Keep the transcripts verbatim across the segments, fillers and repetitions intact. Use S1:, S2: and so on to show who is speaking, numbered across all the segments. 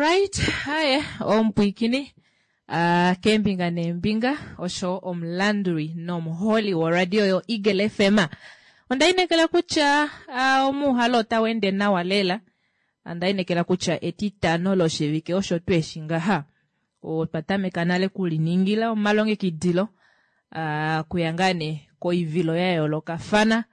S1: Alright, haye omupwiikini uh, keembinga neembinga osho omulanduli nomuholi woradio yo Eagle F M. Onda inekela kutya uh, omuuhalo otau ende nawa lela. Onda inekela kutya etitano loshivike osho tweshi ngaha otwa tameka nale kuliningila omalongekidilo uh, kuya ngaa nee koivilo ya yoolokafana,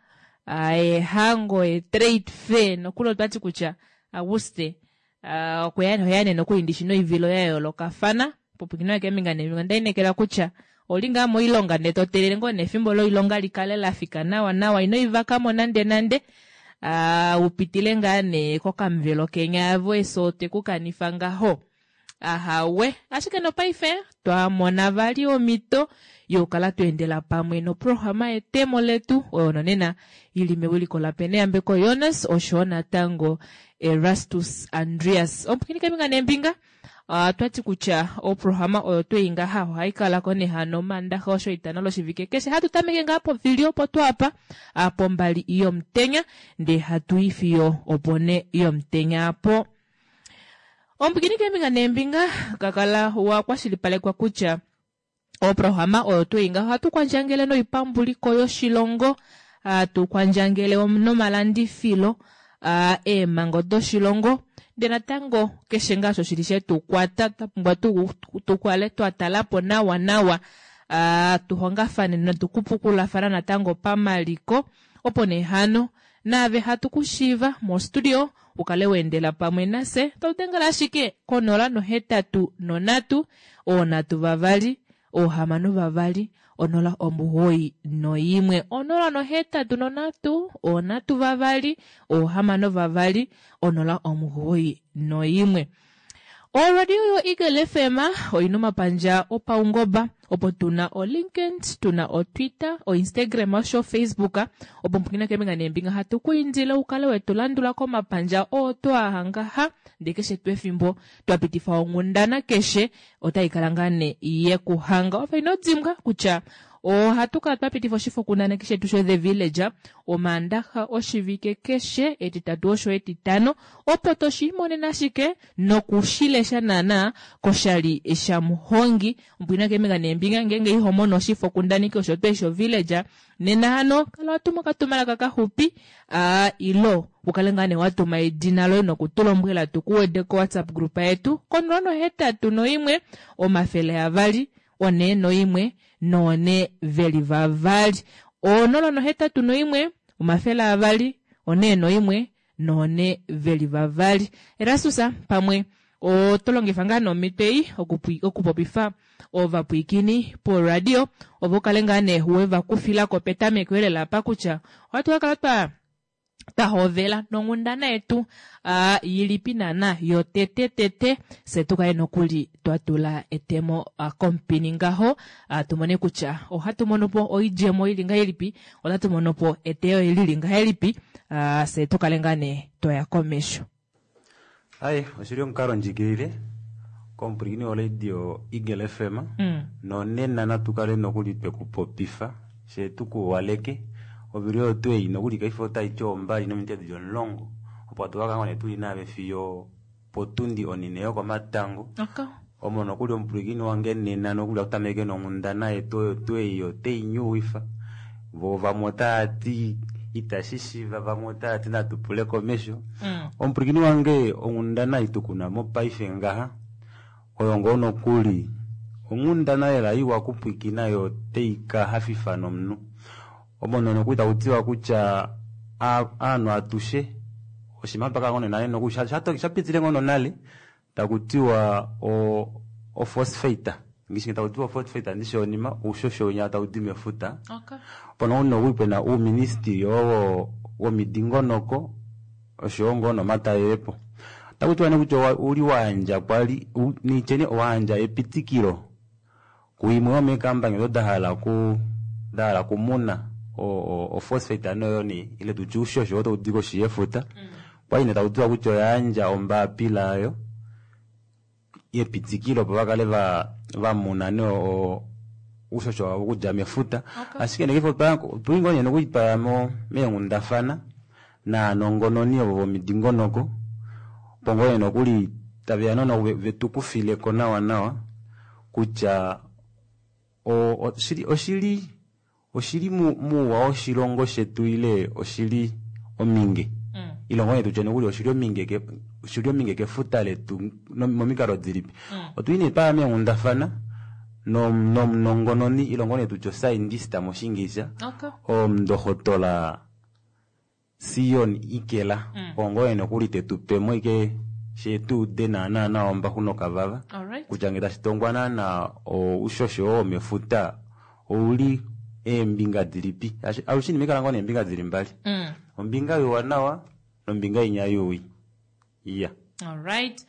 S1: uh, ehango, etrade fair, nokuli otwati kutya Auguste uh, okuya nee nokuli ndishi noivilo ya yoolokafana popwikino keembinga neembinga. Onda inekela kutya oli ngaa moilonga ndee to telele ngoo nefimbo loilonga likale lafika nawa nawa, ino ivakamo nande nande, uh, upitile ngaa nee kokamuvelo kenya avo eso tekukanifa ngaho. Ahawe, ashike nopaife twamona vali omhito yokukala tweendela pamwe noprograma yetemo letu oyo nonena ili mewiliko laPeneyambeko Jonas oshowo natango Erastus Andreas. Omupwiikini keembinga neembinga, uh, twati kutya oprograma oyo twei ngaha ohai kalako nehano Omandaxa osho itano loshivike keshe, hatu tameke ngaa povili opo twapa pombali yomutenya ndee hatu i fiyo opone yomutenya apo. Omupwiikini keembinga neembinga, kakala wa kwashilipalekwa kutya oprograma oyo twei ngaha ohatu kwandjangele noipambuliko yoshilongo, hatu kwandjangele nomalandifilo, uh, eemhango doshilongo, ndee natango keshe ngaa osho shili shetu kwata twa pumbwa tukale twa talapo nawa nawa, uh, tuhongafane notukupukulafana natango pamaliko, opo nee hano naave hatu kushiiva mostudio ukale weendela pamwe nase todengela ashike konola nohetatu nonhatu oonhatu vavali oohamano vavali onola omugoyi noimwe, onola nohetatu nonhatu oonhatu vavali oohamano vavali onola omugoyi noimwe. Oradio yo Eagle F M oyina omapandja opaungoba opo tuna oLinkedIn, tuna oTwitter, oInstagram osho Facebook, opo mpukina keembinga neembinga hatu ku indile ukale wetu landula komapandja oo twahangaha, ndee keshe tuu efimbo twa pitifa onghundana keshe otai kala ngaa nee yekuhanga. Ove ino dimbwa kutya ohatu kala twa pitifa oshifokundaneki shetu sho The Village Omaandaxa oshivike keshe, etitatu osho etitano, opo toshiimonene ashike nokushilesha naana koshali shamuhongi. Omupwiina keembinga neembinga, ngeenge iho mono oshifokundaneki osho tuu sho Village nena hano kala watuma okatumalaka kaxupi, uh, ilo ukale ngaa nee watuma edina loye nokutulombwela tukuwede ko WhatsApp group yetu konola nohetatu noimwe omafele avali one noimwe noone veli vavali, onola nohetatu noimwe omafele avali one noimwe noone veli vavali. Erastus, pamwe oto longifa ngaa nomhito ei okupopifa ovapwiikini poradio ovo ukale ngaa nee wevakufilako petameko elela apa kutya ohatu kakala twa twahovela nonghundana yetu uh, ilipi naana yotete tete, se tukale nokuli twatula etemo uh, komupini ngaho, uh, tumone kutya ohatu mono po oidjemo ili ngahelipi, otatu mono po eteyo lili ngahelipi, uh, se tukale ngaa nee twaya komesho.
S2: Ai, oshili omukalo ndjikilile komupwilikini woradio Eagle F M
S1: mm.
S2: nonena natu kale nokuli twekupopifa she tukuwaleke ovili oyo twei nokuli kaife otai ti ombali nominute dili omulongo, opo atu kakala ngoo tuli nave fiyo potundi onine yokomatango.
S1: Okay.
S2: Omo nokuli omupwilikini wange nena nokuli atutameke nonghundana yetu oyo twei otei nyuwifa, vo vamwe otava ti itashi shiva, vamwe otava ti natu pule komesho.
S1: Mm.
S2: Omupwilikini wange, onghundana itukuna mopaife ngaha oyo ngoo nokuli onghundana lela iwa kupwikina yo tei ka hafifa nomunhu, omo nokuli taku tiwa kutya aanhu atushe oshinima twakala ngoo nale nokuli shapitile ngoo nonale taku tiwa ophosphate, ngishi taku tiwa ophosphate ndishi onima uushosho winya tau di mefuta.
S1: Okay.
S2: Opo nokuli pena uuministili oo womidingonoko oshowo ngoo nomatalelepo taku tiwa nee kutya uli wayandja kwali nityeni owayandja epitikilo kuimwe yomeekambani odo dahala ku dahala kumuna ophosphate noyo nee ile tutye uushosho oo taudi koshi yefuta, kwali nee taku tiwa kutya oyayandja ombapila yayo yepitikilo opo vakale vamuna nee uushosho wavo okudja mefuta.
S1: Okay.
S2: Ashike nee otuli ngoo nee nokuli twaya meenghundafana naanongononi ovo vomidingonoko opo ngoo nee nokuli Taveya nono vetukufileko nawa nawa kutya oshili oshili oshili muuwa woshilongo shetu ile oshili ominge mm. Ilongo nee tutye nokuli oshili ominge oshili ominge kefuta letu momikalo dilipi mm. Otuli nee twaya meenghundafana nomunongononi ilongo nee tutye oscientist moshingilisha
S1: Okay.
S2: Omundohotola Sion Ikela mm. Ongoye nokuli tetupemo ike shetuude naana nawa ombaxu nokavava
S1: Alright.
S2: Kutya ngee tashi tongwa naana oushosho oo womefuta ouli eembinga dilipi alushe inima ikala ngoo neembinga dili mbali
S1: Mm.
S2: ombinga youwanawa nombinga inya youwi iya
S1: Alright.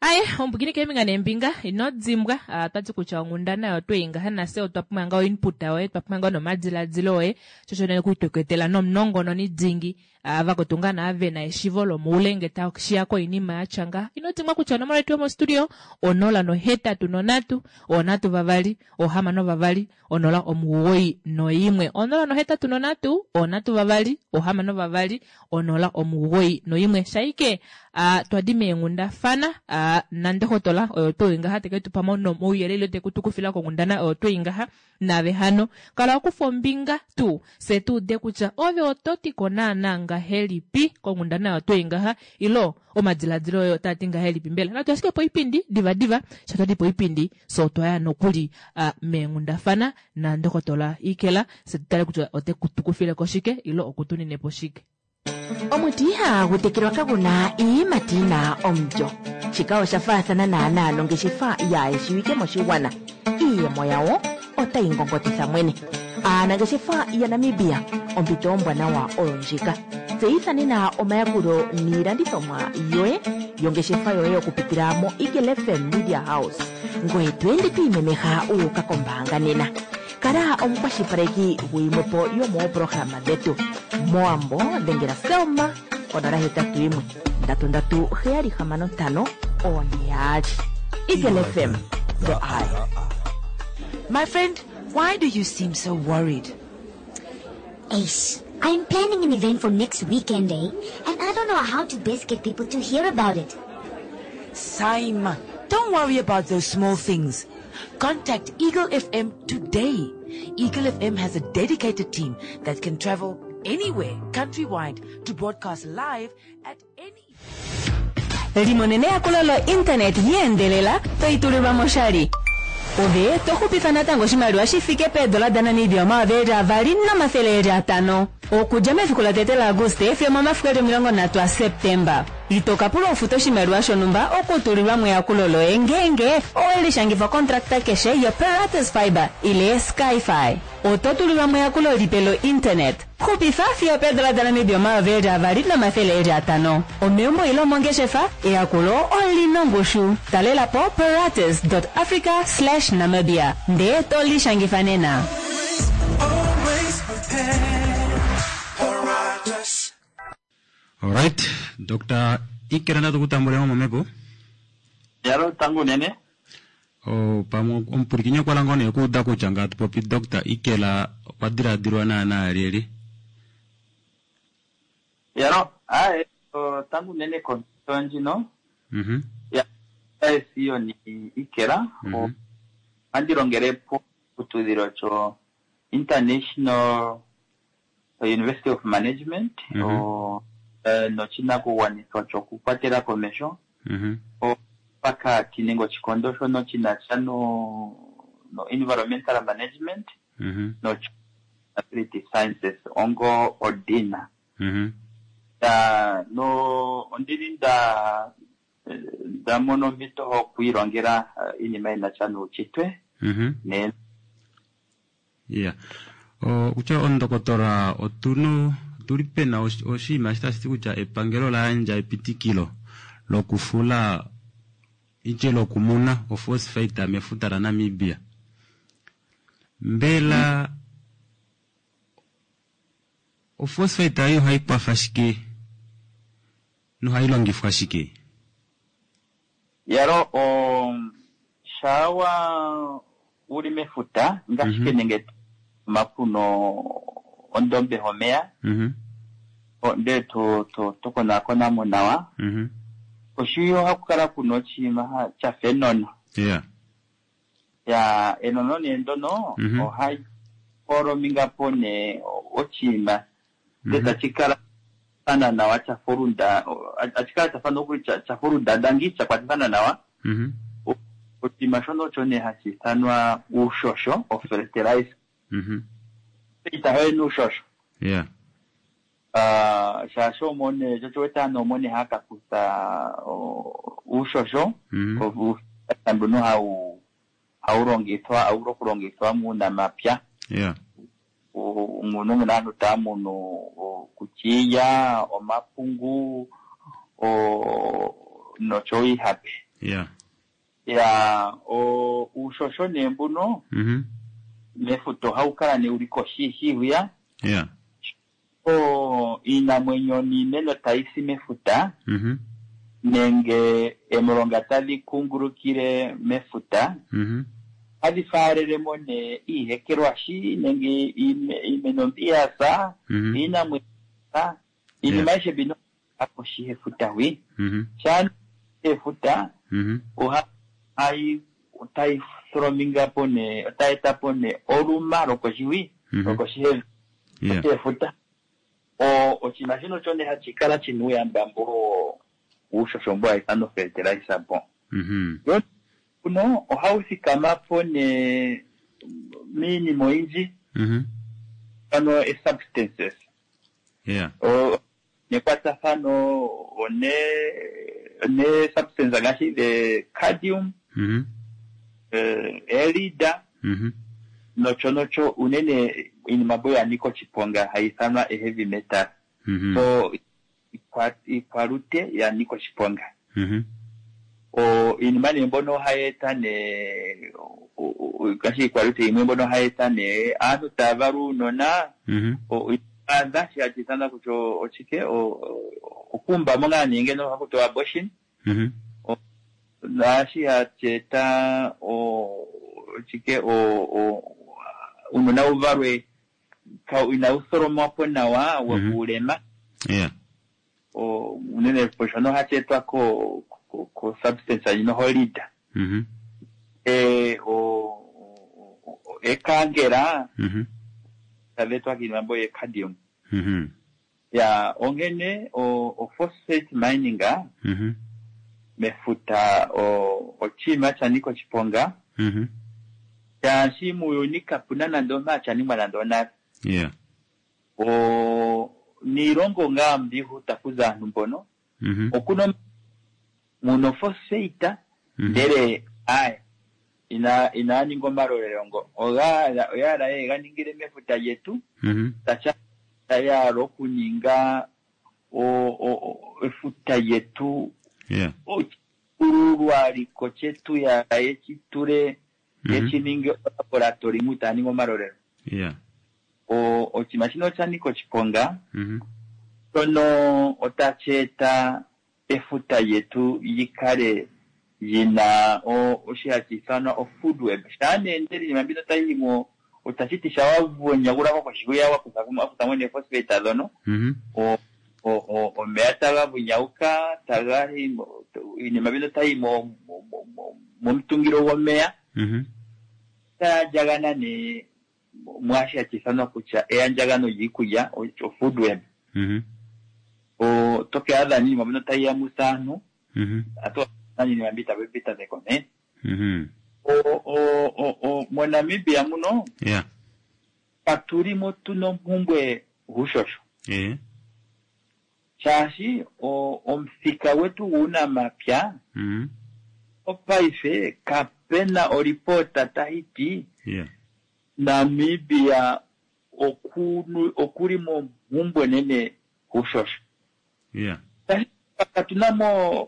S1: Aye, ombukini keembinga neembinga ino dimbwa ah, twati kutya onghundana oyo tweingaha nafye otwa pumbwa ngoo input yoye twa pumbwa ngoo nomadiladilo oye shosho nee kuitweketela nomunongononi dingi ah, vakotunga naa vena eshivo lomoule nge tashiya koinima yatya ngaha ino dimbwa kutya onomola yetu yomostudio onola nohetatu nonhatu onhatu vavali ohamano vavali onola omugoyi noimwe onola nohetatu nonhatu onhatu vavali ohamano vavali onola omugoyi noimwe shaike ah, twadi meenghundafana ah, nandohotola oyo tuu ngaha teke tupa mo nomauyelele tekutukufila konghundana oyo tuu ngaha nave hano kala okufa ombinga tuu se tuude kutya ove oto tiko naana ngahelipi konghundana oyo tuu ngaha ilo omadiladilo oyo otaa ti ngahelipi mbela natu ashike poipindi divadiva sha twadi poipindi so otwaya nokuli uh, meenghundafana nandokotola Ikela se tutale kutya ote kutukufileko shike ilo okutunine po shike.
S3: Omuti ihagu tekelwa kaguna iiyimati yina omulyo. Shika osha faathana naanaa nongeshefa yaayeshiwike moshigwana. Iiyemo yawo otayi ngongotitha mwene. Aanangeshefa yaNamibia, ompito ombwanawa oyo ndjika. Tseyitha nena omayakulo niilandithomwa yoye yongeshefa yoye okupitila mo Eagle F M Media House. Ngoye to ende to imemeha wu uka kombaanga nena. Kala omukwashilipaleki guyimwe po yomoopolohalama dhetu. Mowambo dhengela Selma onola hetatu yimwe ndatu ndatu heyali hamano ntano one yaali. Eagle F M, the eye.
S4: My friend, why do you seem so worried?
S5: Ace, I'm planning an event for next weekend, eh? And I don't know how to best get people to hear about it.
S4: Saima, don't worry about those small things. Contact Eagle F M today. Eagle F M has a dedicated team that can travel anywhere, countrywide, to broadcast live at any.
S6: Limonene eyakulo lo-internet yeendelela toitulilwa moshali ove to xupifa natango oshimaliwa shi fike peedola daNamibia omayovi eli avali nomathele eli atano okudja mefiku latete laAguste fiyo momafiku eli omilongo nhatu aSeptemba. Ito ka pula ofuta oshimaliwa shonhumba okutulilwa mo eyakulo loye ngeenge owe lishangifa kontrakta keshe yoParatus Fiber ile Skyfi. Oto tulilwa mo eyakulo lipe lo-internet. Xupifa fiyo peedola daNamibia omayovi eli avali nomathele eli atano omeumbo ile omongeshefa. Eyakulo olina ongushu. Talela po paratus africa namibia ndee to lishangifa nena.
S7: Always prepared. Paratus.
S2: Alright, Dr Ikela natukutambulemo momhepo.
S8: Yalo tangu unene.
S2: O pamwe omupulikinyi okwa langa nee okuuda kutya ngatu popi Dr Ikela okwa diladilwa naana lyelye.
S8: Yalo aye tangu unene kompito ndjino.
S2: Mhm.
S8: Ya Sioni Ikela.
S2: Mhm.
S8: Ohandi longele poshiputudhilo sho International University of Management
S2: Mhm.
S8: o, eh, noshinakugwanithwa shokukwatela komeho
S2: Mhm.
S8: pakati nenge oshikondo shono shinasha no, no environmental management
S2: Mhm.
S8: no sustainability sciences ongo odina.
S2: Mhm.
S8: Ya no ondili nda nda mono ompito okwiilongela eh, iinima yinasha nuushitwe
S2: Mhm.
S8: ne
S2: Yeah. O kutya ondokotola otuno otuli pena oshi- oshinima eshi tashi ti kutya epangelo la yandja epitikilo lokufula itye lokumuna ophosphate mefuta laNamibia. Mbela ophosphate ayo ohayi kwafa shike nohayi longifwa shike?
S8: Yalo o shawa uli mefuta ngashike
S2: Mhm.
S8: nenge mapuno ondombe homeya
S2: Mhm.
S8: o- ndele to to tokonakonamo nawa
S2: Mhm.
S8: Koshi ohaku kala kuna oshinima ha- shafa enono.
S2: Yeah.
S8: Ya enono nee ndono
S2: Mhm.
S8: ohai folomingapo nee oshinima ndele tashi kala fana nawa shafa olunda hashi kala shafa nokuli sha- shafa olundadangi sha kwatafana nawa.
S2: Mhm.
S8: Oshinima shono osho nee hashi ithanwa uushosho o fertilizer.
S2: Mhm.
S8: Itahoye nuushosho.
S2: Yeah.
S8: Ah, shaashi omone sho wete aantu omone haya ka kutha o- uushosho
S2: Mhm.
S8: mbuno hawu hawu longithwa hawu vulu okulongithwa muunamapya
S2: Yeah.
S8: U- muno muna aantu taya munu o- kutya iilya omapungu o- noshowo iihape
S2: Yeah.
S8: ya o- uushosho nee mbuno
S2: Mhm.
S8: mefuta ohawu kala nee uli koshi hwiya
S2: Yeah.
S8: o iinamwenyo niimeno tayi si mefuta
S2: Mhm.
S8: nenge emilonga tadhi kungulukile mefuta
S2: Mhm.
S8: hadhi faalelemo nee iihekelwashi nenge iime- iimeno mbi ya sa
S2: Mhm.
S8: iinamwenyo ya sa iinima ayihe mbino koshi yefuta hwi
S2: Mhm.
S8: shaa efuta
S2: Mhm.
S8: oha hayi otayi tholomingapo nee otayi etapo nee oluma lokoshi hwi
S2: Mhm.
S8: lokoshi yevi
S2: Yeah.
S8: efuta o oshinima shino osho nee hashi kala shina uuyamba mbo uushosho mbo hawu ithanwa fertilizer po
S2: Mhm.
S8: kuno ohawu thikama po nee miinima oyindji
S2: Mhm.
S8: ano e-substances
S2: Yeah.
S8: O- nekwatathano one one substance ngaashi the cadmium
S2: Mhm.
S8: eh, elida
S2: Mhm.
S8: nocho nocho unene iinima mbo ya nika oshiponga hayi ithanwa e-heavy metal
S2: Mhm.
S8: so ikwa- ikwalute ya nika oshiponga
S2: Mhm.
S8: o iinima nee mbono ohayi eta nee o- o- o- ngaashi ikwalute yimwe mbono ohayi eta nee aantu taya valwa uunona
S2: Mhm.
S8: adha shi hashi ithanwa kutya oshike o- o- okuumbamo ngaa nee ngeno haku tiwa abortion
S2: Mhm.
S8: naashi hashi eta o- oshike o- o- uunona wu valwe ka- inawu tholomwapo nawa
S2: Mhm.
S8: wuulema
S2: Yeah.
S8: o- unene po shono hashi etwa ko ko- ko substance ndjino holida
S2: Mhm.
S8: e o o- o- ekangela
S2: Mhm.
S8: tadhi etwa kiinima mbo yecadium
S2: Mhm.
S8: ya onkene o, o phosphate mining
S2: Mhm.
S8: mefuta o oshinima sha nika oshiponga
S2: Mhm.
S8: shaashi muuyuni kapuna nande omuntu sha ningwa nande onale
S2: Yeah.
S8: o niilongo ngaa mbihu takuza aantu mbono
S2: Mhm.
S8: okuna muno phosphate
S2: Mhm.
S8: ndele aye ina inaa ninga omalolelo ngo oga oyala ye ga ningile mefuta lyetu
S2: Mhm.
S8: tacha tayala okuninga o- o- o- efuta lyetu
S2: Yeah.
S8: ochikululwaliko chetu ya yechitule
S2: Mhm.
S8: yechininge olaboratori mu taya ningi omalolelo
S2: Yeah.
S8: O- oshinima shino osha nika oshiponga
S2: Mhm.
S8: shono otashi eta efuta lyetu lyikale lyina o- oshi hashi ithanwa o-food web shaa nee ndele iinima mbino tayi yimo otashi ti sha wavonyagulako koshikuya wakuthamo nee phosphate dhono
S2: Mhm.
S8: o- o- o- omeya taga vunyauka taga yi mo- iinima mbino tayi mo- mo- mo- mo- momutungilo gwomeya
S2: Mhm.
S8: tayandjagana nee mwaashi hashi ithanwa kutya eyandjagano lyiikulya o- o food web
S2: Mhm.
S8: o toke adha niinima mbino tayi yamutha aantu
S2: Mhm.
S8: atu iinima mbi tayi petameko nee
S2: Mhm.
S8: o o o o moNamibia muno
S2: Yeah.
S8: katulimo tuna ompumbwe guushosho
S2: Eh.
S8: shaashi o- omuthika gwetu guunamapya
S2: Mhm.
S8: opaife kapena olipota tayi ti
S2: Yeah.
S8: Namibia okunu- okuli mompumbwe nene guushosho
S2: Yeah.
S8: katuna mo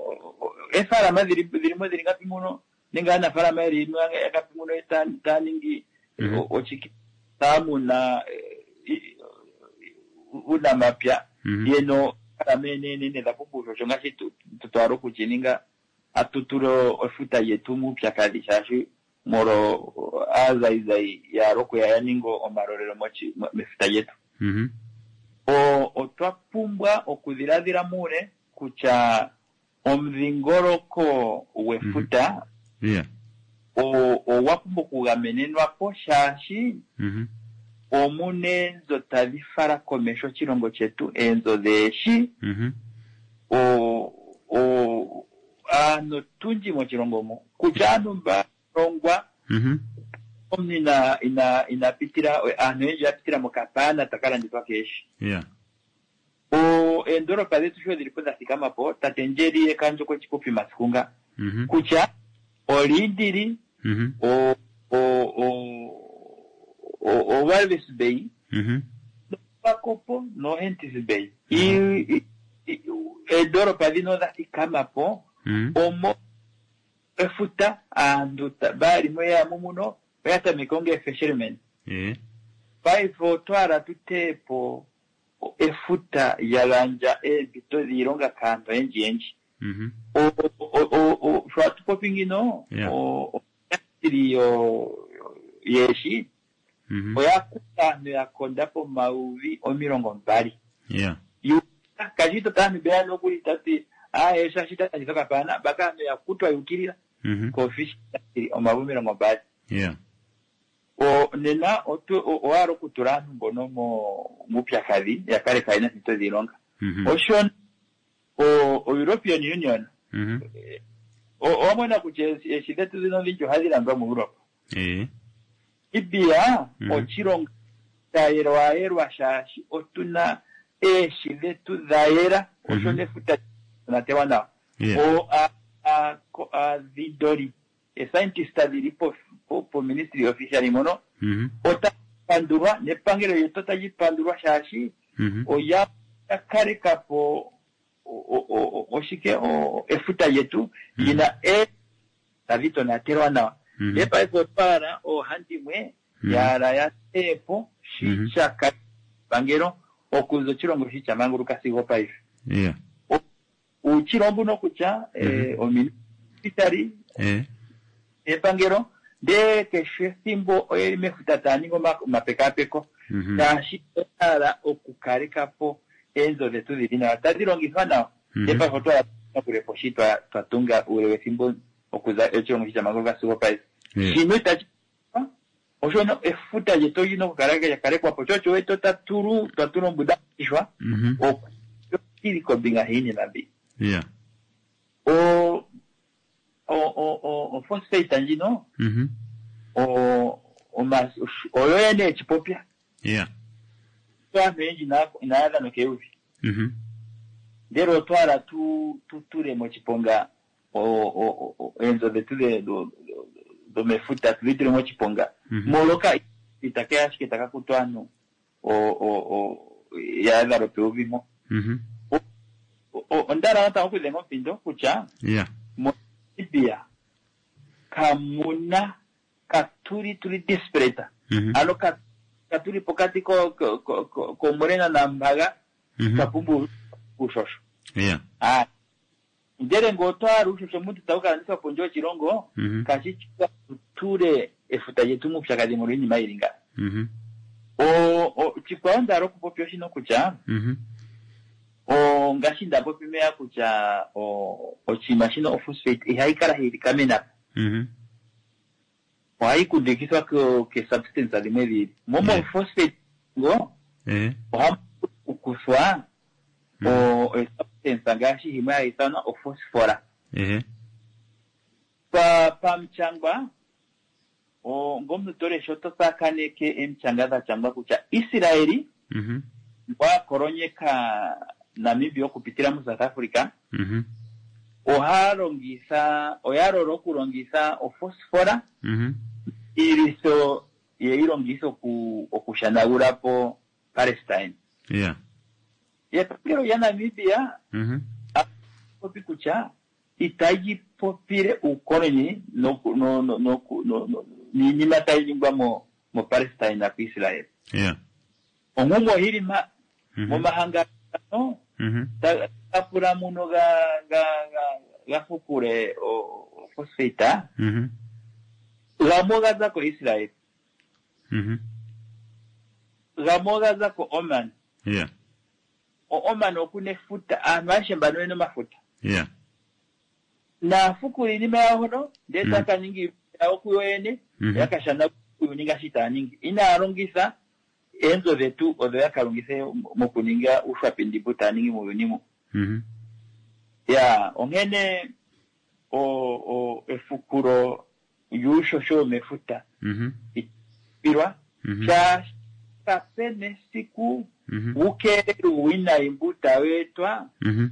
S8: efaalama dhili dhilimo dhili ngapi muno nenge aanafaalama yeli ngapi muno ta- taya ningi
S2: Mhm.
S8: o- ochiki taya muna eh, i- uunamapya
S2: Mhm.
S8: yeno faalama enenene dha pumbwa uushosho ngaashi tu- tu- twala okuchininga atutule efuta lyetu muupyakadhi shaashi molo aazayizayi yaala okuya ya ninge omalolelo mochi- mo- mefuta lyetu
S2: Mhm.
S8: o otwa pumbwa okudhiladhila muule kutya Omudhingoloko gwefuta
S2: Yeah.
S8: o- ogwa pumbwa okugamenenwa po shaashi
S2: Mhm.
S8: omuna eenzo tadhi fala komesho oshilongo chetu eenzo dheeshi
S2: Mhm.
S8: o- o- aantu tundji moshilongo mo kutya aantu mba longwa
S2: Mhm.
S8: omuntu ina ina inapitila aantu oyendji ya pitila mokapana taka landithwa keeshi
S2: Yeah.
S8: o eendolopa dhetu sho dhili po dha thikama po tate Ndjeri Ekandjo kwechipopi masiku nga
S2: Mhm.
S8: kutya Oliindili
S2: Mhm.
S8: o o o o o Walvis Bay
S2: Mhm.
S8: Pakopo no Henties Bay I- i- i- eendolopa dhino dha thikama po
S2: Mhm.
S8: omo efuta aantu ta- balimo yamo muno oya tameke onga fishermen
S2: Eh.
S8: paife otwala tuteepo efuta lya gandja eempito dhiilonga kaantu oyendji yendji
S2: Mhm.
S8: O- o- o- o- sho atu popi ngino
S2: Yeah.
S8: o- oindustry yo- yeeshi
S2: Mhm.
S8: oya kuta aantu ya konda pomayuvi omilongo mbali
S2: Yeah.
S8: kashito taantu beya nokuli tati aye shashi talanditha okapana baka aantu ya kutwa yukilila
S2: Mhm.
S8: kofish omavi omilongo mbali
S2: Yeah.
S8: o nena otu- o- owahala okutula aantu mbono mo- muupyakadhi ya kale kayena ompito dhiilonga
S2: Mhm.
S8: osho o o European Union
S2: Mhm.
S8: o- owamona kutya eeshi eeshi dhetu dhino odhindji ohadhi landwa mu Europe
S2: Eh.
S8: Namibia
S2: Mhm.
S8: oshilongo sha yelwayelwa shaashi otuna eeshi dhetu dha yela osho
S2: Mhm.
S8: nefuta tonatelwa nawa
S2: Yeah.
S8: o a- a- ko- aadhindoli escientist dhili po, po, po ministry officially mono
S2: Mhm.
S8: ota pandulwa nepangelo lyetu otali pandulwa shaashi
S2: Mhm.
S8: oya kaleka po o- o- o- oshike o- efuta lyetu lina e tadhi tonatelwa nawa
S2: Mhm.
S8: ndee paife otwaala oohandimwe
S2: Mhm.
S8: yaala ya teepo
S2: Mhm.
S8: shi sha pangelo okuza oshilongo shi sha manguluka sigo paife
S2: Yeah.
S8: uuchilo mbuno kutya eh, oministry
S2: Eh.
S8: epangelo ndee keshe ethimbo oyeli mefuta taya ningi oma- omapekapeko
S2: Mhm.
S8: shaashi oyahala okukaleka po eenzo dhetu dhili nawa tadhi longithwa nawa
S2: Mhm.
S8: ndee paife otwala kulepo shi twa twa tunga uule wethimbo okuza oshilongo shi sha manguluka sigo paife
S2: Yeah.
S8: shino itashi oshono efuta lyetu olina okukala lya kalekwa po chocho wetu tatulu twatula ombuda ishwa
S2: Mhm.
S8: okili kombinga hiinima mbi
S2: Yeah.
S8: o o o o o phosphate ndjino
S2: Mhm.
S8: o oma oyo yene echipopya
S2: Yeah.
S8: aantu oyendji inaya- inaya dhana keyuvi
S2: Mhm.
S8: ndele otwala tu tu tule moshiponga o- o- o- eenzo dhetu dhe- dho- dho- dhomefuta tudhi tule moshiponga
S2: Mhm.
S8: moloka itakeya ashike taka kutu aantu o- o- o- ya adha lwopeuvi mo
S2: Mhm.
S8: O- o- ondala natango okudhenga omuthindo kutya
S2: Yeah.
S8: moNamibia kamuna katuli tuli desperate
S2: Mhm.
S8: ano ka- katuli pokati ko- ko- ko- ko- komurena nambaga
S2: Mhm.
S8: twapumbwa uushosho
S2: Yeah.
S8: Ah. ndele ngele otwahala uushosho omuntu tawu kalandithwa pondje yoshilongo
S2: Mhm.
S8: kashi shi tutule efuta lyetu muupyakadhi molwa iinima yili nga
S2: Mhm.
S8: O- o- chikwawo ndahala okupopya oshino kutya
S2: Mhm.
S8: o ngaashi nda popi meya kutya o- oshinima shino ophosphate ihayi kala hayi likamena
S2: Mhm.
S8: ohayi kundukithwa ke- ke-substance dhimwe dhili mo
S2: Yeah.
S8: mophosphate ngo
S2: Eh.
S8: ohamu kuthwa
S2: Mhm.
S8: o o-substance ngaashi yimwe hayi ithanwa ophosphora
S2: Eh.
S8: pa pamuchangwa o ngomuntu tolesha oto tsakaneke emichanga dha changwa kutya Israeli
S2: Mhm.
S8: wakolonyeka Namibia okupitila mu South Africa
S2: Mhm.
S8: oha longitha oya lola okulongitha ophosphora
S2: Mhm.
S8: iilwitho yeyi longitha oku okushanagula po Palestine
S2: Yeah.
S8: epangelo lya Namibia
S2: Mhm.
S8: popi kutya itayi popile uukoloni noku- no- no- noku- no- no- niinima tayi ningwa mo mo Palestine na ku Israel
S2: Yeah.
S8: onkumwe oyili ma
S2: Mhm.
S8: momahangano
S2: Mhm.
S8: ta- tapula muno ga ga ga ga fukule o- o phosphate
S2: Mhm.
S8: gamwe oga za ko Israel
S2: Mhm.
S8: gamwe oga za ko Oman
S2: Yeah.
S8: O Oman okuna efuta aantu aeshe mbano oyena omafuta
S2: Yeah.
S8: Naafukula iinima yawo hono ndee
S2: Mm.
S8: taa ka ninga iinima yawo kuyo yene
S2: Mhm.
S8: ya kashana uuyuni ngaashi taya ningi inaya longitha eenzo dhetu odho ya ka longithe mokuninga uushwapindi mbu taya ningi muuyuni mu
S2: Mhm.
S8: ya onkene o, o efukulo lyuushosho womefuta
S2: Mhm.
S8: pilwa
S2: Mhm.
S8: shaashi kapena esiku
S2: Mhm.
S8: wukeelele uuwinayi mbu tawu etwa
S2: Mhm.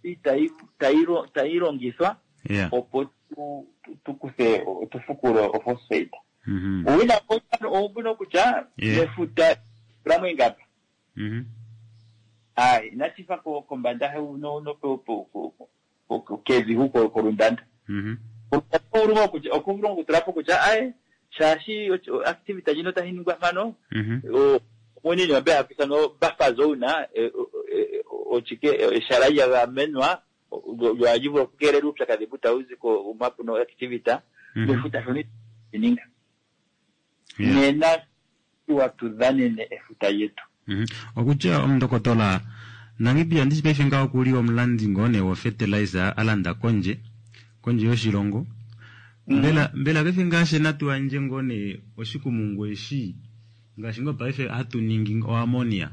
S8: itayi tayi tayi longithwa
S2: Yeah.
S8: opo tu, tu, tu kuthe tu fukule ophosphate
S2: Mhm.
S8: uuwinayi oumbuno kutya
S2: Yeah.
S8: mefuta tulamo ingapa
S2: Mhm.
S8: ayi inashi fa ko- kombanda no no po- po- po- po- po- kevi huko kolundanda
S2: Mhm.
S8: okuvulu okutulapo kutya aye shaashi ochi- activity ndjino tayi ningwa mpano
S2: Mhm.
S8: o- munini wambe hakuithanwa buffer zone eh, eh, ochike eshala lya gamenwa lyo vulu okukeelela uupyakadhi mbu tawu zi ko mapuno activity
S2: Mhm.
S8: mefuta shono ininga
S2: Yeah.
S8: nena tuwa tudhanene efuta lyetu
S2: Mhm. Okutya omundokotola Namibia ndishi paife ngaho okuli omulandi ngoo nee wo fertilizer alanda kondje kondje yoshilongo mbela mbela paife ngaashi natu yandje ngoo nee oshikumungu eshi ngaashi ngoo paife hatu ningi oammonia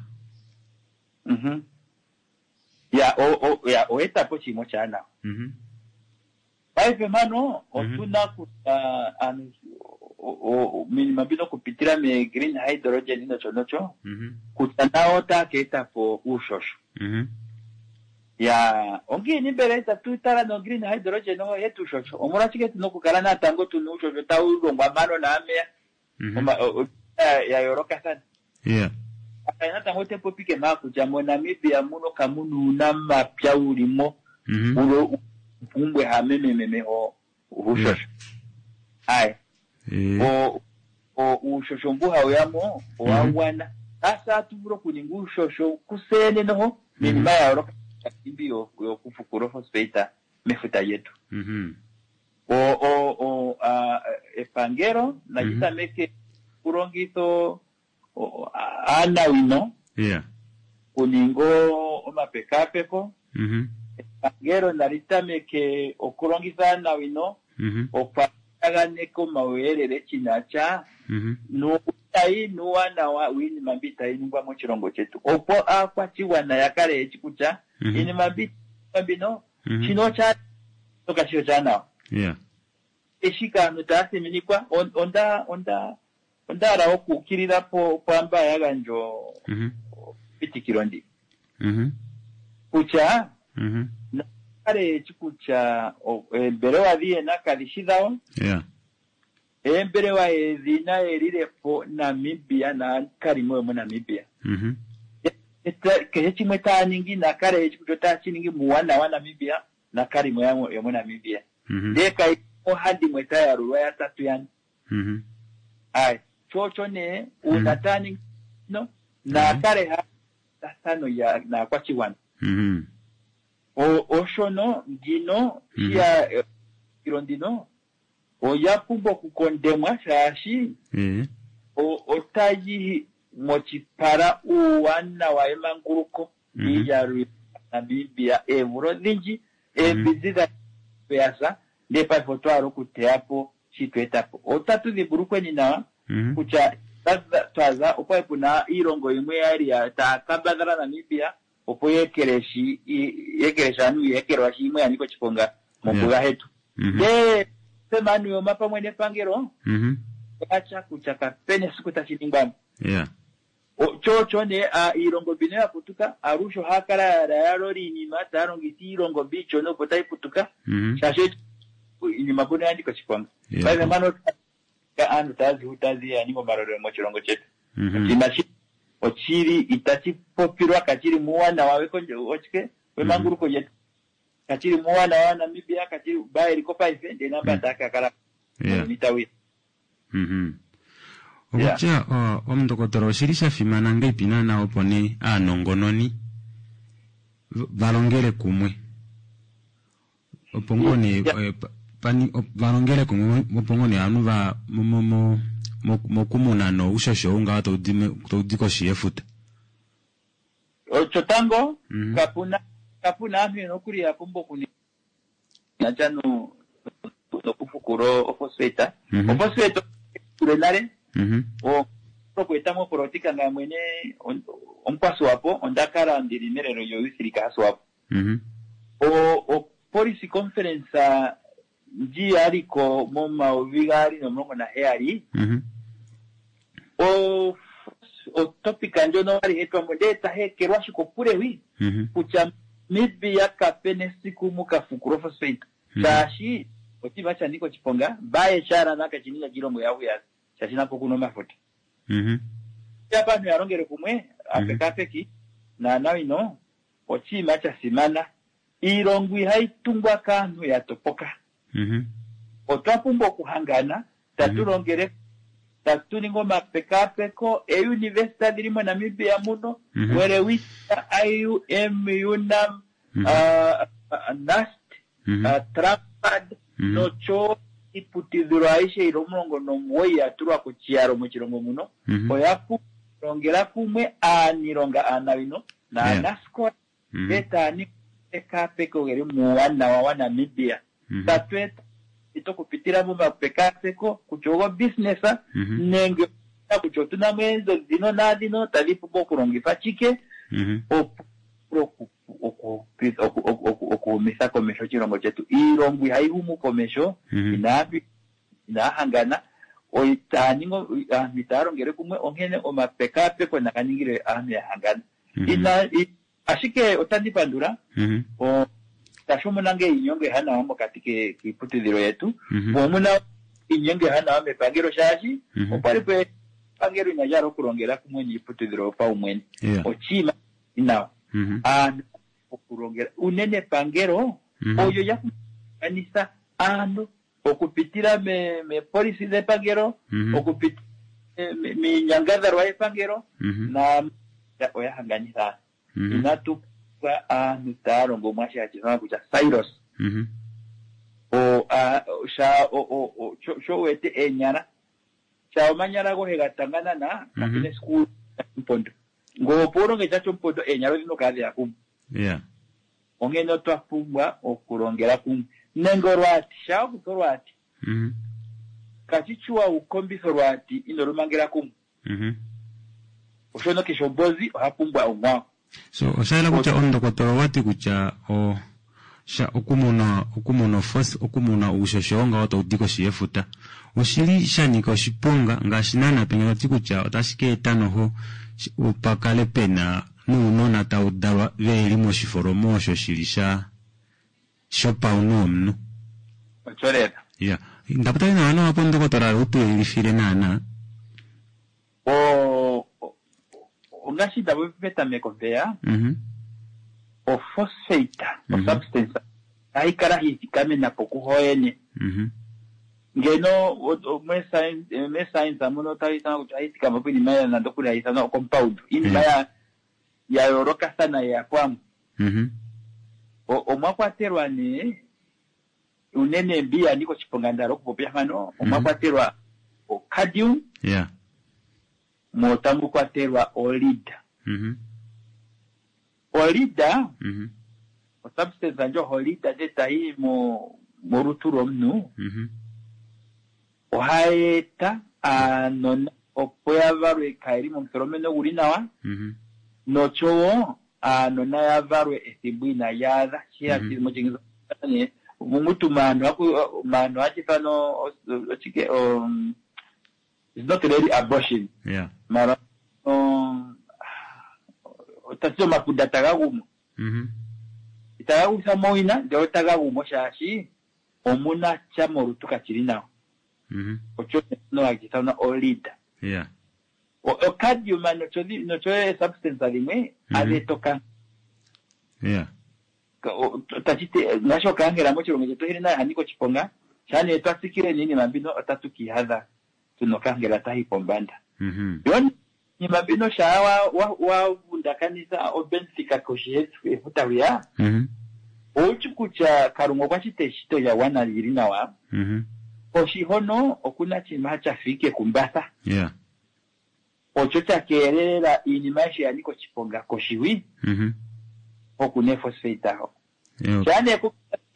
S8: Mhm. ya o- o- ya oetapo oshinima oshaanawa
S2: Mhm.
S8: paife mpano otuna kutya aantu o- o- minima mbino okupitila me green hydrogen nocho nocho
S2: Mhm.
S8: kutya nawo otaya ka etapo uushosho
S2: Mhm.
S8: ya ongiini mbela itatu tala no green hydrogen oyo yetu uushosho omolwashike tuna okukala natango tuna uushosho tawu longwa mpano naameya
S2: Mhm.
S8: Oma- o- o- ya ya yoolokathana
S2: Yeah.
S8: Aka natango otepopike maa kutya moNamibia muno kamuna uunamapya wulimo
S2: Mhm.
S8: ulo pumbwe hamemememe o uushosho ayi
S2: Eh.
S8: o o uushosho mbu hawu yamo owa
S2: Mhm.
S8: gwana asa atu vulu okuninga uushosho kusene noho minima ya yooloka imbi yo- yokufukula ofosfate mefuta lyetu
S2: Mhm.
S8: o o o a, epangelo nali
S2: Mhm.
S8: tameke kulongitha o- o- a- aanawino
S2: Yeah.
S8: kuninga omapekapeko
S2: Mhm.
S8: epangelo nali tameke okulongitha aanawino
S2: Mhm.
S8: okwaganeka omauyelele shinasha
S2: Mhm.
S8: nuutayi nuuwanawa wiinima mbi tayi ningwa moshilongo chetu opo aakwashigwana ya kale yeshi kutya
S2: Mhm.
S8: iinima mbi mbino
S2: Mhm.
S8: shino osha shoka shi oshaanawa
S2: Yeah.
S8: eshika aantu taya thiminikwa on- onda onda onda hala okuukilila po pwamba ya gandja
S2: Mhm.
S8: epitikilo ndi
S2: Mhm.
S8: kutya
S2: Mhm.
S8: kale yeshi kutya o- eembelewa dhiyena kadhi shi dhawo
S2: Yeah.
S8: eembelewa yedhina yelilepo Namibia naakalimo yomoNamibia
S2: Mhm.
S8: Eta- kehe chimwe taya ningi nakale yeshi kutya otaya shi ningi muuwanawa waNamibia naakalimo yamo- yomoNamibia
S2: Mhm.
S8: ndee kayi ohandimwe tayalulwa yatatu yane
S2: Mhm.
S8: ayi chocho nee uuna
S2: Mhm.
S8: taya ningi no naakale hatathano ya naakwashigwana
S2: Mhm.
S8: O- oshono ngino
S2: Mhm.
S8: shiya ilo ndino oya pumbwa okukondemwa shaashi
S2: Eh.
S8: o- otayi mochipala uuwanawa emanguluko
S2: Mhm.
S8: iiyalu Namibia eemvula odhindji eembinzi dha yasa ndee paife otwa hala okuteyapo shi tweetapo otatu dhimbulukweni nawa
S2: Mhm.
S8: kutya twa- twaza okwali puna iilongo yimwe yali ya- taya kambadhala Namibia opo yeekeleshi yeekeleshi aantu yeekelwashi yimwe ya nika oshiponga mombuga hetu
S2: Mhm.
S8: ndee semanuyoma pamwe nepangelo
S2: Mhm.
S8: oyacha kutya kapena esiku tashi ningwamo
S2: Yeah.
S8: O- chocho ne a, iilongo mbino ya putuka alushe ohaya kala ya yalola iinima taya longitha iilongo mbi iishona opo tayi putuka
S2: Mhm.
S8: shaashi iinima mbono ya nika oshiponga
S2: Yeah.
S8: paife mpano aantu taya zi hu taya zi ya ninga omalolelo moshilongo shetu
S2: Mhm.
S8: oshinima shi oshili itashi popilwa kashili muuwanawa wekondje ochike wemanguluko lyetu kashili muuwanawa waNamibia kashili bayeliko paife ndee namba taya ka kala
S2: Yeah.
S8: muuyuni tawuya
S2: Mhm. Okutya o- omundokotola oshili sha fimana ngeipi naana opo nee aanongononi v- valongele kumwe opo ngoo nee
S8: Yeah.
S2: eh, pa- pani- op- valongele kumwe opo ngoo nee ovanhu va mo- mo- mo- mo- mokumuna noushosho ou ngaho taudi me- taudi koshi yefuta
S8: chotango
S2: Mhm.
S8: kapuna kapuna aantu yena okuli ya pumbwa okuninga Nacha no nokufukula ofosfeta.
S2: Mhm.
S8: Ofosfeta kule nale
S2: Mhm.
S8: o okueta mopolitika nga mwene on- omukwaswapo onda kala ndili melelo lyoyouth league yaSwapo.
S2: Mhm.
S8: O o policy conference ndji yaliko momayovi gaali nomulongo naheyali
S2: Mhm.
S8: o otopic ndjono yali hetwamo ndee tahekelwa shikokule wi
S2: Mhm.
S8: kutya Namibia kape nesiku mukafukula ofosfate
S2: Mhm.
S8: shaashi oshinima sha nika oshiponga baye shalana kashininga kiilongo yahuya shaashi nako kuna omafuta
S2: Mhm.
S8: abantu yalongele kumwe apekapeki naanawino oshinima sha simana iilongo ihayi tungwa kaantu ya topoka
S2: Mhm.
S8: otwa pumbwa okuhangana tatu
S2: Mhm.
S8: longele tatu ningi omapekapeko euniversity dhili moNamibia muno
S2: Mhm.
S8: Welwitschia IUM UNAM
S2: Mhm.
S8: ah, ah, NUST
S2: Mhm.
S8: ah, Trampad
S2: Mhm.
S8: nocho iiputudhilo ayihe yili omulongo nomugoyi ya tulwa kochiyalo moshilongo muno
S2: Mhm.
S8: oya kulongela kumwe aanilonga aanawino naanasikola
S2: Mhm.
S8: etaya ningi omapekapeko geli muuwanawa waNamibia
S2: Mhm.
S8: tatu eta okupitila momapekapeko kutya ogo business
S2: Mhm.
S8: nenge kutya otuna mo eenzo dhino naadhino tadhi pumbwa okulongitha chike
S2: Mhm.
S8: opo oku- oku- oku- oku- oku- okuhumitha komeho oshilongo chetu iilongo ihayi humu komeho
S2: Mhm.
S8: inaa inaa hangana itaya ningi aantu itaya longele kumwe onkene omapekapeko naga ningile aantu ya hangana
S2: Mhm.
S8: ina i- ashike otandi pandula
S2: Mhm.
S8: o- tashi omuna nge iinyongo ehanawa mokati ke- kiiputudhilo yetu
S2: Mhm.
S8: mo omuna iinyongo ehanawa mepangelo shaashi
S2: Mhm.
S8: okwali pe epangelo ina lyala okulongela kumwe niiputudhilo yopaumwene
S2: Yeah.
S8: oshinima inawa
S2: Mhm.
S8: aantu okulongela unene epangelo
S2: Mhm.
S8: olyo lyakuganitha aantu okupitila me- mepolisi dhepangelo
S2: Mhm.
S8: okupitila me- miinyangadhalwa yepangelo
S2: Mhm.
S8: na oya hanganitha aantu
S2: Mhm.
S8: inatu pumbwa aantu taya longo mwashi hashi ithanwa kutya silos
S2: Mhm.
S8: o a- sha o- o- o- sho- sho wete eenyala sha omanyala gohe ga tanganana
S2: Mhm.
S8: kapena esiku mpondo ngo opo ulonge sha shompondo eenyala odhina okukala kumwe
S2: Yeah.
S8: onkene otwa pumbwa okulongela kumwe nenge olwaati sha okutha olwaati
S2: Mhm.
S8: kachichiwa ukombitha olwaati ino lumangela kumwe
S2: Mhm.
S8: oshono keshe ombozi oha pumbwa omwawo
S2: So osha kutya omundokotola owati kutya o sha okumuna okumuna fos okumuna uushosho ngawo tawu di koshi yefuta oshili sha nyika oshiponga ngaashi naana penya tati kutya otashi ka eta noho shi- pakale pena nuunona tawu dalwa veli moshifolomo osho shili sha shopaunhu womunhu
S8: osho lela
S2: ya ndapotali nawa nawa po ndokotola utuyelifile naana
S8: o o- ongaashi ndapopi petameko mpeya
S2: mhm
S8: ophosphate
S2: Mhm.
S8: osubstance hayi kala hiithikamena po kuhoyene
S2: mhm
S8: ngeno o- o- me-science me-science muno otayi ithanwa kutya hayi thikama po iinima ya nando kuli hayi ithanwa ocompound iinima
S2: Mm.
S8: ya ya yoolokathana yeya pamwe
S2: mhm
S8: O- omwa kwatelwa nee unene mbi ya nika oshiponga ndala okupopya mpano omwa
S2: Mhm.
S8: kwatelwa ocadium
S2: ya
S8: mo tamu kwatelwa olid
S2: mhm
S8: olida
S2: mhm
S8: osubstance ndjo holida nde tayi mo molutu lwomuntu
S2: mhm
S8: ohayi eta aanona opo ya valwe kayeli momutholomeno guli nawa
S2: mhm
S8: nochowo aanona ya valwe ethimbo inali adha
S2: Mhm.
S8: mochingisa mumutu maantu aku- maantu hachithano ochike um, it's not really abortion
S2: ya
S8: mara um, otati omafuda taga gumo
S2: mhm
S8: itaga gutha mowina ndele otaga gumo shaashi omuna sha molutu kachili nawa
S2: mhm
S8: ocho no hachithanwa olida
S2: ya
S8: ocadium nocho dhi- nocho substance dhimwe
S2: Mhm.
S8: adhi etoka
S2: ya
S8: tachiti ngaashi okankela moshilongo shetu hili nayo hanika oshiponga shaa nee twatsikile niinima mbino otatu kiihadha tuna okankela tayi pombanda
S2: mhm
S8: yo iinima mbino shaa wa- wa- wa vundakanitha obenfika koshi yefuta hwiya
S2: mhm
S8: owutyi kutya kalunga okwa shita eshito lya gwana lili nawa
S2: mhm
S8: koshi hono okuna oshinima shafa ike kumbatha
S2: ya
S8: osho sha keelela iinima ayihe ya nika oshiponga koshiwi
S2: mhm
S8: okuna efosfate aho
S2: ya
S8: shaa nee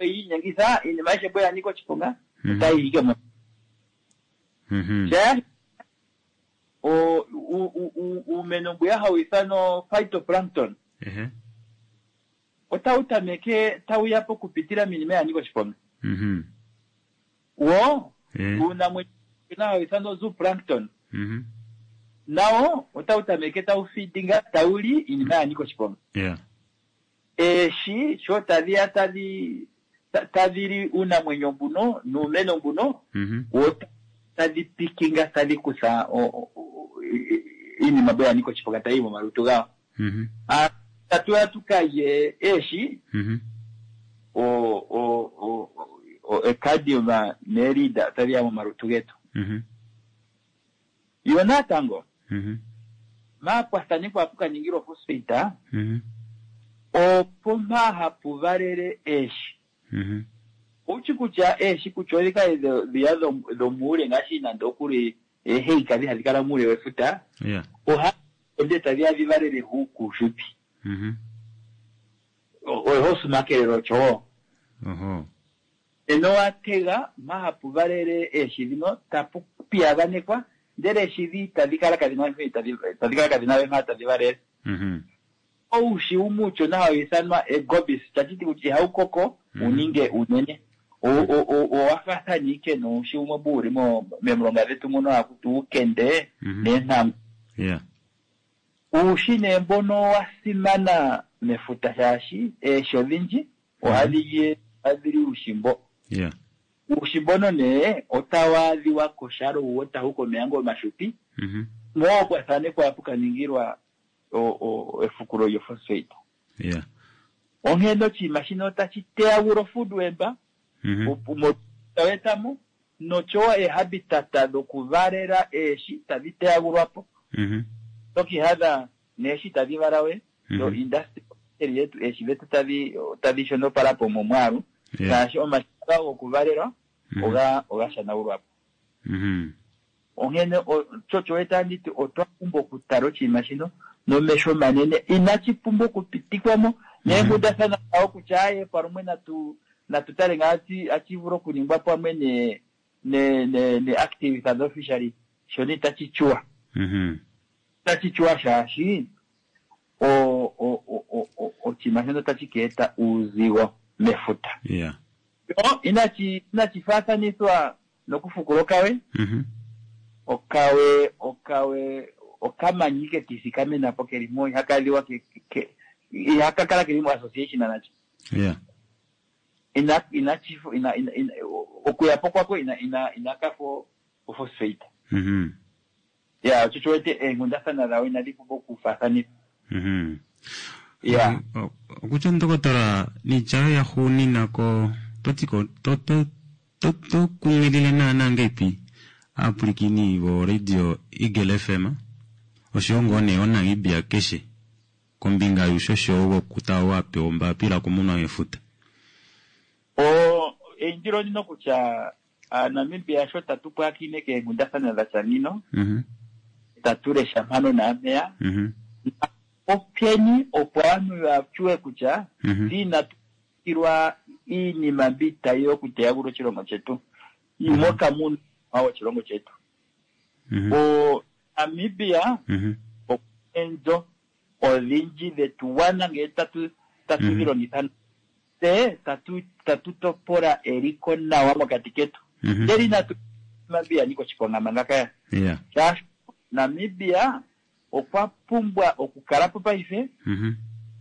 S8: oyiinyengitha iinima ayihe mbo ya nika oshiponga otayi ike mo
S2: Mhm.
S8: sha o- u- u- u- uumeno mbwiya hawu ithanwa phytoplankton
S2: Ehe.
S8: otawu tameke tawu ya po okupitila miinima ya nika oshiponga
S2: Mhm.
S8: wo
S2: Eh.
S8: uunamwenyo hawu ithanwa zooplankton
S2: Mhm.
S8: nawo otawu tameke tawu feedinga tawu li iinima ya nika oshiponga
S2: Yeah.
S8: eeshi sho tadhi ya tadhi ta- tadhi li uunamwenyo mbuno nuumeno mbuno
S2: Mhm.
S8: wo ta- tadhi pikinga tadhi kutha o- o- o- i- i- iinima mbo ya nika oshiponga tayi yi momalutu gawo
S2: Mhm.
S8: Ah, tatu ya tukalye eeshi
S2: Mhm.
S8: o o o o ecadium nelida tadhi ya momalutu getu
S2: Mhm.
S8: yo natango
S2: Mhm.
S8: maapwathanekwa apu kaningilwa phosphate
S2: Mhm.
S8: opo mpa hapu valele eeshi
S2: Mhm.
S8: ouchi kutya eeshi kutya odhi kale dho- dhiya dho- dhomuule ngaashi nande okuli eeheika dhi hadhi kala muule wefuta
S2: Yeah.
S8: oha ende tadhi ya dhi valele hu kuushupi
S2: Mhm.
S8: ohosumakelelo ochowo
S2: Oho.
S8: eno watega mpa hapu valele eeshi dhino tapu piyaganekwa ndele eeshi dhi tadhi kala kadhina tadhi tadhi kala kadhina we mpa tadhi valele
S2: Mhm.
S8: oushi umwe uushona hawu ithanwa egobis tachiti kutya ihawu koko
S2: Mhm.
S8: uninge unene O- o- o- owafaathana ike nuushi umwe mbu uli mo- memulonga dhetu muno hakuti uukende
S2: Mhm.
S8: neentangu
S2: Yeah.
S8: uushi nee mbono wa simana mefuta shaashi eeshi odhindji ohadhi li ohadhi li uushi mbo
S2: Yeah.
S8: uushi mbono nee otawu adhiwa koshalo wo tawu komeya ngo omashupi
S2: Mhm.
S8: mo kwa thanekwa apu kaningilwa o- o- efukulo lyophosphate
S2: Yeah.
S8: onkene oshinima shino otashi teyagula ofood web
S2: Mhm.
S8: tawetamo nochowo ehabitata dhokuvalela eeshi tadhi teyagulwapo
S2: Mhm.
S8: tokihadha neeshi tadhi vala we yo
S2: Mhm.
S8: industry yetu eeshi dhetu tadhi tadhi shonopalapo momwaalu
S2: Yeah.
S8: ngaashi omashina gokuvalelwa
S2: Mhm.
S8: oga oga shanagulwapo
S2: Mhm.
S8: onkene o- tsho weta nditi otwa pumbwa okutala oshinima shino nomesho omanene inashi pumbwa okupitikwamo neenkundathana dhawo kutya aye palumwe natu natu tale ngaa achi- achi vulu okuningwa pamwe ne ne ne ne activist officially shono itashi chuwa
S2: Mhm.
S8: itashi chuwa shaashi o o o o- o oshinima shono otashi ka eta uuzigo mefuta
S2: Yeah.
S8: yo inashi inashi faathanithwa nokufukula okawe
S2: Mhm.
S8: okawe okawe okamanyi ke kiithikamena po keli mo ihaka liwa ke, ke, ihaka kala keli mo association nacho
S2: Yeah.
S8: ina ina chifu ina, ina, ina okuya po kwako ina ina inakafo phosphate
S2: Mhm.
S8: ya tsho wete eenkundathana dhawo inadhi pumbwa okufaathanithwa
S2: Mhm.
S8: ya
S2: O- okutya ndokotola niitya ya hugunina ko totiko to to to to kunkilile naana ngeipi aapulikini bo radio Eagle FM oshowo ngoo nee oNamibia keshe kombinga yuushosho wokuta wapewa ombapila kumunwa mefuta.
S8: o eindilo ndino kutya aanamibia sho tatu pwaakine keenkundathana dha tya nino
S2: Mhm.
S8: tatu lesha mpano naampeya
S2: Mhm.
S8: openi opo aantu ya chuwe kutya
S2: Mhm.
S8: inatu tilwa iinima mbi tayi okuteyagula oshilongo chetu moka muna woshilongo chetu
S2: Mhm.
S8: o Namibia
S2: Mhm.
S8: enzo odhindji dhetu wana ngele tatu tatu
S2: Mhm.
S8: dhi longitha tse tatu tatu topola eliko nawa mokati ketu
S2: Mhm.
S8: ndele inatu Namibia niko oshiponga manga kaya
S2: Yeah.
S8: shaashi Namibia okwa pumbwa okukala po paife
S2: Mhm.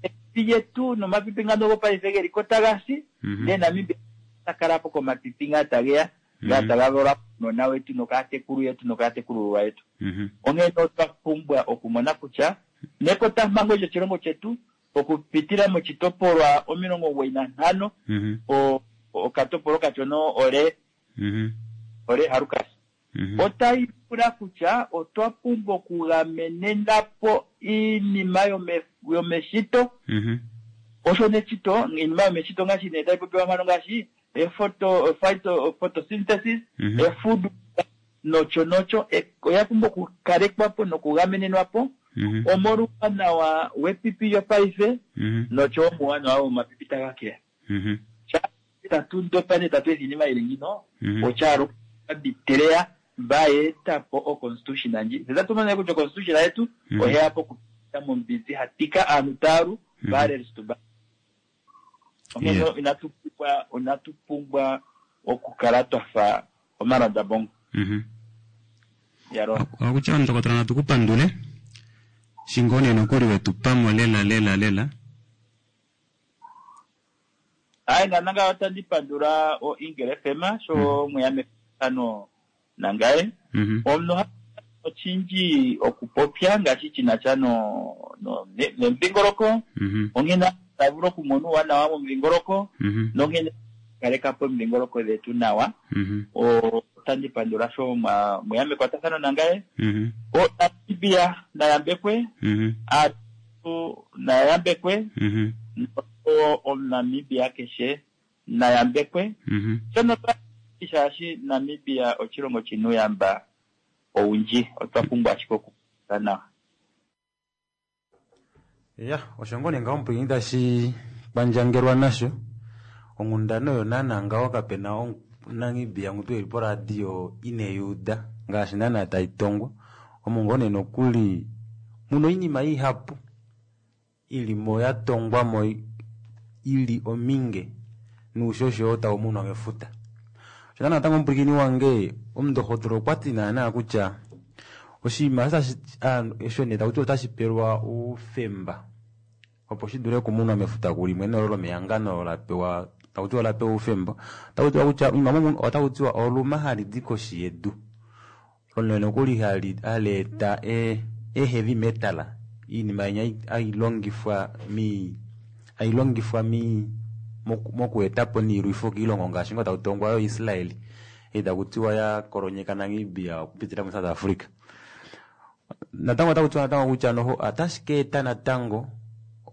S8: epipi lyetu nomapipi ngano gopaife geli ko taga si
S2: Mhm.
S8: ndele Namibia ta kala po komapipi ngaa tageya ngaa
S2: Mhm.
S8: taga valwa nona wetu nokaatekulu yetu nokaatekulululwa yetu
S2: Mhm.
S8: onkene otwa pumbwa okumona kutya nekotampango lyoshilongo chetu okupitila moshitopolwa omilongo omugoyi nantano
S2: Mhm.
S8: o- okatopolwa kachono ole
S2: Mhm.
S8: ole harukas
S2: Mhm.
S8: otayi pula kutya otwa pumbwa okugamenena po iinima yome- yomeshito
S2: Mhm.
S8: osho nechito iinima yomeshito ngaashi nee tayi popiwa mpano ngaashi efoto phyto photosynthesis
S2: Mhm.
S8: efood nocho nocho e- oya pumbwa okukalekwa po nokugamenenwa po
S2: Mhm.
S8: omolwuuwanawa wepipi lyopaife
S2: Mhm.
S8: nocho omuwanawa womapipi taga keya
S2: Mhm.
S8: tatu ndopa nee tatu efa iinima yili ngino
S2: Mhm.
S8: otyalo bitereya bayeeta po oconstitution ndji se tatu mona kutya oconstitution yetu
S2: Mhm.
S8: oheya po kupita mombinzi hatika aantu taalu
S2: Mhm.
S8: baalelistu ba onkene
S2: Yeah.
S8: inatu pumbwa inatu pumbwa okukala twafa omalanda bongo
S2: Mhm.
S8: yalo
S2: Okutya ndokotola natu kupandule shingone nokuli wetu pamo lela lela lela
S8: ayi nananga otandi pandula o Eagle FM sho mweya mefano nangaye
S2: Mhm.
S8: omuntu ha ochindji okupopya ngaashi shina sha no no ne- nemudhingoloko
S2: Mhm.
S8: onkene ta vulu okumona uuwanawa momudhingoloko
S2: Mhm.
S8: nonkene kaleka po omidhingoloko dhetu nawa
S2: Mhm.
S8: O- otandi pandula sho mwa- mweya mekwatathano nangaye
S2: Mhm.
S8: o Namibia nayambekwe
S2: Mhm.
S8: aantu nayambekwe
S2: Mhm.
S8: o omunamibia keshe nayambekwe
S2: Mhm.
S8: shono shaashi Namibia oshilongo shina uuyamba owundji otwa pumbwa ashike okukwata nawa
S2: ya osho ngoo nee ngaho omupwiikini tashi kwandjangelwa nasho onghundana oyo naana ngaho kapena omunamibia ngu eli poradio ineyuuda ngaashi naana taitongwa omo ngoo nee nokuli muno oinima ihapu ilimo yatongwamo ili ominge nuushosho oo taumunwa mefuta osho naana natango omupwiikini wange omundohotola okwati naana kutya oshinima osho osho nee takuti otashi pelwa oufemba opo shidule okumunwa mefuta kulimwe nolo lomehangano lapewa takutiwa olapewa oufemba otakutiwa kutya oinima momu otakutiwa oluma hali di koshi yedu olo nokuli hali hali eta e e heavy metal iinima yenya hailongifwa mi hailongifwa mi moku- mokuetapo niilwifo kiilongo ngaashi ngo takutongwa yo Israel ei takutiwa ya kolonyeka Namibia okupitila mu South Africa natango otakutiwa natango kutya noho otashi ka eta natango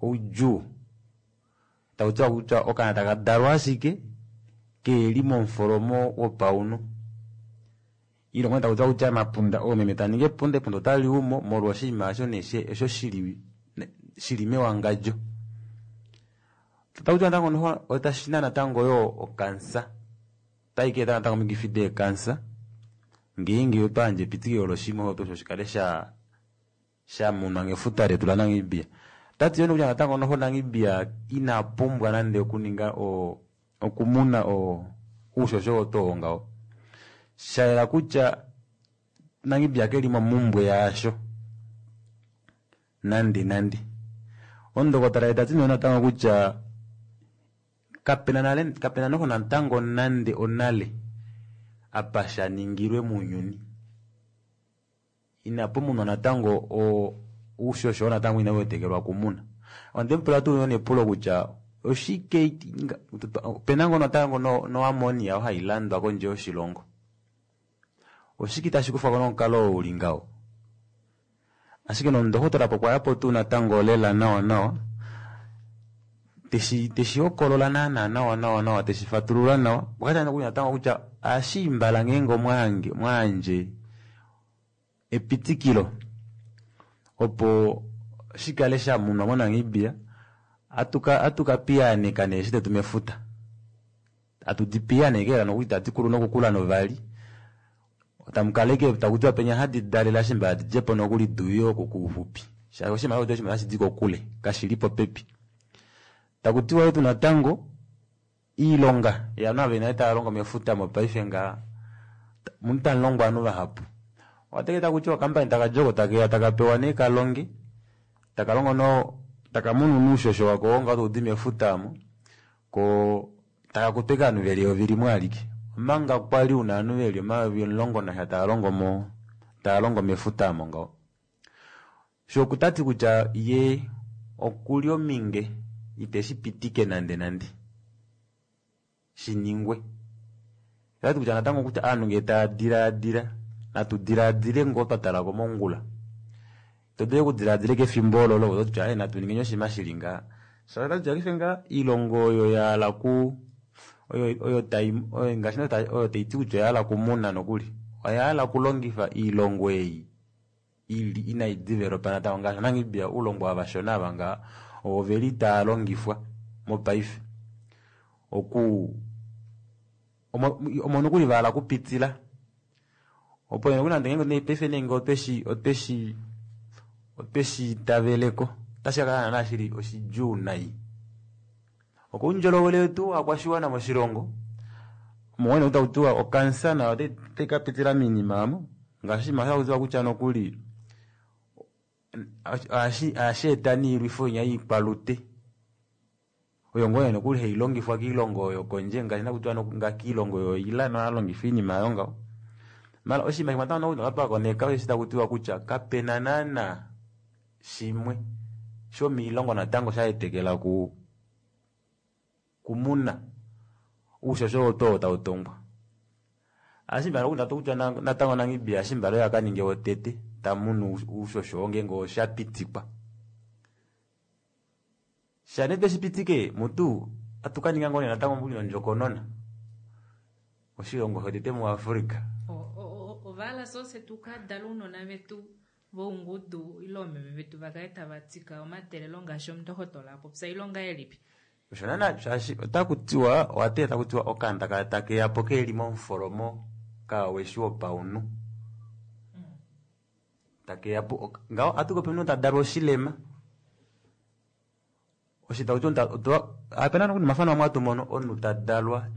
S2: oudjuu takutiwa kutya okaana taka dalwa ashike keli momufolomo wopaunhu ilongo takutiwa kutya mapunda oomeme taningi epunda epunda otali umo molwa oshinima osho nee she- osho shili shili mewangadjo takutiwa natango noho otashina natango yo okansa otayi ka eta natango omikifi deekansa ngeenge otwa yandja epitikilo loshimwe opo osho shikale sha shamunwa ngefuta letu laNamibia tati yo nokutya natango noho Namibia ina pumbwa nande okuninga o okumuna o uushosho wotoo ngaho shayela kutya Namibia keli momumbwe yaasho nande nande omundokotola tati nee natango kutya kapena nale kapena noho natango nande onale apa shaningilwe mounyuni inapu munwa natango o uushosho oo natango inau wetekelwa okumuna ondemupula tuu nepulo kutya oshike opena ngoo natango no, no ammonia oo hailandwa kondje yoshilongo oshike tashi kufwako nomukalo oo uli ngaho ashike nomundohotola pokwayapo tuu natango lela nawa nawa teshi teshihokolola naana nawa nawa nawa teshifatulula nawa okwati nokuli natango kutya ashiimbala ngeenge omwaange mwaandje epitikilo opo shikale shamunwa moNamibia atuka atuka piyaaneka neeshi detu mefuta atu piyaaneke lela nokuli tadi kulu nokukula novali tamukaleke takutiwa penya hadi dalela shimba hadi djepo nokuli duye oku kuufupi shaashi oshinima osho oshinima hashi di kokule kashili popepi takutiwa yo tuu natango iilonga yovanhu ava nale tava longo mefuta mopaife ngaha munu tamulongwa ovanhu vahapu ohateke takutiwa okampani taka oko takeya taka pewa nee kalonge taka longo no taka munu nuushosho wako ngaho taudi mefuta omo ko taka kutwa ashike ovanhu veli eyovi limwe alike omanga kwali una ovanhu veli omayovi omulongo nasha tava longo mo tava longo mefuta omo ngaho sho okutati kutya ye okuli ominge iteshi pitike nande nande shiningwe otati kutya natango kutya ovanhu ngee tava dilaadila natu dilaadile ngoo twatala komongula todule okudilaadila kefimbo ololo ototi kutya natu ningeni oshinima shili ngaha shaashi otati kutya paife ngaha oilongo oyo yahala ku oyo oyo tai oyo ngaashi oyo taiti kutya oyahala okumuna nokuli oyahala okulongifa oilongo ei ili inai developa natango ngaashi Namibia oulongo ava vashona ava ngaha ovo veli tava longifwa mopaife oku Omo omo nokuli vahala kupitila opo nokuli nande ngeenge paife nee ngee otweshi otweshi otweshi itaveleko otashi kakala naana shili oshidjuu nai. Okoundjolowele wetu wakwashiwana moshilongo omo takutiwa okansa nayo otai kapitila moinima aamo ngaashi oshinima hakutiwa kutya nokuli ohashi eta noilwifo inya yoikwalute oyo ngoo nee nokuli hailongifwa koilongo yokondje ngaashi nakutiwa kiilongo yo Iran ohaalongifa oinima aayo ngaho. Maala oshinima shimwe natango nokuli twakoneka osheshi takutiwa kutya kapena naana shimwe shomiilongo natango shaetekela ku kumuna oushosho oo tuu tautongwa. Ashike mbala kutya natango Namibia eshi mbala oye akaninge wotete tamunu oushosho oo ngeenge oshapitikwa. Shaa tweshipitike mutu atukaninga ngoo nee natango nondjokonona oshilongo shotete muAfrica.
S1: Ovahala sose tukadale ounona vetu voungudu ile oomeme vetu vakale tava tika omatelelo ngaashi omundohotola apopya ilonga elipi.
S2: Osho naana shaashi otakutiwa owatee takutiwa okaana takeyapo keli momufolomo kaweshi wopaunhu takeyapo ngaho ohatupopi omunhu tadalwa oshilema osho takutiwa opena nokuli nomafano amwe hatumono omunhu tadalwa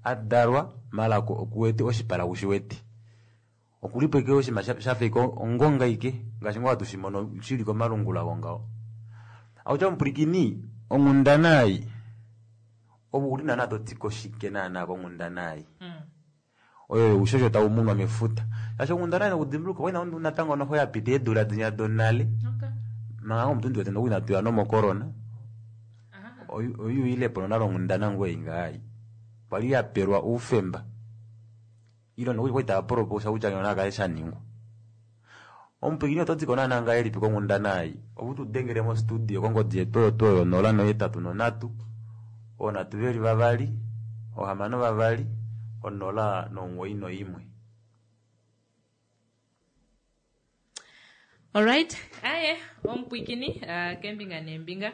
S2: adalwa maala okuwete oshipala kushiwete okulipo ashike oshinima shafa ashike ongonga ashike ngaashi ngoo hatu shimono shili komalungula ngaho. Akutya omupwilikini onghundana ei ove ouli naana totiko shike naana konghundana ei oyo youshosho taumunwa mefuta shaashi onghundana ei nokudimbuluka okwali natango noxo yapita eedula dinya donale manga omutu ndiwete nokuli inatuya nomocorona oyuuyilepo nonale onghundana ngoo ei ngaha kwali yapelwa oufemba ile nokuli kwali tava propose kutya ngeno nakale shaningwa. Omupwilikini ototiko naana ngahelipi konghundana ei opo tudengele mo studio kongodi yetu oyo tuu oyo nola nohetatu nonhatu oonhatu veli vavali oohamano vavali onola nomuwoi noimwe.
S1: Alright, aye omupwiikini uh, kembinga neembinga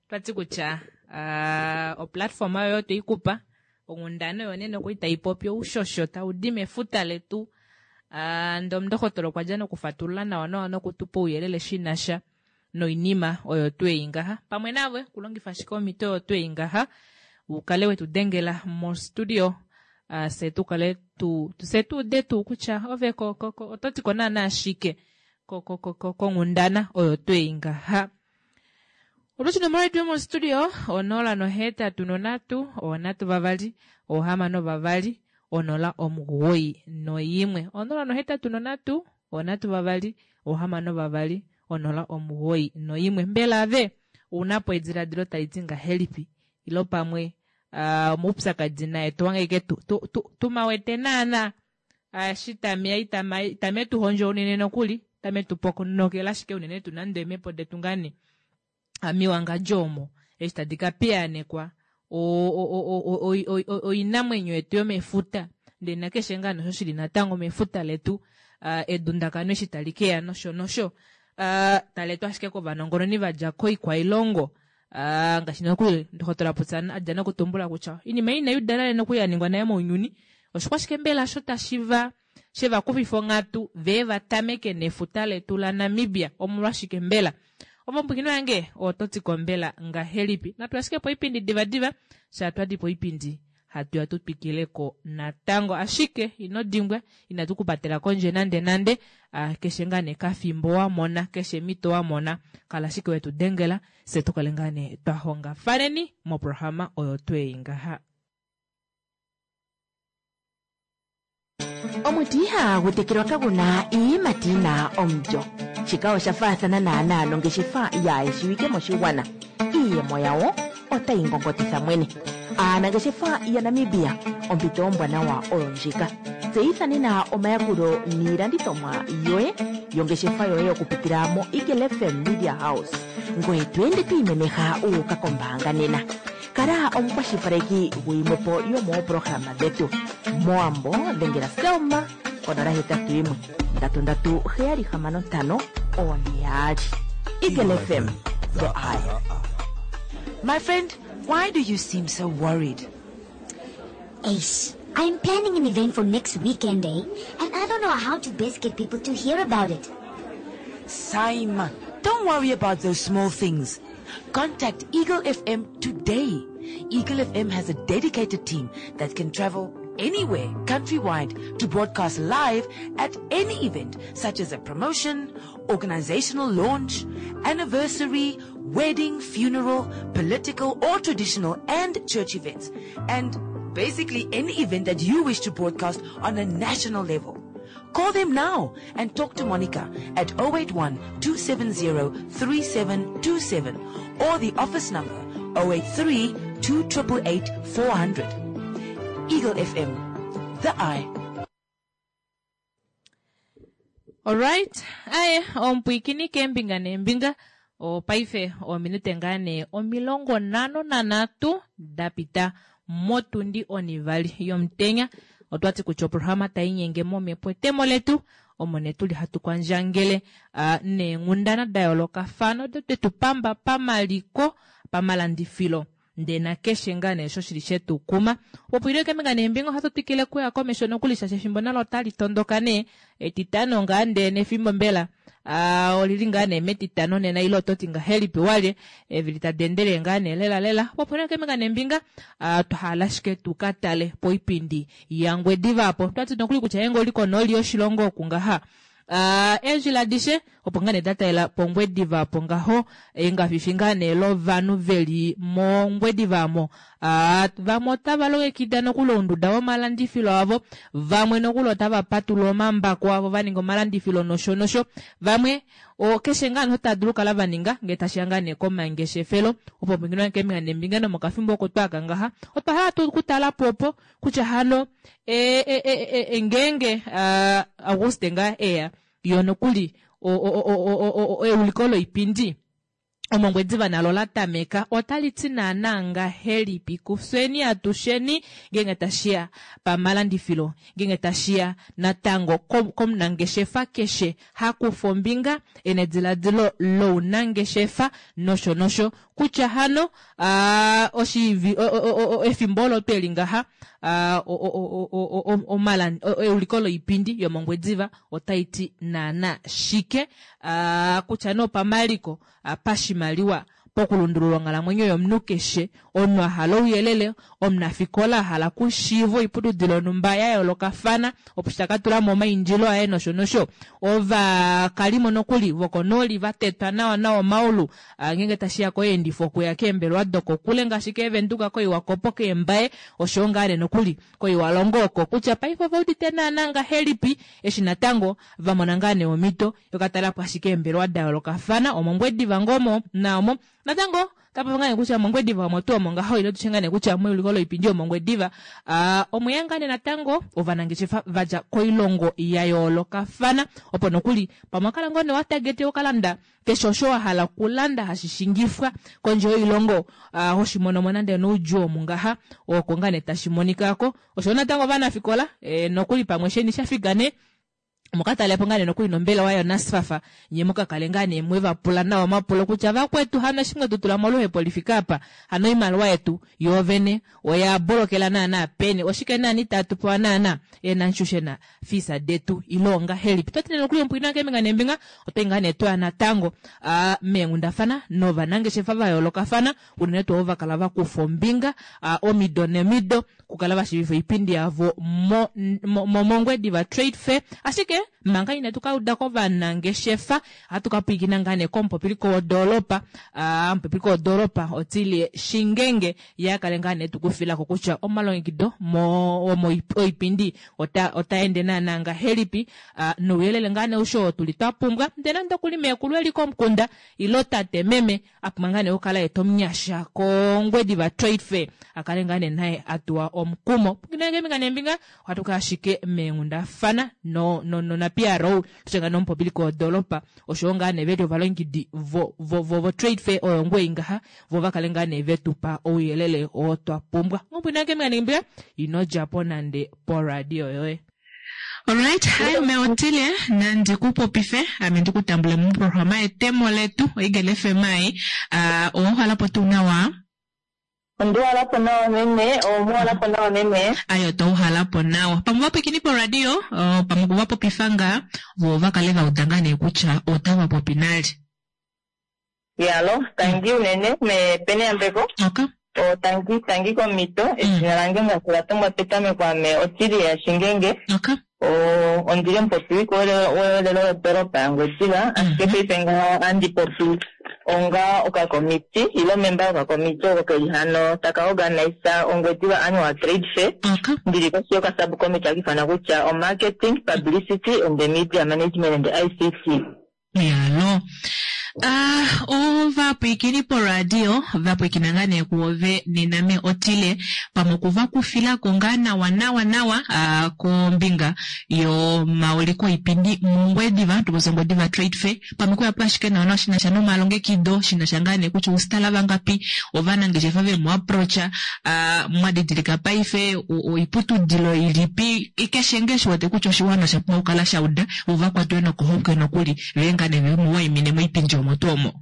S1: twati kutya uh, oplatform oyo tweikupa onghundana oyo nene okuli taipopi oushosho taudi mefuta letu uh, ndee omundohotola okwa dja nokufatulula nawa nawa nokutupa ouyelele shinasha noinima oyo twei ngaha pamwe nave kulongifa ashike omhito oyo twei ngaha ukale wetudengela mostudio uh, fye tukale tu fye tuude tuu kutya ove ko, ko, ko, ototiko naana ashike konghundana oyo twei ngaha. Olushi nomola yetu yomostudio onola nohetatu nonhatu onhatu vavali ohamano vavali onola omugoyi noimwe onola nohetatu nonhatu onhatu vavali ohamano vavali onola omugoyi noimwe. Mbela ave ounapo ediladilo taliti ngahelipi ilo pamwe uh, omaupyakadi naye towange ashike tumawete naana eshi tameya itame tuhondjo unene nokuli tame tupokonokela ashike unene tuu nande eemhepo detu ngaa nee miwangadjo omo eshi tadi kapiyaanekwa oinamwenyo yetu yomefuta ndee nakeshe ngaa nosho shili natango mefuta letu edundakano eshi tali keya nosho nosho taleetwa ashike kovanongononi vadja koikwailongo ngaashi nokuli ndokotola Putsa adja nokutumbula kutya oinima ei inayuda nale nokuli yaningwa nale mounyuni oshikwashike mbela osho tashiva shevakufifa onghatu vee vatameke nefuta letu laNamibia omolwashike mbela. Ove yange ototiko mbela ngahelipi natu ashike poipindi divadiva shaa twadi poipindi hatuya tutwikileko natango ashike ino dimbwa inatu kupatela kondje nande nande uh, keshe ngaa nee kafimbo wamona keshe mito wamona kala ashike wetudengela fye tukale ngaa nee twahongafaneni moprograma oyo twei ngaha.
S3: Omuti ihagu tekelwa kaguna iiyimati yina omulyo. Shika osha faathana naana nongeshefa yaayeshiwike moshigwana. Iiyemo yawo otayi ngongotitha mwene. Aanangeshefa yaNamibia ompito ombwanawa oyo ndjika. Tseyitha nena omayakulo niilandithomwa yoye yongeshefa yoye okupitila mo Eagle F M Media House. Ngoye to ende to imemeha uuka kombaanga nena. Kala omukwashilipaleki guyimwepo yomoopolohalama dhetu. Moambo dhengela Selma konola hetatu yimwe ndatu ndatu heyali hamano ntano one yaali. Eagle F M, the eye.
S4: My friend, why do you seem so worried?
S5: Ace, I'm planning an event for next weekend, eh? And I don't know how to best get people to hear about it.
S4: Simon, don't worry about those small things. Contact Eagle F M today. Eagle F M has a dedicated team that can travel anywhere countrywide to broadcast live at any event such as a promotion, organizational launch, anniversary, wedding, funeral, political or traditional and church events. And basically any event that you wish to broadcast on a national level. Call them now and talk to Monica at oh eight one two seven zero three seven two seven or the office number oh eight three two eight eight four hundred. Eagle F M, the eye.
S1: Alright, aye, omupwiikini keembinga neembinga, opaife ominute ngaa nee omilongo nhano nanhatu da pita motundi onivali yomutenya. Otwati kutya oprograma tainyenge momhepo etemo letu omo nee tuli hatu kwandjangele uh, neenghundana da yoolokafana odo detu pamba pamaliko, pamalandifilo ndee nakeshe ngaa nee osho shili shetukuma popwile keembinga neembinga. Ohatu twikile kuya komesho nokuli shaashi efimbo nalo otali tondoka nee etitano ngaa ndee nefimbo mbela uh, olili ngaa nee metitano nena ile ototi ngahelipi walye evili tadi endele ngaa nee lela lela popwile keembinga neembinga. uh, twahala ashike tukatale poipindi yaNgwediva apo twati nokuli kutya yenge oli konooli yoshilongo oku ngaha uh, eendjila adishe opo ngaa nee datalela pOngwediva apo ngaho engafifi ngaa nee lovanhu veli mOngwediva amo. uh, vamwe otava longekida nokuli ounduda womalandifilo avo, vamwe nokuli otava patulula omambako avo vaninga omalandifilo nosho nosho vamwe keshe ngaa nee tava dulu okukala vaninga ngee tashiya ngaa nee komangeshefelo opo pwinginwa keembinga neembinga nomokafimbo oko twaka ngaha otwa hala tu okutalapo opo kutya hano e, e, e, e, ngeenge uh, Auguste ngaa eya yo nokuli euliko loipindi omoNgwediva nalo la tameka otali ti naana ngahelipi kufyeni atusheni ngeenge tashiya pamalandifilo, ngeenge tashiya natango komunangeshefa keshe hakufa ombinga ena ediladilo lounangeshefa nosho nosho kutya hano uh, oshivi efimbo olo tweli ngaha uh, euliko loipindi yomOngwediva otai ti naana shike uh, kutya nee opamaliko, uh, pashimaliwa, pokulundulula onghalamwenyo yomunhu keshe omunhu a hala ouyelele, omunafikola a hala okushiiva oiputudilo yonhumba ya yoolokafana opo shi taka tulamo omaindilo aye nosho nosho ovakalimo nokuli vokonooli vatetwa nawa nawa omaulu ngeenge tashiya koyeendifo okuya keembelewa dokokule ngaashi keeVenduka, koiwakopo, keembaye oshowo ngaa nee nokuli koiwalongo oko kutya paife ove udite naana ngahelipi eshi natango vamona ngaa nee omhito yokatalelapo ashike eembelewa da yoolokafana omoNgwediva ngoo omo naomo natango tapopi ngaa nee kutya mOngwediva omo tuu omo ngaho ile tushe ngaa nee kutya meuliko loipindi yomOngwediva uh, omweya ngaa nee natango ovanangeshefa vadja koilongo ya yoolokafana opo nokuli pamwe wakala ngoo nee watagete okalanda keshe osho wa hala okulanda hashi shingifwa kondje yoilongo uh, hoshimono nande noudjuu omu ngaha oko ngaa nee tashi monikako osho natango ovanafikola e, nokuli pamwe sheni shafika nee mukatalepo ngaa nee nokuli nombelewa yoNSFAF nye mukakale ngaa nee mwevapula nawa omapulo kutya vakwetu hano eshi mwetu tula moluhepo lifika apa hano oimaliwa yetu yoovene oya bolokela naana peni oshike naana itatu pewa naana eenantshushena fisa detu ile ongahelipi twatine nokuli omupwina keembinga neembinga otai ngaa nee twaya natango uh, meenghundafana novanangeshefa va yoolokafana unene tuu ovo vakala vakufa ombinga uh, omido nomido kukala vashiivifa oipindi yavo mOngwediva Trade Fair. Ashike manga inatu ka uda kovanangeshefa ohatu ka pwiikina ngaa nee komupopiliko wodoolopa, uh, omupopiliko wodoolopa Otilie Shingenge ye akale ngaa nee tukufilako kutya omalongekido mo oipindi ota, ota ende naana ngahelipi uh, nouyelele ngaa nee usho tuli twa pumbwa ndee nande okuli meekulu eli komukunda ilo tate meme apumbwa ngaa nee okukala eta omunyasha kOngwediva Trade Fair akale ngaa nee naye atuwa omukumo pwikinenge nembinga ohatu kala ashike meenghundafana no, no, no, na P R O tushe nomupopiliko wodoolopa oshowo ngaa nee veli ovalongekidi vo, vo, vo, vo trade fair oyo ngwei ngaha vo vakale ngaa nee vetupa ouyelele oo twa pumbwa ngopwinake nembinga ino djapo nande poradio yoye. Alright, hi Meotilie, nandi kupopife ame ndikutambule muprograma yetemo letu oEagle F M ai uh, owahala po tuu nawa?
S9: Onduwalapo nawa meme, omuwalapo nawa meme.
S1: Ayo touhalapo nawa pamwe vapwikini poradio oh, pamwe okuvapopifa ngaa voo vakale vauda ngaa nee kutya otava popi nale.
S9: Yalo, tangi unene me pene yambeko.
S1: Okay.
S9: O tangi tangi komito, edina lange ngaashi la tumbwa petameko ame Otilia Shingenge.
S1: Okay.
S9: O ondili omupopiliko welelo lodoropa yaNgwediva, ashike paife ngaha ohandi popi onga okakomiti ile memba yokakomiti oko keli hano taka organise Ongwediva Annual Trade Fair.
S1: Okay.
S9: Ndili koshi yokasubcommittee haka ifanwa kutya o-marketing, publicity and the media management and I C T.
S1: Yalo. Ah, ovapwikini poradio vapwikina ngaa nee kuove nena me Otile pamwe okuvakufilako ngaa nawa nawa nawa ah, kombinga yomauliko oipindi mOngwediva tuposa Ongwediva Trade Fair pamwe kuyapo ashike nawa nawa shinasha nomalongekido shinasha ngaa nee kutya ousitala vangapi ovanangeshefa vemu approacha ah, mwadidilika paife oiputudilo ilipi keshe ngeshi wete kutya oshiwana osha pumbwa okukala shauda vo vakwatwe nokohokwe nokuli vee ngaa nee vemuwaimine moipindi omo tuu omo.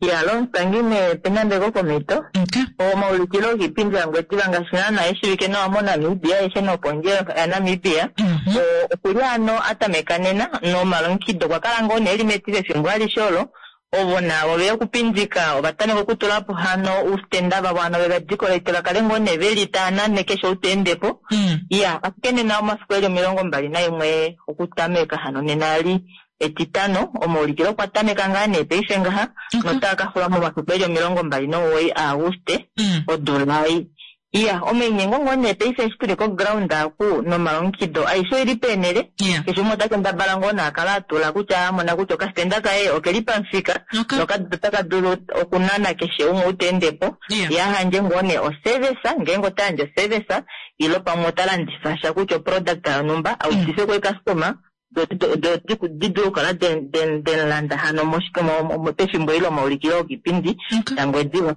S9: Yalo, tangi me penambeko komito.
S1: Okay.
S9: Omaulikilo giipindi yaNgwediva ngaashi naana eshiwike nawa moNamibia aishe nopondje yaNamibia.
S1: Mhm.
S9: Okuli ano atameka nena nomalongekido okwa kala ngoo nee eli metile efimbo alishe olo. Ovo navo veya okupindika ovatameka okutulapo hano oustenda vavo hano veva decorate vakale ngoo nee veli tava nane keshe ou ta endepo.
S1: Mm.
S9: Iya, ashike nena omafiku eli omilongo mbali naimwe okutameka hano nena ali etitano omaulikilo okwa tameka ngaa nee paife ngaha
S1: Okay.
S9: notaa ka xula momafiku eli omilongo mbali nomuwoi aAuguste
S1: Mm.
S9: odula ei. Iya, omainyengo ngoo nee paife eshi tuli koground aku nomalongekido aishe oili peenele.
S1: Yeah.
S9: Keshe umwe ota kendabala ngoo nee akala atula kutya amona kutya okastenda kaye okeli pamufika
S1: Okay.
S9: notaka dulu okunana keshe umwe ou ta endepo.
S1: Yeah.
S9: Yahandje ngoo nee oservice ngeenge ota yandje oservice ile pamwe ota landifa sha kutya oproduct yonhumba audife kwecustomer di dulu okukala denlanda hano pefimbo ile omaulikilo okiipindi
S1: Okay.
S9: yaNgwediva.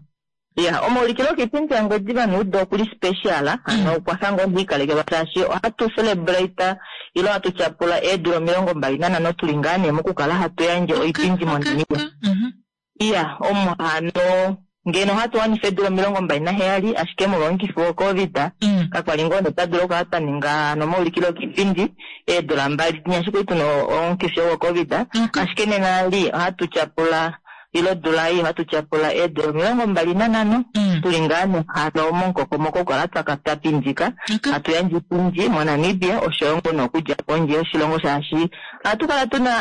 S9: Iya, omaulikilo okiipindi yaNgwediva nuudo okuli special hano okwafa ngoo ndiikalekelwa shaashi ohatu celebrate ile ohatu tyapula eedula omilongo mbali nanhano tuli ngaa nee mokukala hatu yandje oipindi moNamibia.
S1: Mhm.
S9: Iya, omo hano ngeno ohatu wanifa eedula omilongo mbali naheyali ashike molwa omukifi woCovid
S1: Mm.
S9: kakwali ngoo nee twa dula okukala twa ninga nomaulikilo okiipindi eedula mbali dinya ashike tuna omukifi woCovid.
S1: Okay.
S9: Ashike nena li ohatu tyapula ile odula ei ohatu tyapula eedula omilongo mbali nanhano
S1: Mm.
S9: tuli ngaa nee hano momukokomoko okukala twaka twapindika
S1: Okay.
S9: hatu yandje iipindi moNamibia oshoyo ngoo nokudja pondje yoshilongo shaashi ohatu kala tuna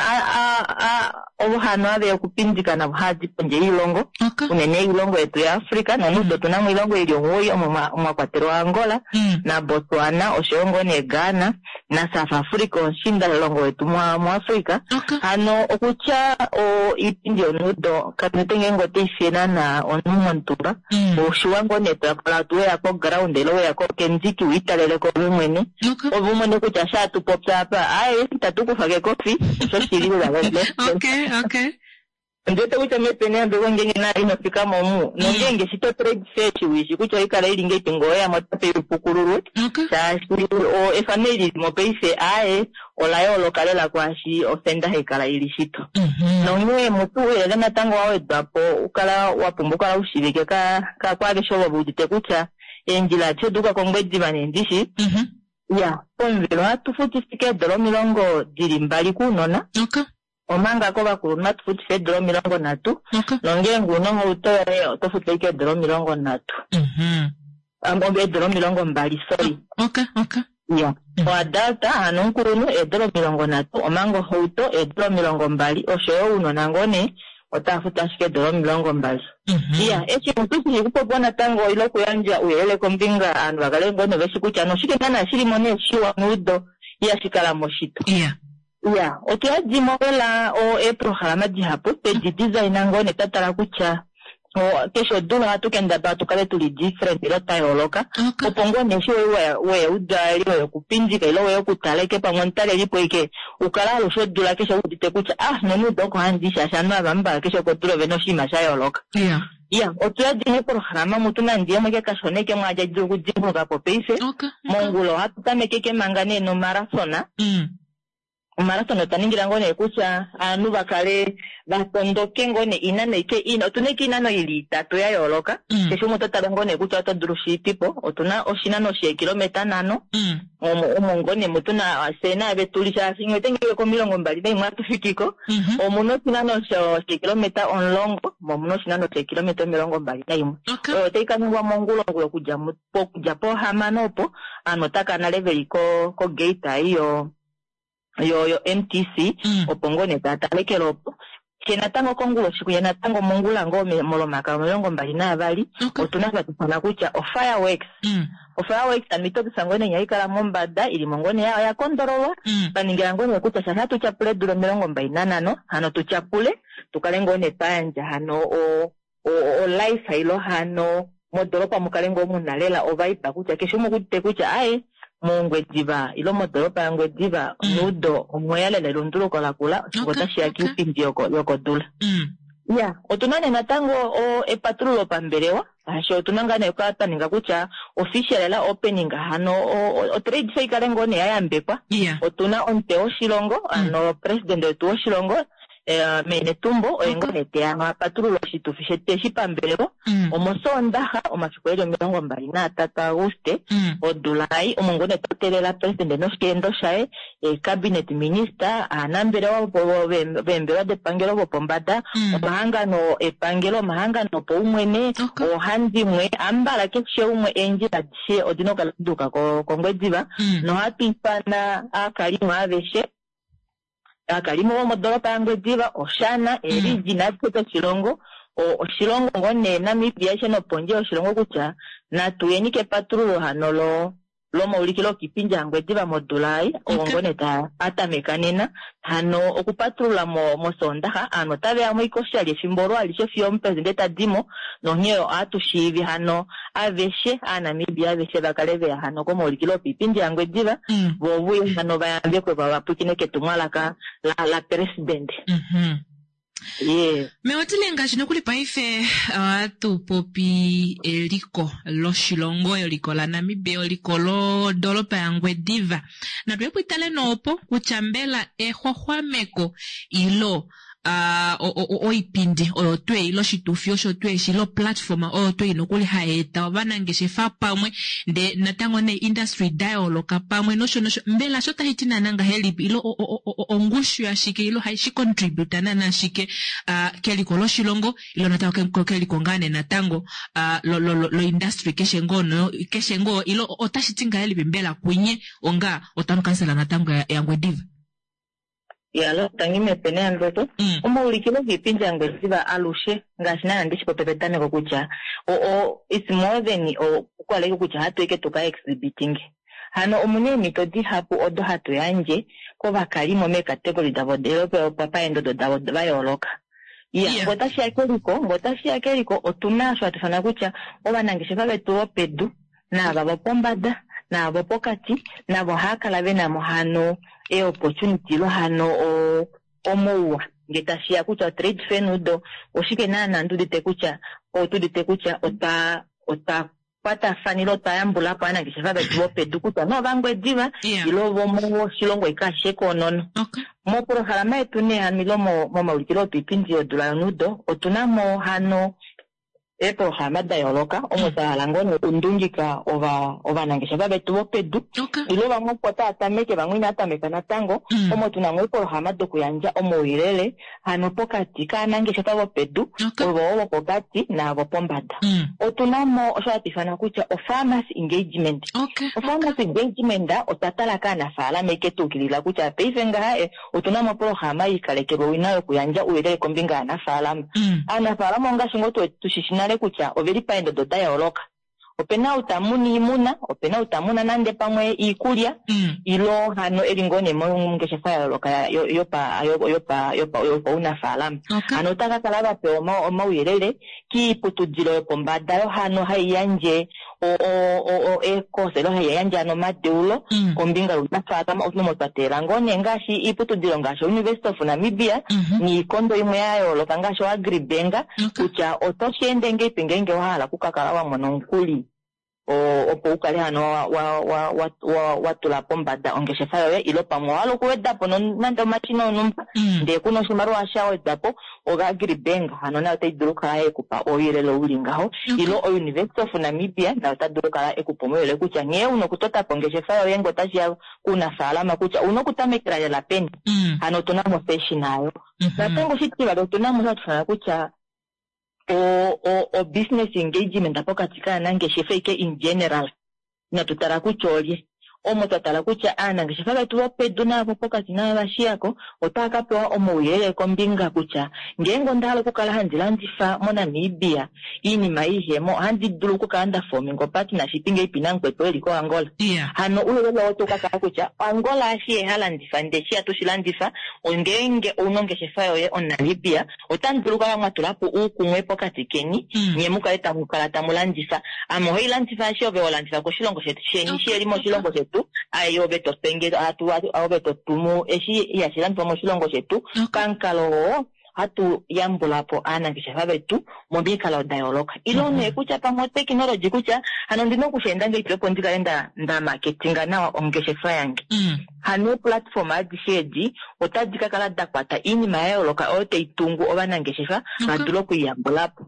S9: ovo hano haveya okupindika navo haadi pondje yoilongo.
S1: Okay.
S9: Unene oilongo yetu yaAfrica nonudo otuna mo oilongo ili omuwoi omo mwa kwatelwa Angola
S1: Mm.
S9: naBotswana oshoyo ngoo nee Ghana naSouth Africa omushiindalongo wetu muAfrica.
S1: Okay.
S9: Hano okutya iipindi yonudo katuwete ngeenge otaifiye naana omunhu montumba.
S1: Mm.
S9: Oshiwa ngoo nee twakala weya koground ile weya kendiki wiitaleleko ove mwene.
S1: Okay.
S9: Ove umone kutya sha tupopya apa aaye itatu kufa kekofi osho shili lela.
S1: Okay, okay.
S9: Ondiwete kutya mepene yambeko ngeenge nayo inofika mo omu nongeenge shito trade fair shiwishi kutya oikala ili ngeipi ngoo oyamo otape ipukululwe.
S1: Okay.
S9: Shaashi efano eli lilimo paife aaye ola yooloka lela kwaashi ofenda haikala ili shito.
S1: Mhm.
S9: Nonghee mutu ouyelele natango wa wedwapo ukala wa pumbwa okukala ushivike kwaaveshe ovo veudite kutya eendjila adishe oduuka kOngwediva neendishi.
S1: Mhm.
S9: Iya, pomuvelo ohatu futifike eedola omilongo dili mbali kounona.
S1: Okay.
S9: Omanga kovakulunhu ohatu futifa eedola omilongo nhatu.
S1: Okay.
S9: Nongeenge una ohauto yoye oto futu ashike eedola omilongo nhatu.
S1: Mhm.
S9: Eedola omilongo mbali, sorry.
S1: Okay, okay.
S9: Iya. Oadult hano omukulunhu eedola omilongo nhatu, omanga ohauto eedola omilongo mbali, oshoyo ounona ngoo nee otava futu ashike eedola omilongo mbali.
S1: Mhm.
S9: Iya, eshi omuntu shili kupopiwa natango ile okuyandja ouyelele kombinga ovanhu vakale ngoo nee veshi kutya noshike naana shilimo nee shiwa neudo ihashi kala moshito.
S1: Iya.
S9: Iya, otuyadimo lela eeprograma dihapu twedi designa ngoo nee twatala kutya keshe odula ohatu kendabala tukale tuli different ile twa yooloka.
S1: Okay.
S9: Opo ngoo nee eshi weya udali weya okupindika ile weya okutala ike pamwe omutalelipo ike ukala alushe odula keshe udite kutya ah nonudo oko handi shaashi ovanhu ava mbala keshe kodula ovena oshinima sha yooloka.
S1: Iya.
S9: Iya, otuyadi eeprograma mutu nande imwe ike kashona ike mwaadja dulu okudimbuluka po paife.
S1: Okay.
S9: Mongula ohatu tameke ike manga nee nomarathona.
S1: Mm.
S9: Omarathon otwa ningila ngoo nee kutya aanhu vakale vatondoke ngoo nee inano ike ina otuna ike inano ili itatu ya yooloka
S1: Mm.
S9: keshe umwe oto tala ngoo nee kutya oto dulu shiipipo otuna oshinano sheekilometa nhano
S1: Mm.
S9: omo omo ngoo nee mutuna fye naave tuli shaashi ngee otengeke komilongo mbali naimwe atufikiko
S1: Mhm.
S9: omuna oshinano sho- sheekilometa omulongo mo omuna oshinano sheekilometa omilongo mbali naimwe
S1: Okay.
S9: oyo otai kaningwa mongulongula okudja mu- po- okudja pohamano opo aanhu otaka nale veli ko ko gate ei yo yo yo M T C
S1: Mm.
S9: opo ngoo nee taya talekele opo she natango konguloshi kuya natango mongula ngoo me- molomaka omilongo mbali naavali
S1: Okay.
S9: otuna twatufana kutya ofireworks
S1: Mm.
S9: ofireworks ano itokisa ngoo nee haikala mombada ili mo ngoo nee ya- oya kondololwa
S1: Mm.
S9: paningila ngoo nee kutya shasha tutyapule eedula omilongo mbali nanhano hano tutyapule tukale ngoo nee twayandja hano o- o- o life ilo hano modoropa mukale ngoo muna lela ovaipa kutya keshe umwe okudite kutya aye mongwediva ilo modoropa yangwediva
S1: Mm.
S9: nudo omweya lela elunduluko lakula oshingo
S1: Okay,
S9: otashiya
S1: okay.
S9: kiipindi yoko- yokodula
S1: Mm.
S9: ya otuna nee natango o epatululo pambelewa shaashi otuna ngaa nee kwa twa ninga kutya official lela opening hano o- o- otrade fair ikale ngoo nee yayambekwa
S1: Yeah.
S9: otuna omutwe woshilongo ano president wetu woshilongo eh, mee Netumbo oye ngoo nee teya apatulula oshitufi shetu eshi pambelewa
S1: Mm.
S9: omosoondaxa omafiku eli omilongo mbali naatatu Auguste
S1: Mm.
S9: odula ei omo ngoo nee twateelela president noshiendo shaye cabinet minister aanambelewa vopo- ve- veembelewa depangelo vopombada
S1: Mm.
S9: omahangano epangelo omahangano opaumwene
S1: Okay.
S9: oohandimwe ambala keshe umwe eendjila adishe odina okukala duka ko- kongwediva
S1: Mm.
S9: nohatu ifana aakalimo aveshe aakalimo vomodoropa yangwediva oshana eriji nadishe doshilongo o- oshilongo ngoo nee Namibia aishe nopondje yoshilongo kutya natuyeni kepatululo hano lo lomaulikilo okiipindi yangwediva modula ei oo
S1: Okay.
S9: ngoo nee ta atameka nena hano okupatulula mo mosoondaxa aanhu otaveya mo ike oshali efimbo olo alishe fiyo omupresidente tadimo nonghee ohatu shiivi hano aveshe aanamibia aveshe vakale veya hano komaulikilo opiipindi yangwediva
S1: Mm.
S9: vo vuye hano vayambekwe vavapwikine ketumwalaka la, la president
S1: Mhm.
S9: ye
S1: Mewatile ngaashi nokuli paife ohatu popi eliko loshilongo, eliko laNamibia, eliko lodoropa yaNgwediva. Natu itale noopo kutya mbela exwaxwameko ilo ah, o- o- o- oipindi oyo twei ilo oshitufi osho tweshi ilo platform oyo twei nokuli hai eta ovanangeshefa pamwe ndee natango nee industry da yooloka pamwe nosho nosho mbela sho tashi ti naana ngahelipi ilo o- o- o- o- ongushu yashike ilo haishi contributa naana shike ah, keliko loshilongo ilo natango ke- keliko ngaa nee natango ah, lo, lo, lo, lo industry keshe ngoo no keshe ngoo ilo otashi ti ngahelipi mbela kunye onga otown council natango ya- yaNgwediva
S9: yalo tangi mepene yandweto
S1: mm.
S9: omaulikilo giipindi yangwediva alushe ngaashi naana ndishi pope petameko kutya o, o, it's more than okukaleke kutya hatu ike tuka exhibiting hano omuna eemhito dihapu odo hatu yandje kovakalimo meekategori davo paendodo davo vayooloka ya
S1: Yeah.
S9: ngee otashiya keliko ngee otashiya keliko otuna osho hatu ifana kutya ovanangeshefa vetu vopedu naava vopombada naava vopokati navo ohava kala venamo hano eopportunity ilo hano o- omouwa ngee tashiya kutya otrade fair nudo oshike naana ndudite kutya otudite kutya otwa otwa kwatafanile otwa yambulapo ovanangeshefa vetu vopedu kutya novangwediva
S1: yeah.
S9: ilo vomoshilongo ike ashishe koonono
S1: okay.
S9: mopolohalama yetu nee hano ilo mo- momaulikilo opiipindi yodula yonudo otuna mo hano eepolohalama da yooloka omo twa hala ngoo nee okundungika ova ovanangeshefa vetu vopedu
S1: Okay.
S9: ilo vamwe opo tava tameke vamwe inava tameka natango
S1: Mm.
S9: omo tuna mo eepolohalama dokuyandja omauyelele hano pokati kaanangeshefa vopedu
S1: Okay.
S9: ovo vopokati naavo pombada
S1: Mm.
S9: otuna mo osho hatu ifana kutya ofarmers engagement
S1: Okay.
S9: ofarmers engagement otwa tala kaanafaalama ike tuukilila kutya paife ngaha eh, otuna mo opolohalama yiikalekelwa owina yokuyandja ouyelele kombinga yaanafaalama
S1: Mm.
S9: aanafaalama ongaashi ngoo tu- tushishi nale kutya oveli paendodo da yooloka opena ou tamuna iimuna opena ou tamuna nande pamwe iikulya
S1: Mm.
S9: ilo hano eli ngoo nee mongeshefa ya yooloka ya- yo- yopa yopa yopa yopaunafaalama
S1: Okay.
S9: hano otaka kala vapewa oma- omauyelele kiiputudilo yopombada yo hano hai yandje o- o- o- o- eekosa ilo hai yandje hano omadeulo
S1: Mm.
S9: kombinga younafaalama omo twa teela ngoo nee ngaashi iiputudilo ngaashi University of Namibia
S1: Mhm.
S9: niikondo imwe ya yooloka ngaashi oAgribank
S1: Okay.
S9: kutya oto shi ende ngeipi ngeenge wa hala okukakala wa mona omukuli o- opo u kale hano wa, wa, wa, wa, wa, wa tula pombada ongeshefa yoye ilo pamwe owa hala okuweda po non- nande omashina onumba ndee kuna oshimaliwa sha wedwa po oAgribank hano nayo otai dulu okukala yekupa ouyelele uli ngaho ilo oUniversity of Namibia nayo ota dulu okukala ekupa omauyelele kutya nghee una okutota po ongeshefa yoye ngee otashiya kuunafaalama kutya una okutamekela lela peni hano otuna mo session ayo natango oshitivali otuna mo hatu ifana kutya o, o, o business engagement pokati kaanangeshefa ike in general inatu tala kutya olye omo twa tala kutya aanangeshefa vetu vopedu naavo pokati naavo vashiyako otava ka pewa omauyelele kombinga kutya ngeenge onda hala okukala handi landifa moNamibia iinima iihemo ohandi dulu okukala nda fominga opartnership ngeipi namukwetu eli koAngola hano ouyelele oo oto ka kala kutya Angola eshi ye ha landifa ndee eshi hatu shi landifa ngeenge ouna ongeshefa yoye omuNamibia otamu dulu okukala mwa tula po uukumwe pokati keni nye mukale tamu kala tamu landifa ame ohai landifa eshi ove ho landifa koshilongo shetu sheni shi eli moshilongo shetu ai ove to penge atu ove to tumu eshi ihashi landifwa moshilongo shetu pamukalo oo hatu yambula po aanangeshefa vetu momikalo da yooloka ilo nee kutya pamwe otekinology kutya hano ondina okusheenda ngahelipi opo ndikale nda nda marketinga nawa ongeshefa yange hano eeplatform adishe edi otadi ka kala da kwata oinima ya yooloka oyo tai tungu ovanangeshefa va dule okwiiyambula po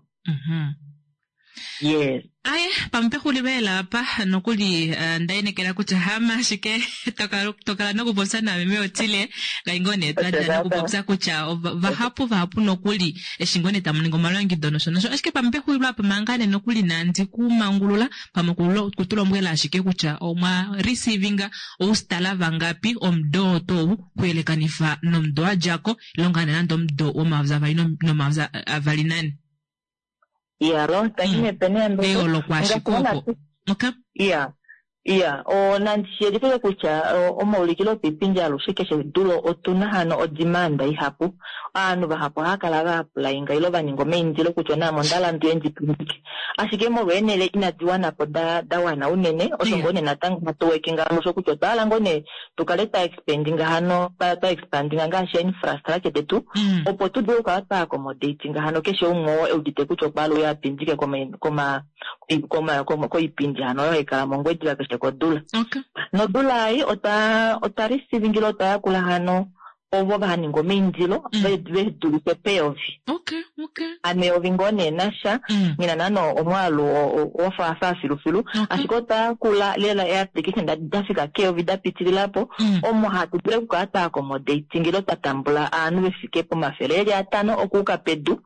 S9: yes
S1: Aye, pamwe pexulilo lela apa nokuli uh, ndainekela kutya hama ashike tokala tokala nokupopya nameme Otile ngai ngoo nee twadja nokupopya kutya ova- vahapu vahapu nokuli eshi ngoo nee tamu ningi omalongido nosho nosho ashike pamwe pexulilo apa manga nee nokuli nandi kumangulula pamwe kulo- kutulombwela ashike kutya omwa receivinga oustala vangapi omudo oo tou kuyelekanifa nomudo wa djako ile ngaa nee nande omudo womayovi avali nomayovi avali nane
S9: iyalo tangi mepene yambeko
S1: eyooloko ashike opo okay
S9: iya iya o nandi shiyelifile kutya o- omaulikilo opiipindi alushe keshe dulo otuna hano odimanda ihapu ovanhu vahapu ohava kala va applyinga ilo va ninga omaindilo kutya naame onda hala ndiye ndi pindike ashike molwa eenhele inadi wanapo da da wana unene osho ngoo nee natango hatu workinga musho kutya otwa hala ngoo nee tukale twa expandinga hano twa twa expandinga ngaashi infrastructure detu opo tu dule okukala twa accommodatinga hano keshe umwe oo eudite kutya okwa hala uye apindike koma koma koma koma koipindi hano oyo haikala mOngwediva keshe kodula
S1: okay
S9: nodula ei otwa otwa receivingile otwa yakula hano ovo vahaninga omaindilo ve ve dulife peyovi
S1: okay okay
S9: hano eyovi ngoo nee nasha ngina naana omwaalu wafaafa filufilu ashike otwa yakula lela eapplication da dafika keyovi da pitililapo omo hatu dulu okukala twa accommodatingile twa tambula ovanhu vefike pomafele eli atano okuuka pedu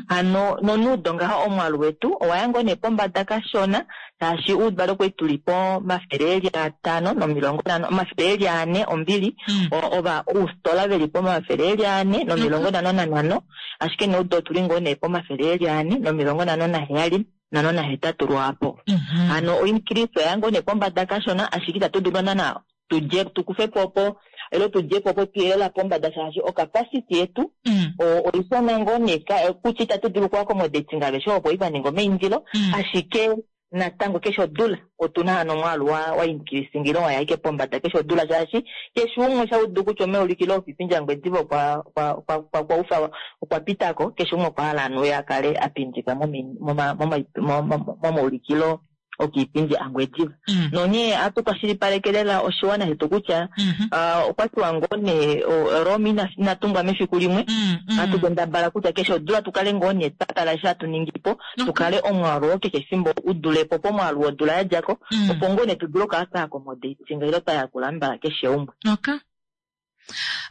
S9: hano nonuudo ngaha omwaalu wetu owaya ngoo nee pombada kashona shaashi uudvale okwali tuli pomafele eli atano nomilongo nhano omafele eli ane ombili o- ova oustola veli pomafele eli ane nomilongo nhano nanhano ashike neudo otuli ngoo nee pomafele eli ane nomilongo nhano naheyali nhano nahetatu lwaapo hano oincrease oya ngoo nee pombada kashona ashike itatu dulu naana tudje tukufepo opo ilo tudjepo opo tuyelela pombada shaashi ocapacity yetu o- oishona ngoo nee ka- kutya itatu dulu oku accommodatinga aveshe opo ivaninga omaindilo ashike natango keshe odula otuna hano omwaalu wa wa increasingile waya ike pombada keshe odula shaashi keshe umwe shaudu kutya omaulikilo oipindi yaNgwediva okwa okwa okwa okwa okwa ufa okwa pitako keshe umwe okwa hala anu ye akale apindika momi- moma- moma- moma- momaulikilo okiipindi aNgwediva nonghee ohatu kwashilipaleke lela oshiwana shetu kutya ah, okwa tiwa ngoo nee o- Rome ina inatungwa mefiku limwe hatu kendabala kutya keshe odula tukale ngoo nee twa tala eshi hatu ningipo tukale omwaalu oo keshe efimbo udulepo pomwaalu wodula yadjako opo ngoo nee tudule okukala twa accommodatinga ile twa yakula mbala keshe umwe
S1: okay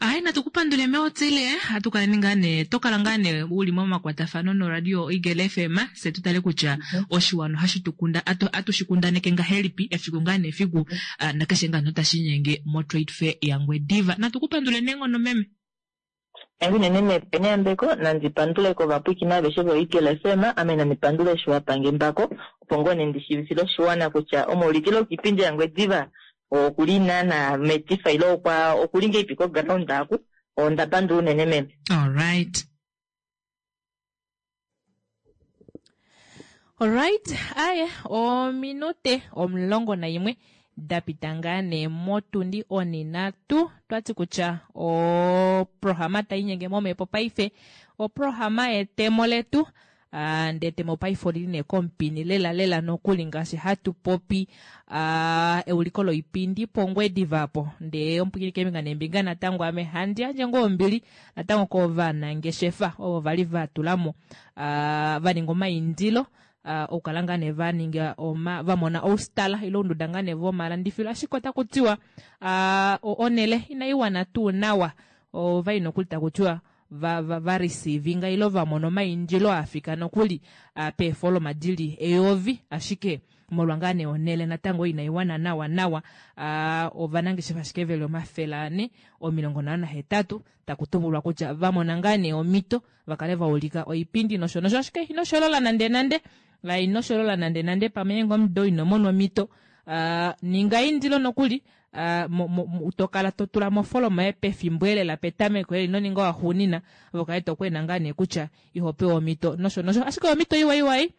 S1: ayi natu kupandule meotile hatu kaleni ngaa nee tokala ngaa nee uli momakwatafano noradio Eagle FM se tutale kutya oshiwana ohashi tukunda atu, atu shikundaneke ngahelipi efiku ngaa nefiku uh, nakeshe ngaa notashi nyenge mo trade fair yaNgwediva natu kupandule neenghono meme
S9: Tangi unene mepene yambeko nandi pandule kovapwiikini aveshe vo-Eagle FM ame nandi pandule eshi wapange mbako opo ngoo nee ndishiivifile oshiwana kutya omaulikilo okiipindi yaNgwediva okuli naana metifa ile okwa okuli ngeipi koground aku onda pandula unene meme
S1: alright Alright, aye, ominute omulongo nayimwe da pita ngaa nee motundi oninatu twati kutya oprograma tayi inyenge momhepo paife oprograma yetemo letu Uh, ndee etemo paife olili nee komupini lela lela nokuli ngaashi hatu popi uh, euliko loipindi pOngwediva apo. Ndee omupwikini keembinga neembinga natango ame handi yandje ngoo ombili natango kovanangeshefa ovo vali vatulamo uh, vaninga omaindilo uh, okukala ngaa nee vaninga oma, vamona oustala ile ounduda ngaa nee vomalandifilo, ashike otaku tiwa uh, onele inaiwana tuu nawa, ovai nokuli taku tiwa va, va, va receivinga ilo vamona omaindilo afika nokuli uh, peefoloma dili eyovi, ashike molwa ngaa nee onele natango inaiwana nawa nawa uh, ovanangeshefa ashike veli omafele ane omilongo nhano nahetatu taku tumbulwa kutya vamona ngaa nee omhito vakale vaulika oipindi nosho nosho, ashike inosholola nande nande la inosholola nande nande pamwe ngee omudo ino mona omhito uh, ninga eindilo nokuli uh, mo, mo, mo, tokala totula mofoloma yoye pefimbo elela petameko eli inoninga waxuunina vokale tokwena ngaa nee kutya ihopewa omhito nosho nosho, ashike omhito iwa iwai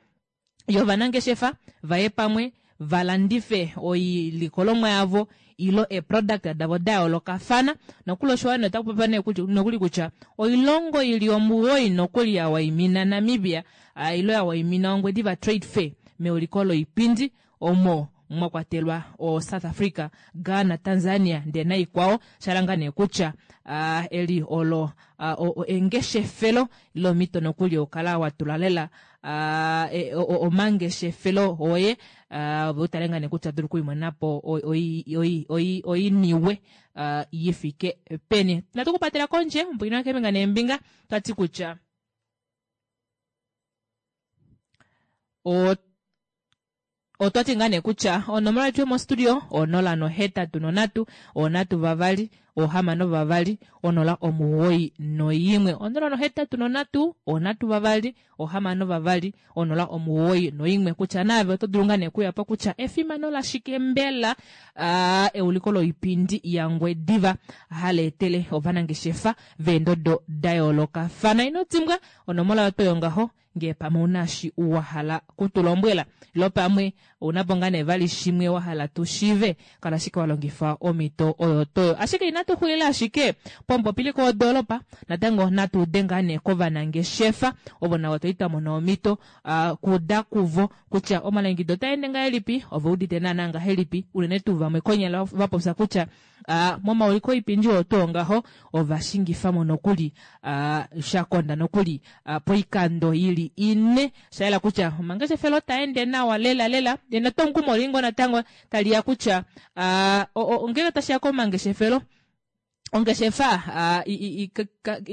S1: yovanangeshefa vaye pamwe valandife oilikolomwa yavo ilo eproduct davo da yoolokafana nokuli oshiwana otaku popiwa nee kutya- nokuli kutya oilongo ili omuwoi nokuli ya waimina Namibia uh, ilo ya waimina Ongwediva Trade Fair meuliko loipindi omo mwa kwatelwa o South Africa, Ghana, Tanzania ndee naikwao, shalanga nee kutya uh, eli olo uh, o, o, engeshefelo lomito nokuli okala watula lela uh, e, omangeshefelo oye uh, utale ngaa nee kutya dulu okuimonapo oiniwe uh, yifike peni. Natu kupatela kondje mpwina keembinga neembinga twati kutya o otwati ngaa nee kutya onomola yetu yomostudio onola nohetatu nonhatu onhatu vavali ohamano vavali onola omuwoi noyimwe onola nohetatu nonhatu onhatu vavali ohamano vavali onola omuwoi noimwe kutya naave oto dulu ngaa nee kuyapo kutya efimano lashike mbela uh, euliko loipindi yaNgwediva haleetele ovanangeshefa veendodo da yoolokafana. Ino dimbwa onomola yoto yongaho ngee pamwe una shi wahala kutulombwela ilo pamwe unapo ngaa nee vali shimwe wahala tushive, kala ashike walongifa omhito oyo toyo. Ashike inatu xulila ashike pomupopiliko wodoolopa, natango natu ude ngaa nee kovanangeshefa ovo navo twali twa mona omhito uh, kuuda kuvo kutya omalongekido otaende ngahelipi, ove udite naana ngahelipi, unene tuu vamwe konyala vapopya kutya uh, momauliko oipindi oo tuu ngaho ovashingifamo nokuli uh, shakonda nokuli uh, poikando ili ine, shayela kutya omangeshefelo otaende nawa lela lela. Notomukumo olingo natango taliya kutya uh, ngenge tashiya komangeshefelo ongeshefa uh,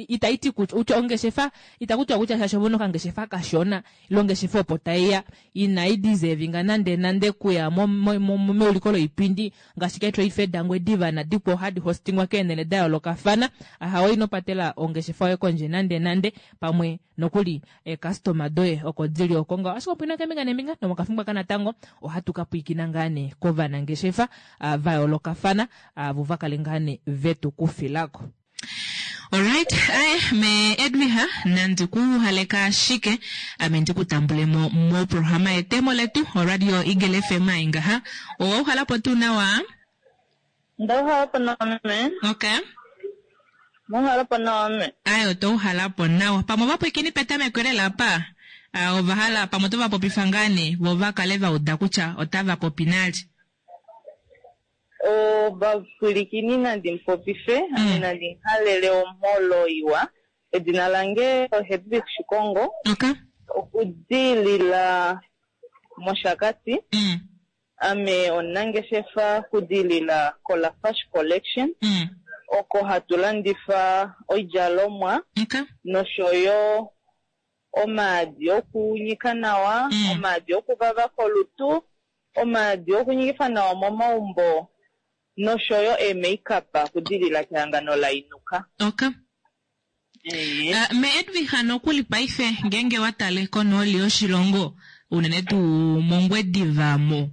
S1: itaiti kutya ongeshefa itakutiwa kutya shaashi ovona okangeshefa kashona ilo ongeshefa opo taiya inai deservinga nande nande kuya meuliko loipindi ngaashi ke Trade Fair daNgwediva nadikwao hadi hostingwa keenhele da yoolokafana. Ahawe inopatela ongeshefa yoye kondje nande nande pamwe nokuli eekastoma doye oko dili oko ngaho. Ashike opuna keembinga neembinga nomokafimbo aka natango ohatu ka pwiikina ngaa nee kovanangeshefa uh, va yoolokafana vo uh, vakale ngaa nee vetu kufilako. Alright, aye me Edwiha nandi kuhaleka ashike ame ndikutambulemo mo programa yetemo letu oradio Eagle F M aingaha. Owauhalapo tuu nawa?
S9: Ndauhalapo nawa me.
S1: Okay.
S9: Muuhalapo nawa me.
S1: Aye otouhalapo nawa. Pamwe ovapwikini petameko lela apa uh, ovahala pamwe otovapopifa ngaa nee vo vakale vauda kutya otava popi nali.
S9: Ovapwilikini nandi mupopife, ame nandi muhalele omholo iwa. Edina lange oHedwig Shikongo.
S1: Okay.
S9: Okudilila mOshakati.
S1: Mm.
S9: Ame omunangeshefa kudilila koLafash Collection.
S1: Mm.
S9: Oko hatu landifa oidjalomwa.
S1: Okay.
S9: Noshoyo omaadi okunyika nawa,
S1: Mm.
S9: omaadi okuvava kolutu, omaadi okunyikifa nawa momaumbo noshoyo e-makeup kudilila kehangano la Inuka.
S1: Okay.
S9: Eh.
S1: Uh, me Edwiha nokuli paife ngenge watale konooli yoshilongo unene tuu mOngwediva mo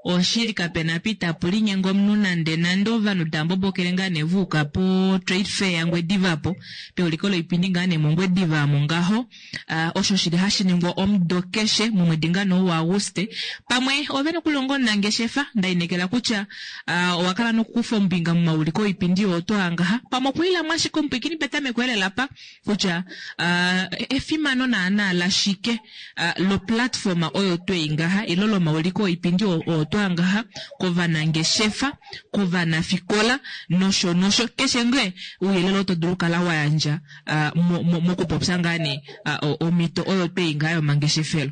S1: Oshili kapena apa itapu linyenga omunhu nande nande ovanhu tava mbobokele ngaa nee va uka po trade fair yaNgwediva po peuliko loipindi ngaa nee mOngwediva omo ngaho. Ah, osho shili hashi ningwa omudo keshe momwedi ngaa nee ou waAguste. Pamwe ove nokuli onga omunangeshefa nda inekela kutya ah, owa kala nokukufa ombinga momauliko oipindi oo twaa ngaha. Pamwe okwiilamo ashike omupwiikini petameko elela pa kutya ah, efimano naana lashike ah, loplatform oyo twei ngaha ilo lomauliko oipindi oo oo twaa ngaha kovanangeshefa, kovanafikola nosho nosho keshe ngee ouyelele oto dulu okukala wa yandja ah, mo- mo- mokupopya ngaa nee ah, o- omhito oyo twei ngaha yomangeshefelo.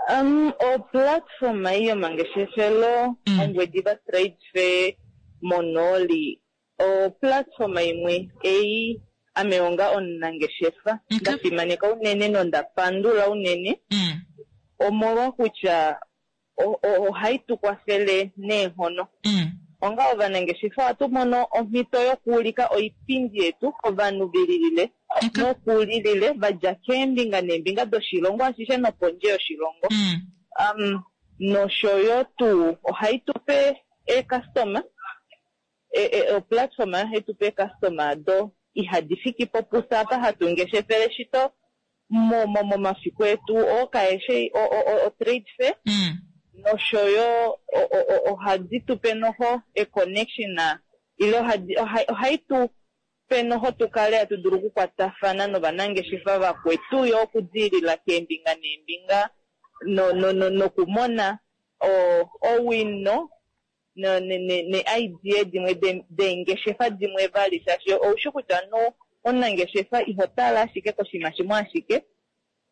S9: Um, oplatform ei yomangeshefelo
S1: Mm.
S9: Ongwediva Trade Fair monooli oplatform imwe ei ame onga omunangeshefa
S1: Okay.
S9: nda fimaneka unene nonda pandula unene
S1: Mm.
S9: omolwa kutya o- o- ohai tu kwafele neenghono.
S1: Mm.
S9: Onga ovanangeshefa ohatu mono omhito yokuulika oipindi yetu kovanhu velilile
S1: Okay.
S9: nokulilile va dja keembinga neembinga doshilongo ashishe nopondje yoshilongo.
S1: Mm.
S9: Um, noshoyo tuu ohai tupe eecustoma oplatform ohai tupe eecustoma do ihadi fiki po pufye apa hatu ngeshefele shito mo- mo- momafiku etu oo kaeshi o- o- o- o-trade fair
S1: Mm.
S9: noshoyo o- o- o- ohadi tupe noho e-connection ile ohadi- oha- ohai tu pe noho tu kale hatu dulu okukwatafana novanangeshefa vakwetu yo okudiilila keembinga neembinga no- no- no- nokumona o- owino ne- ne- ne- ne-idea dimwe de- deengeshefa dimwe vali shaashi oushi kutya no omunangeshefa iho tala ashike koshinima shimwe ashike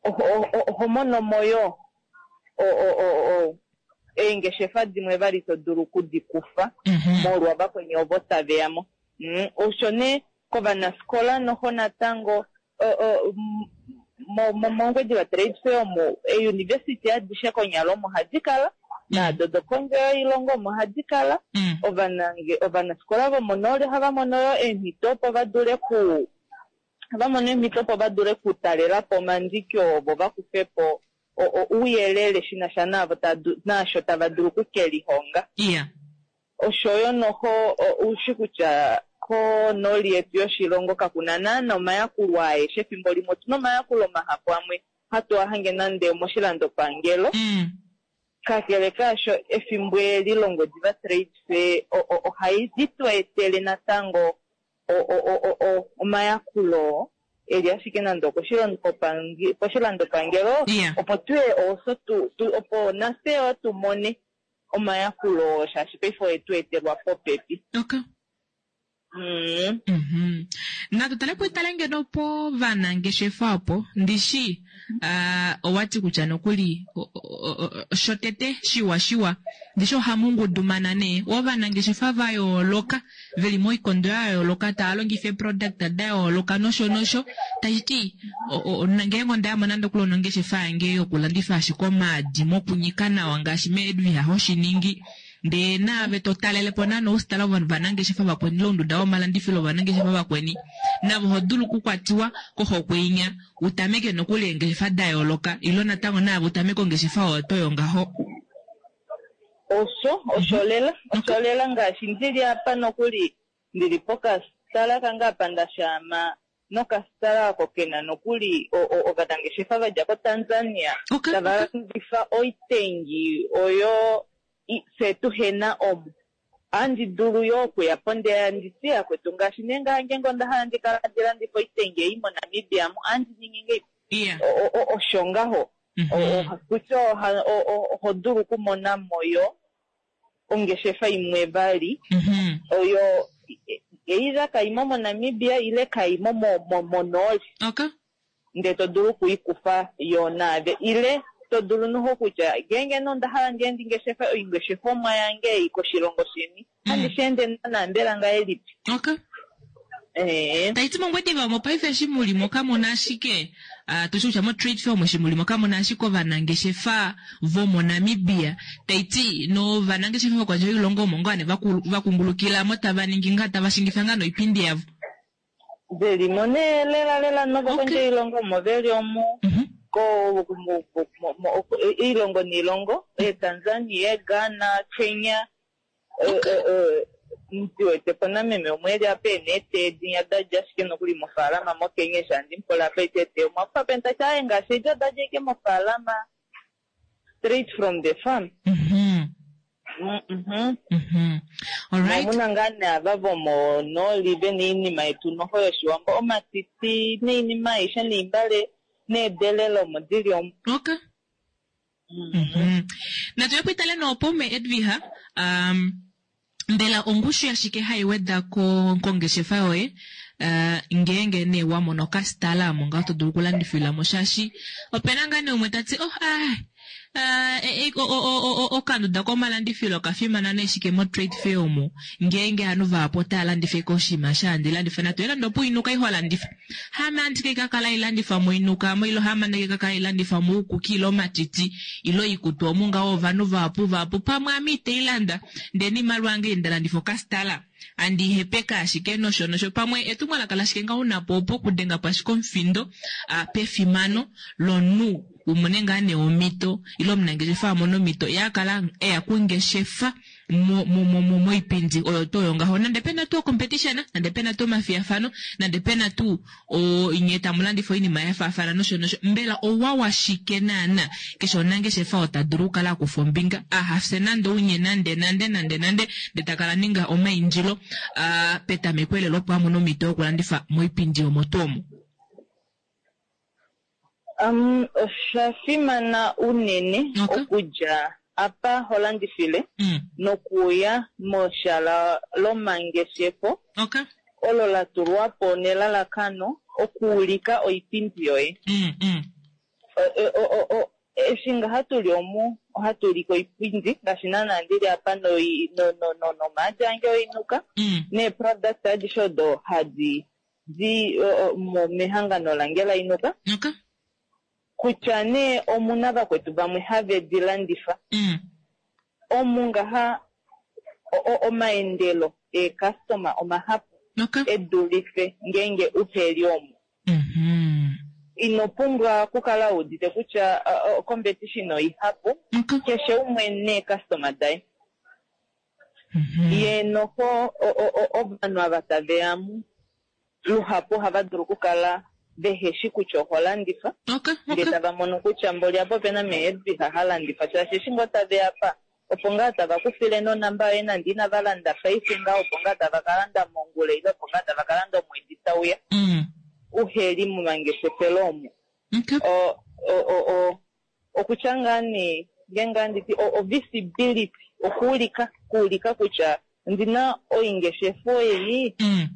S9: oho- oho oho mono mo yo o- o- o- o- eengeshefa dimwe vali to dulu okudikufa
S1: Mhm.
S9: molwa vakweni ovo tave ya mo. Mm, osho nee kovanafikola noho natango o- o- m- mo- mo- mOngwediva Trade Fair omo eeuniversity adishe konyala omo hadi kala naado dokondje yoilongo omo hadi kala.
S1: Mm.
S9: Ovanange ovanafikola vomonooli ohava mono yo eemhito opo va dule ku ohava mono eemhito opo va dule okutalela po omandiki ovo va kufe po o- o- ouyelele shi na sha naavo tava du- naasho tava dulu okukelihonga.
S1: Yeah.
S9: Oshoyo noho o- ushi kutya konooli yetu yoshilongo kakuna naana omayakulo aeshe efimbo limwe otuna omayakulo mahapu amwe hatu a hange nande omoshilandopangelo.
S1: Mm.
S9: Kakele kaasho efimbo eli lOngwediva Trade Fair o- o- ohai tu etele natango o- o- o- o- o- omayakulo eli ashike nande okoshilandopange- koshilandopangelo
S1: Yeah.
S9: opo tuye oso tu, tu opo nafye yo tu mone omayakulo shaashi paife oye tu etelwa popepi.
S1: Okay.
S9: Mm.
S1: Mhm. Natu tale po itale ngeno po vanangeshefa opo ndishi ah, owati kutya nokuli o- o- o- shotete shiwa shiwa ndishi ohamu ngudumana nee ovanangeshefa va yooloka veli moikondo ya yooloka tava longifa eeproduct da yooloka nosho nosho tashiti o- o- ngeenge onda nande okuli onongeshefa yange yokulandifa ashike omaadi mokunyika nawa ngaashi meedwiha hoshiningi ndee naave to talele po naana ousitala vovanangeshefa vakweni ile ounduda vomalandifilo vovanangeshefa vakweni navo oho dulu okukwatiwa kohokwe inya utameke nokuli eengeshefa da yooloka ilo natango naave utameke ongeshefa oyo toyo ngaho.
S9: Osho osho lela osho lela ngaashi ndili apa nokuli ndili pokasitala kange apa ndashaama nokasitala ako kena nokuli o- o- ovanangeshefa vadja koTanzania
S1: Okay,
S9: tava
S1: okay.
S9: landifa oitengi oyo i- fye tuhena omu. Ohandi dulu yo okuya po nde nditi yakwetu ngaashi nee ngeenge onda hala ndi kala handi landifa oitengi ei moNamibia mu ohandi ningi ngei
S1: Yeah.
S9: O- o- osho ngaho.
S1: Mhm.
S9: O- o- kutya oha- o- o- oho dulu okumona mo yo ongeshefa imwe vali
S1: Mhm.
S9: oyo either kaimo moNamibia ile kaimo mo- mo- monooli
S1: Okay.
S9: ndee to dulu okuikufa yo naave ile to dulu noho kutya ngeenge nee onda hala ndiye ndi ngeshefe oingeshefomwa yange ei koshilongo sheni handi shi ende naana mbela ngahelipi.
S1: Okay.
S9: Eh.
S1: Taiti mOngwediva omo paife eshi mulimo kamuna ashike ah, tushi kutya mo-trade fair omo eshi mulimo kamuna ashike ovanangeshefa vomoNamibia taiti novanangeshefa vokondje yoilongo omo ngoo nee vaku- vakungulukila mo tava ningi ngaa tava shingifa ngaa noipindi yavo.
S9: Velimo nee lela lela novokondje
S1: Okay.
S9: yoilongo omo veli omu
S1: Mhm.
S9: Ko mo- mo- mo- iilongo niilongo, Tanzania, Ghana, Kenya, eh, eh, eh, ndi wete po nameme umwe eli apa ena eteedi da dja ashike nokuli mofaalama moKenya eshi handi mupola apa ete ete omwafa peni tati aaye ngaashi edi oda dja ike mofaalama straight from the farm.
S1: Mhm.
S9: Mm, mhm.
S1: Mhm. Alright.
S9: Omuna ngaa naava vomonooli vena oinima yetu noho yoshiwambo omatiti noinima aishe noimbale needelele omo dili omo.
S1: Okay. Mhm. Natu yepo itale noopo me Edviha. Um, mbela ongushu yashike hai weda ko kongeshefa yoye uh, ngeenge nee wa mono okasitala omo ngaho to dulu okulandifila mo shaashi opena ngaa nee umwe tati oh ah Uh, e, e, o- o- o- o- okanduda komalandifilo okafimana nee shike mo trade fair omo ngeenge ovanhu vahapu otava landifa eke oshinima sha landifa natu elande opo inuka iho landifa hame andike kakala ilandifa moinuka mo ilo hame andike kakala ilandifa moukuki ilo omatiti ilo ikutu omu ngaho ovanhu vahapu vahapu pamwe ame iteilanda ndee niimaliwa yange ndalandifa okasitala andi hepeka ashike nosho nosho pamwe etumwalaka lashike ngaho unapo opo okudenga po ashike omufindo ah, pefimano lomunhu umone ngaa nee omhito ile omunangeshefa amone omhito yakala eya kungeshefa mo- mo- mo- mo- moipindi oyo tuu oyo ngaho nande pena tuu competition nande pena tuu omafiyafano nande pena tuu nye tamu landifa oinima ya faafana nosho nosho mbela owa washike naana keshe omunangeshefa ota dulu okukala akufa ombinga ahafye nande unye nande nande nande nande nde takala ninga omaindilo ah, petameko elelo opo amone omhito yokulandifa moipindi omo tuu omo.
S9: Um, osha fimana unene
S1: Okay.
S9: okudja apa ho landifile
S1: Mm.
S9: nokuya moshala lomangeshefo
S1: Okay.
S9: olo la tulwa po nelalakano okuulika oipindi yoye.
S1: Mm, mm.
S9: O- o- o- o- eshi nga hatu li omu ohatu ulike oipindi ngaashi naana ndili apa noi- no- no- no- nomaadi ange oinuka
S1: Mm.
S9: neeproduct adishe odo hadi di o- o- mo- mehangano lange lainuka
S1: Okay.
S9: kutya nee omuna vakwetu vamwe have di landifa
S1: Mm.
S9: omu ngaha o- o- omaendelo eekastoma omahapu
S1: Okay.
S9: edulife ngeenge uheli omu.
S1: Mhm.
S9: Ino pumbwa okukala wuudite kutya uh, uh, competition oihapu
S1: Okay.
S9: keshe umwe neekastoma daye.
S1: Mhm.
S9: Ye noho o- o- o- ovanhu ava tave yamu luhapu ohava dulu okukala veheshi kutya oho landifa
S1: Okay.
S9: ndee
S1: Okay.
S9: tava mono kutya mboli apa opena meedviha ha landifa shaashi eshi ngoo tave yapa opo ngaa tava kufile nonamba yoye nande inava landa paife ngaa opo ngaa tava ka landa mongula ile opo ngaa tava ka landa omwedi tauya
S1: Mm.
S9: uheli momangeshefelo omo.
S1: Okay.
S9: O- o- o- o- okutya ngaa nee ngee ngaa nditi o- o visibility okuulika kuulika kutya ndina oingeshefa ei
S1: Mm.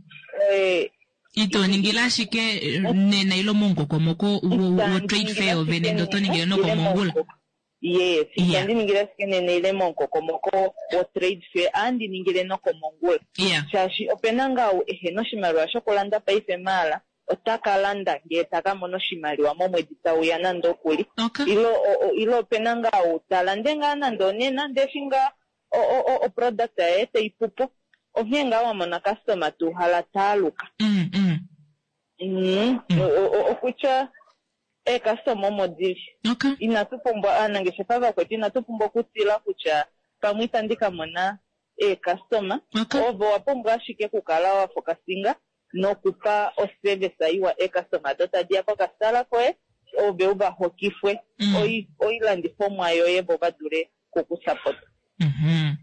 S9: eh,
S1: Ito ningila ashike eh, nena ilo mongokomoko wo wo trade fair ovene ndo to ningile nokomongula.
S9: Yes,
S1: Yeah.
S9: itandi ningile ashike nena ile momukokomoko wo trade fair andi ningile nokomongula
S1: Yeah.
S9: shaashi opena ngaa ou ehena oshimaliwa shokulanda paife maala ota ka landa ngee taka mona oshimaliwa momwedi tauya nande okuli
S1: Okay.
S9: ilo o- o- ilo opena ngaa ou talande ngaa nande onena ndee eshi ngaa o- o- o- oproduct yaye tai pupo onghee ngaa wa mona customer tuuhala taaluka.
S1: Mm, mm.
S9: Mm. O- o- okutya eekastoma omo dili
S1: Okay.
S9: inatu pumbwa aanangeshefa vakwetu inatu pumbwa okutila kutya pamwe itandi ka mona eekastoma
S1: Okay.
S9: ovo wa pumbwa ashike okukala wa fokasinga nokupa oservice iwa eekastoma do tadi ya kokasitala koye ove u va hokifwe
S1: Mm.
S9: oi- oilandifomwa yoye vo va dule kukusapota.
S1: Mhm.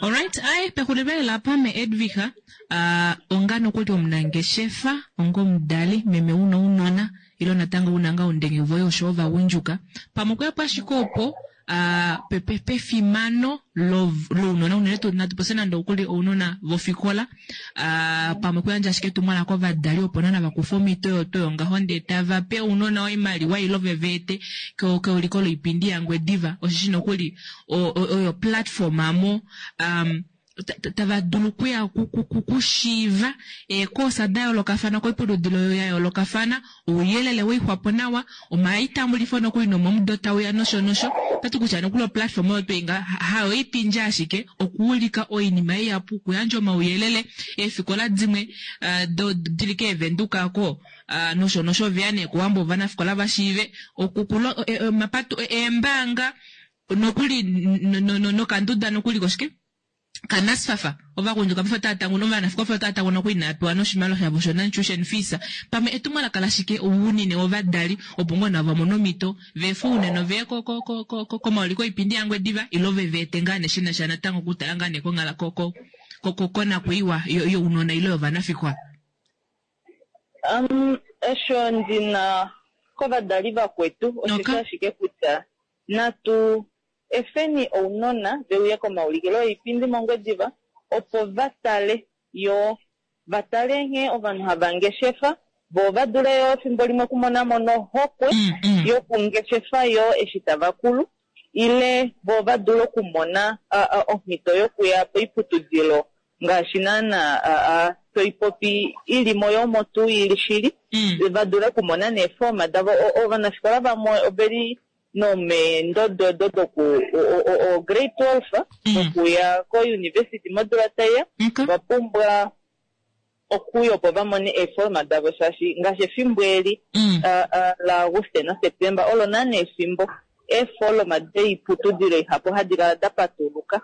S1: Alright, ai pexulilo lapha me Edviha, uh, onga nokuli omunangeshefa, onga omudali, meme una ounona, ilo natango una nga undenge voye osho ovagundjuka. Pamwe okuya po ashike opo uh, pe, pe, pefimano lounona unene tuu natu popye nande okuli ounona vofikola uh, pamwe kuyandja ashike etumwalaka kovadali opo nana vakufa omhito oyo tuu yongaho ndee tava pe ounona oimaliwa ilo veve ete keuliko loipindi yaNgwediva osheshi nokuli oyo platform amo um, ta- ta- tava dulu okuya ku- ku- ku- kushiiva eekoosa da yoolokafana koiputudilo ya yoolokafana, ouyelele weixwapo nawa, omaitambulifo nokuli nomomudo tauya nosho nosho. Otati kutya nokuli oplatform oyo twii nga hayo ipindje ashike okuulika oinima ihapu, okuyandja omauyelele, eefikola dimwe eh, do dili keevenduka ko ah, nosho nosho veya nee kowambo ovanafikola vashiive okukulo eh, eh, omapato eh, eembaanga nokuli no- no- no- nokanduda nokuli koshike kaNSFAF ovagundjuka paife otava tanguna ovanafikola paife otava tanguna oku inaa pewa noshimaliwa shavo sho non-tuition fees. Pamwe etumwalaka lashike ounene wovadali opo ngoo navo vamone omhito veefe unene veye ko- ko- ko- ko- ko- komauliko oipindi yaNgwediva ile ve veete ngaa nee shina sha natango okutala ngaa nee konghala ko- ko- ko- ko- konakwiiwa yo- younona ile yovanafikola.
S9: Um, osho ndina kovadali vakwetu oshisho ashike kutya natu efeni ounona veuye komaulikilo oipindi mOngwediva opo va tale yo va tale nghee ovanhu hava ngeshefa vo va dule yo efimbo limwe okumona mo nohokwe yokungeshefa yo eshi tava kulu ile vo va dule okumona a, a, omhito yokuya poiputudilo ngaashi naana a, a, toipopi ilimo yomo tuu ili shili va dule okumona neefoma davo. O- ovanafikola vamwe oveli nomeendodo do doku o- o- o grade twelve okuya ko-university modula taiya va pumbwa okuya opo va mone eeforma davo shaashi ngaashi efimbo eli ah, ah, laAuguste naSeptemba olo naana efimbo eefoloma doiputudilo ihapu hadi kala da patuluka.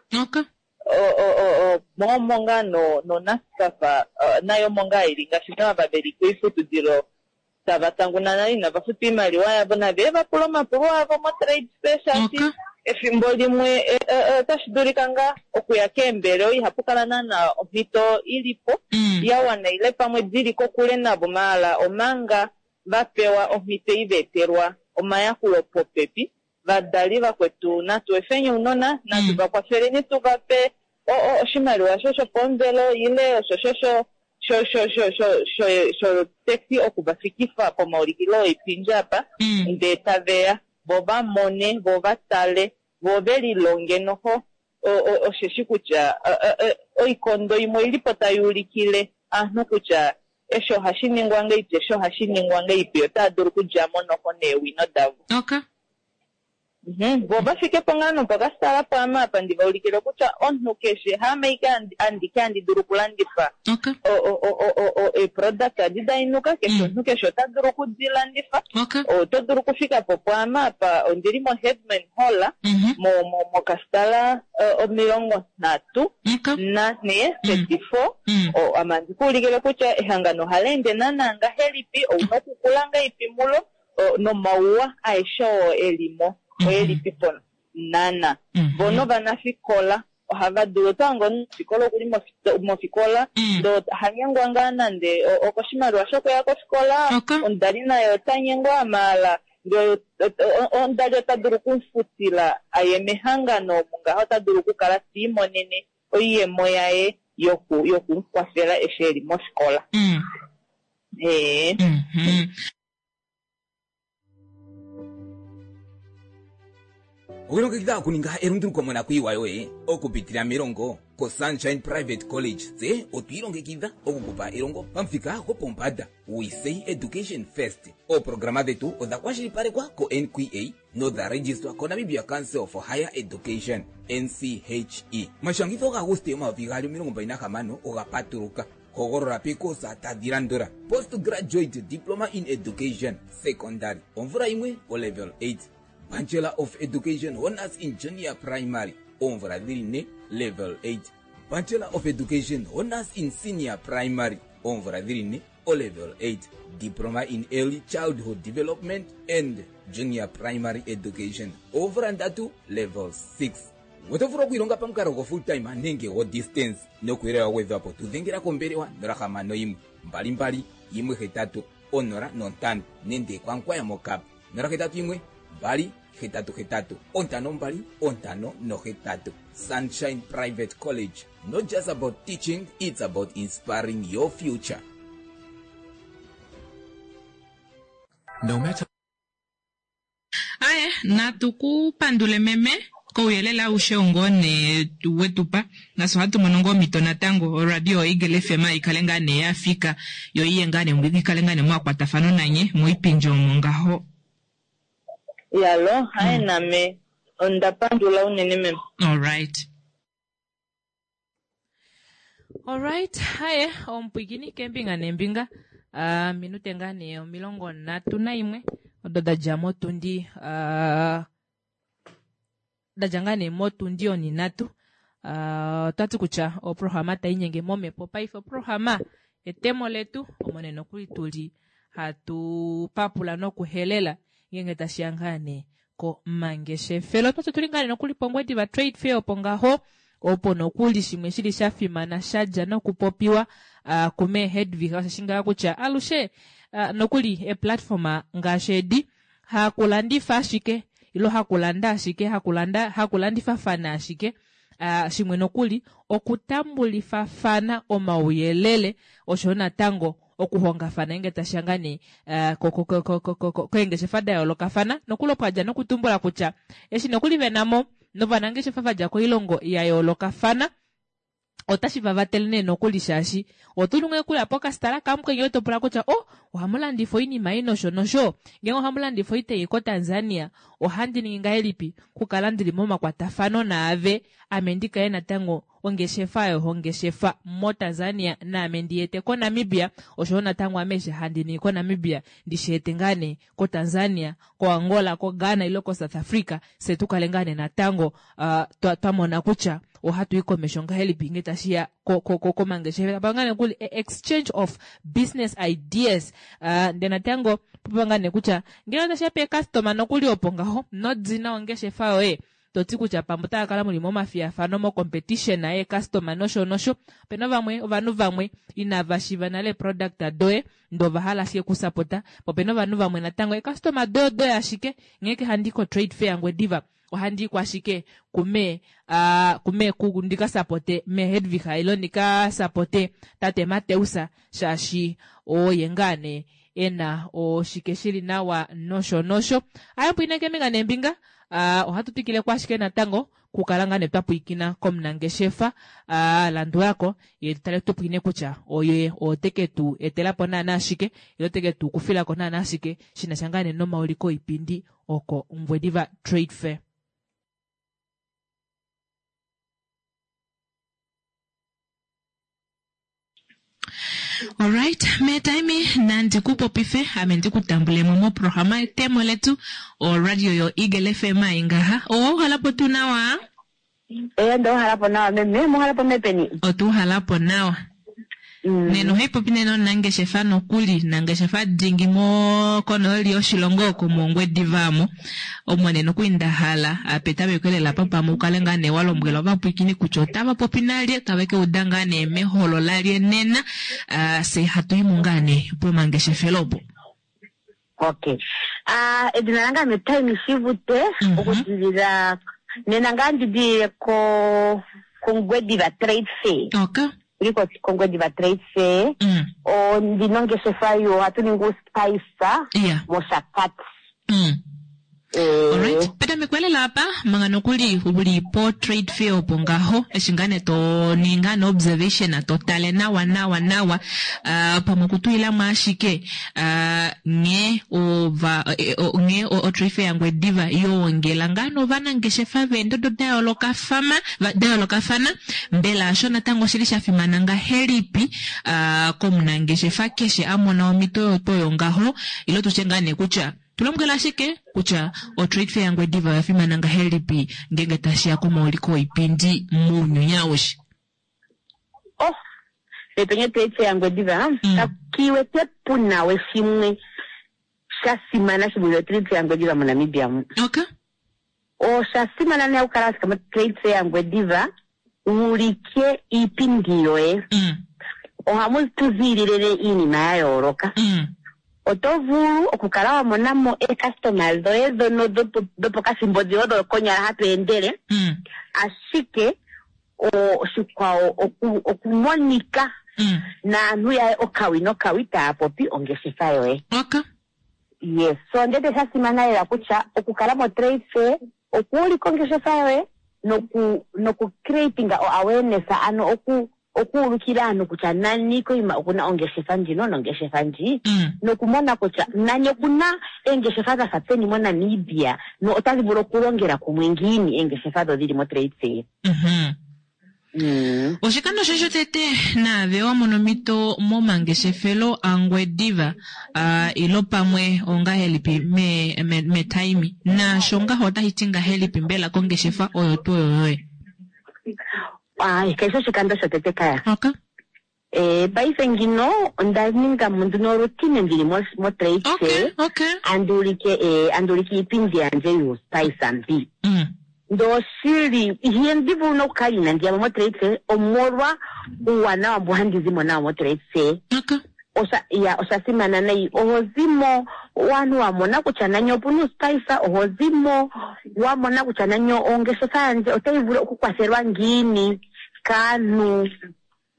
S9: O- o- o- o- momo ngaa no noNSFAF nayo omo ngaa ili ngaashi naava veli koiputudilo tava tanguna nale inava futa oimaliwa yavo nave va pula omapulo avo motrade fair shaashi efimbo limwe e, e, e, otashi dulika ngaa okuya keembelewa ihapu kala naana omhito ilipo ya wana ile pamwe dili kokule navo maala omanga va pewa omhito ei va etelwa omayakulo popepi. Vadali vakwetu natu efeni ounona natu va kwafeleni tu va pe o- o- oshimaliwa sho shopomuvelo ile osho sho sho sho sho sho sho sho sho taxi okuvafikifa pomaulikilo oipindi apa ndee taveya vo va mone vo va tale vo ve lilonge noho o- o- osheshi kutya e, e, e, oikondo imwe oilipo tai ulikile aanhu kutya eshi ohashi ningwa ngeipi eshi ohashi ningwa ngeipi otava dulu okudjamo noho neewino davo.
S1: Okay.
S9: Mhm, vo va fike po ngaa nopokasitala pwaame apa ndi va ulikile kutya omunhu keshe haame ike andi- andike andi dulu okulandifa o- o- o- o- o- o- eeproduct adi dainuka keshe omunhu keshe ota dulu okudilandifa. Oto dulu okufika po pwaame apa ondili moHeadman Hall mo- mo- mokasitala eh, omilongo nhatu nanhee thirty four. O- ame andi ku ulikile kutya ehangano ohali ende naana ngahelipi ouna okukula ngahelipi mulo o, nomauwa aeshe oo elimo oelipi po nana. Vo novanafikola ohava dulu otango omunafikola okuli mofi- mofikola ndoo hanyengwa ngaa nande o- okoshimaliwa shokuya kofikola omudali naye ota nyengwa maala ndee o- o- omudali ota dulu okumufutila aye mehangano omu ngaha ota dulu okukala tiimonene oiyemo yaye yoku yokumukwafela eshi eli mofikola. Ee.
S10: Okulongekidha okuninga elunduluko monakuyiwa yoye okupitila melongo koSunshine Private College tse otwiilongekidha okukupa elongo pamuthika gopombanda. We say education first. Ooprograma dhetu odha kwashilipalekwa ko-N Q A nodha registwa koNamibia Council for Higher Education, N C H E. Omashangitho gaAguste omayovi gaali omilongo mbali nahamano oga patuluka. Hogolola pekosa tadhi landula: postgraduate diploma in education secondary omvula yimwe o level eight, Bachelor of Education Honors in Junior Primary oomvula dhili ne level eight, Bachelor of Education Honors in Senior Primary oomvula dhili ne o level eight, Diploma in Early Childhood Development and Junior Primary Education oomvula ndatu level six. Oto vulu okwiilonga pamukalo go full time nenge go distance. Nokuyelele wa gwedhwapo tudhengela kombelewa nola hamano yimwe mbali mbali yimwe hetatu onola nontano nenge kwankwaya mokap nola hetatu yimwe mbali hetatu hetatu ontano mbali ontano nohetatu. Sunshine Private College, not just about teaching, it's about inspiring your future.
S7: No matter
S1: Aye, natu ku pandule meme. Kouyelele aushe ngoo nee wetupa nafye ohatu mono ngoo omhito natango oradio Eagle F M ikale ngaa nee yafika yo iye ngaa nee ikale ngaa nee mwakwatafano nanye moipindi omo ngaho.
S9: Yalo, haye name onda pandula unene meme.
S1: All right. All right, haye omupwikini kembinga nembinga. Uh, minute ngaa nee omilongo nhatu naimwe odo dadja motundi uh, dadja ngaa nee motundi oninhatu. Uh, otwati kutya oprograma tainyenge momhepo paife oprograma etemo letu omo nee nokuli tuli hatu papula nokuhelela ngenge tashiya ngaa nee komangeshefelo. Otwati tuli ngaa nee nokuli pOngwediva Trade Fair opo ngaho opo nokuli shimwe shili sha fimana shadja nokupopiwa uh, kume Hedwig osho ngaa kutya alushe uh, nokuli e-platform ngaashi edi hakulandifa ashike ilo hakulanda ashike hakulanda hakulandifafana ashike uh, shimwe nokuli okutambulifafana omauyelele osho natango okuhongafana ngenge tashiya ngaa nee uh, keengeshefa da yoolokafana nokuli opo adja nokutumbula kutya eshi nokuli venamo novanangeshefa vadja koilongo ya yoolokafana otashi vavatele nee nokuli shaashi otulunge kuya pokastala kamukwenye otopula kutya oh ohamulandifa oinima ei nosho nosho ngenge ohamulandifa oitei koTanzania ohandi ningi ngahelipi kukala ndili momakwatafano naave ame ndikaye natango ongeshefa oyo hongeshefa moTanzania naame ndiyete koNamibia osho natango ame eshi handi ningi koNamibia ndishiete ngaa nee koTanzania koAngola koGhana ilo koSouth Africa se tukale ngaa nee natango uh, twamona kutya ohatu i komesho ngahelipi nge tashiya komangeshefelo apa ngaa nee kuli exchange of business ideas uh, nde natango popa ngaa nee kutya ngele otashiya pe customer nokuli opo ngaho nodina ongeshefa yoye toti kutya pamwe otava kala muli momafiyafano mo competition ye customer nosho nosho opena vamwe ovanhu vamwe inava shiva nale product doye ndova hala ashike kusapota opena ovanhu vamwe natango e customer doye doye ashike ngeke handi ko trade fair Ngwediva ohandi kwa ashike kume uh, kume ku ndika sapote me Hedwig ilo ndika sapote tate Mateusa shaashi oye ngane ena oshike shili nawa nosho nosho ayo pwineke minga nembinga Uh, ohatu twikile kwashike natango kukala ngaa nee twapwikina komunangeshefa uh, landulako ye tutale tupwine kutya oye oteke tu etelapo naana ashike ilo teke tu kufilako naana ashike shinasha ngaa nee nomauliko oipindi oko Ongwediva Trade Fair. Alright, metaimi nandi kupopife ame ndikutambulemo moprograma etemo letu o radio yo Eagle F M ingaha. Owa uhalapo tu nawa?
S11: Eh, ndo uhalapo nawa meme, muhalapo mepeni.
S1: Otu uhalapo nawa.
S11: Mm.
S1: Neno haipopi neno nangeshefa nokuli nangeshefa dingi mo konooli yoshilongo oko mOngwedivamo omo neno kuindahala apetameko lela pamwe ukale ngaa nee walombwela ovapwikini kutya otava popi nalye tave keuda ngaa nee meholo lalye nena uh, se hatu imu ngaa nee pomangeshefelo opo.
S11: Okay. Ah, edina lange ame Taimi Shivute okudilila nena ngaa ndidilile ko kOngwediva Trade Fair.
S1: Okay.
S11: Liko kOngwediva Trade Fair.
S1: Mm.
S11: O ndina ongeshefa yo ohatu ningi uspice
S1: Yeah.
S11: mOshakati.
S1: Mm.
S11: Eh,
S1: Alright, petameko lela apa manga nokuli uli po trade fair opo ngaho eshi ngaa nee to ninga no observation to tale nawa nawa nawa uh, pamwe okutulilamo ashike uh, nghee ova eh, o- nghee o, o trade fair yaNgwediva yoongela ngaa novanangeshefa veendodo da yoolokafana va- da yoolokafana mbela osho natango oshili sha fimana ngahelipi uh, komunangeshefa keshe a mona omhito yoto ngaho ilo tutye ngaa nee kutya tulombwela ashike kutya o trade fair yaNgwediva oya fimana ngahelipi ngenge tashiya komauliko oipindi mounyuni aushe.
S11: Oh, pepenye Trade Fair yaNgwediva
S1: Mm.
S11: kakiwete puna we shimwe sha simana shi vule Trade Fair yaNgwediva moNamibia mu.
S1: Okay.
S11: Osha simana nee okukala wafika mo Trade Fair yaNgwediva wuulike iipindi yoye.
S1: Mm.
S11: Ohamu tu ziilile iinima ya yooloka.
S1: Mm.
S11: Oto vulu okukala wa mona mo eecustomers dhoye dhono dhopo- dhopokathimbo dhiyo dho konyala hatu endele
S1: Mm.
S11: ashike oshikwawo oku- okumonika
S1: Mm.
S11: naantu yaye okawi nokawi taya popi ongeshefa yoye.
S1: Okay.
S11: Yes, so ndete sha simana lela kutya okukala mo trade fair Okuulika ongeshefa yoye noku noku creating o awareness ano oku okuulukila aantu kutya nani koima okuna ongeshefa ndjino nongeshefa ndji nokumona kutya nani okuna eengeshefa dha fa peni moNamibia no otadhi vulu okulongela kumwe ngiini eengeshefa dho dhili motrade fair. Mm.
S1: Oshikando shoye shotete naave wa mona omhito momangeshefelo aNgwediva uh, ilo pamwe ongahelipi me, me, metaimi naasho ngaho otashi ti ngahelipi mbela kongeshefa oyo tuu oyo yoye?
S11: Ai, keshe oshikando shotete kaya.
S1: Okay.
S11: Eh, paife ngino onda ninga mo nduno routine ndili mo mo trade fair.
S1: Okay.
S11: Anduulike eh anduulike iipindi yandje yuuspice mbi.
S1: Mm.
S11: Ndoshili ihandi vulu nokukala inandi ya mo motrade fair omolwa uuwanawa mbu handi zimo nawo motrade fair.
S1: Okay.
S11: Osha ya osha simana nayi oho zimo wanhu wa mona kutya nani opuna uuspice oho zimo wa mona kutya nani ongeshefa yandje otayi vulu okukwathelwa ngiini kaantu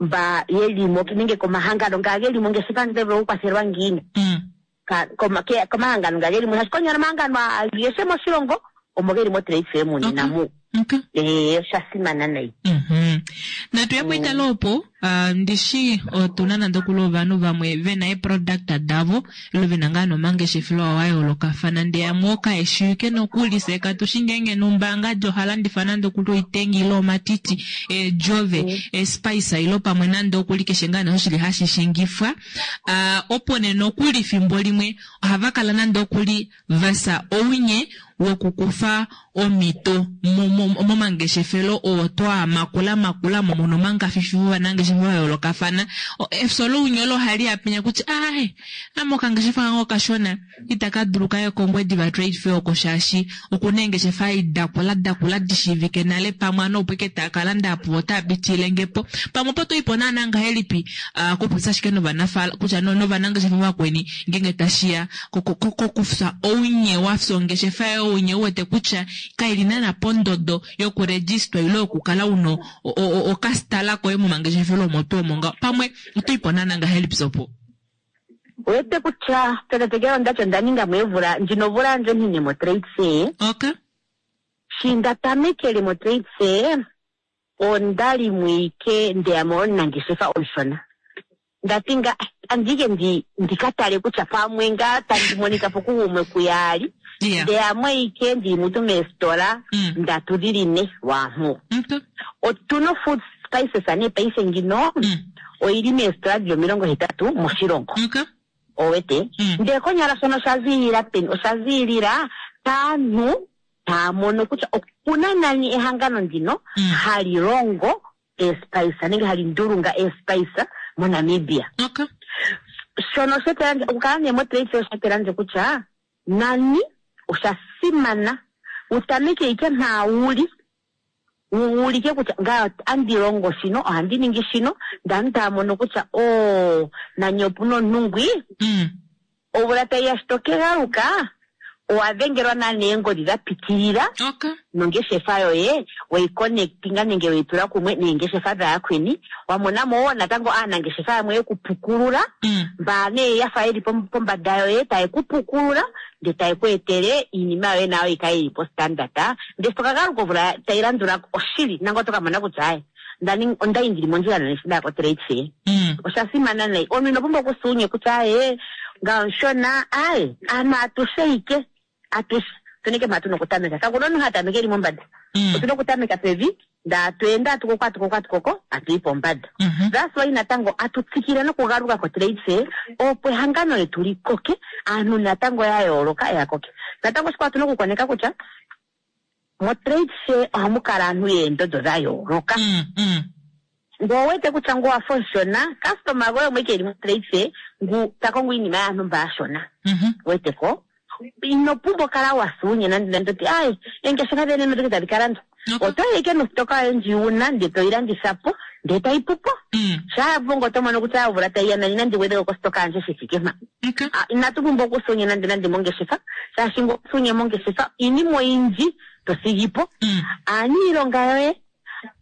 S11: mba yeli mo nenge komahangano nga geli mongeshefa yandje otayi vulu okukwathelwa ngiini
S1: Mm.
S11: Ka- koma- ke- komahangano nga geli mo shaashi konyala omahangano agehe moshilongo omo geli motrade fair munena mu.
S1: Okay.
S11: Eh, osha simana nayi.
S1: Mhm. Natu ya poitalo opo uh, ndishi otuna nande okuli ovanhu vamwe vena eeproduct davo ilo vena ngaa nomangeshefelo awo ayoolokafana ndee yamwe okaeshiwike nokuli se katushi ngeenge nombaanga ohalandifa nande okuli oitengi ile omatiti eedjove espice ilo pamwe nande okuli keshe ngaa nee oshili hashi shingifwa uh, opo nee nokuli fimbo limwe ohava kala nande okuli vasa ounye wokukufa omhito momangeshefelo oo toa makula makula mo mono omangafifi vovanangeshefa va yoolokafana. Efyo lounye olo ohali yapenya kutya ae ame okangeshefa kange okashona itaka dulu kaye kOngwediva Trade Fair oko shaashi okuna eengeshefa dakula dakula dishiivike nale pamwe ano opo ike taa landa apo otaa pitilile po pamwe opo toipo naana ngahelipi uh, kupopya ashike novanafala kutya novanangeshefa vakweni ngeenge tashiya kokufya ounye wafya ongeshefa yoye ounye uwete kutya kaili naana pondodo yokurejistwa ile yokukala una okastala koye momangeshefelo omo tuu omo ngaho pamwe otoipo naana ngahelipi sopo
S11: Wete kutya petetekelo ondati onda ninga mo evula ndjino omvula yandje onine motrade fair.
S1: Okay.
S11: Shi nda tamekele motrade fair onda li mwike ndeyamo omunangeshefa omushona. Ndati nga andike ndi ndika tale kutya pamwe ngaa tandi monika po kugumwe kuyaali.
S1: Yeah.
S11: Ndeyamo ike ndili mutu meesitola
S1: Mm.
S11: ndatu dhili ne lwaampo.
S1: Okay.
S11: Otuna food spices nee paife ngino
S1: Mm.
S11: oyili meesitola dhili omilongo hetatu moshilongo.
S1: Okay.
S11: Owete
S1: Mm.
S11: ndee konyala shono osha ziilila peni osha ziilila kaantu taya mono kutya okuna nani ehangano ndino
S1: Mm.
S11: hali longo eespice nenge hali ndulunga eespice moNamibia.
S1: Okay.
S11: Shono shetelandje okukala nee motrade fair oshetelandje kutya nani osha simana utameke ike mpa wuli wuulike kutya ngaye andi longo shino ohandi ningi shino ndee aantu taya mono kutya oo nani opuna omuntu ngwi
S1: Mm.
S11: omvula tayiya shi tokegaluka owa dhengelwa naana eengodhi dha pitilila
S1: Okay.
S11: nongeshefa yoye weyi connectinga nenge weyi tula kumwe neengeshefa dhayakweni wa monamo wo natango aanangeshefa yamwe yokupukulula
S1: Mm.
S11: mba nee yafa yeli pom- pombanda yoye taye ku pukulula ndee taye ku etele iinima yoye nayo yikale yili postandard ndee shi tokagaluka omvula tayi landula oshili nangoye oto ka mona kutya aye ndani ondayi ndili mondjila nani shi ndaya kotrade fair.
S1: Mm.
S11: Osha simana nayi omuntu ino pumbwa okusa uunye kutya aye ngaye omushona aye aantu atushe ike atushe otunike mpa tuna okutameka kakuna omuntu ha tameke eli mombanda
S1: Mm.
S11: otuna okutameka pevi ndee atu ende atukoko atukoko atukoko atuyi pombanda.
S1: Mhm.
S11: That's why natango atutsikile nokugaluka kotrade fair opo ehangano letu likoke aantu natango ya yooloka ya koke. Natango oshikwawo otuna okukoneka kutya motrade fair ohamu kala aantu yeendondo dha yooloka.
S1: Mm. Mm.
S11: Ngele owuwete kutya ngu owafa omushona customer goye omwe ike eli motrade fair ngu ta kongo iinima yaantu mba aashona.
S1: Mhm.
S11: Weteko ino pumbwa okukala wasa uunye nande nande toti aye eengeshefa dhene odhike tadhi ka landwa.
S1: Okay.
S11: Otoyi ike nositoka yoye ndji wuna ndee toyi landitha po ndee tayi pupo.
S1: Mm.
S11: Shaa ya pu ngoye oto mono kutya omvula tayi ya nani nandi gwedheko kositoka yandje shi thike mpa.
S1: Okay.
S11: Ah, inatu pumbwa okusa uunye nande nande mongeshefa shaashi ngele owasa uunye mongeshefa iinima oyindji to thigi po.
S1: Mm.
S11: Aaniilonga yoye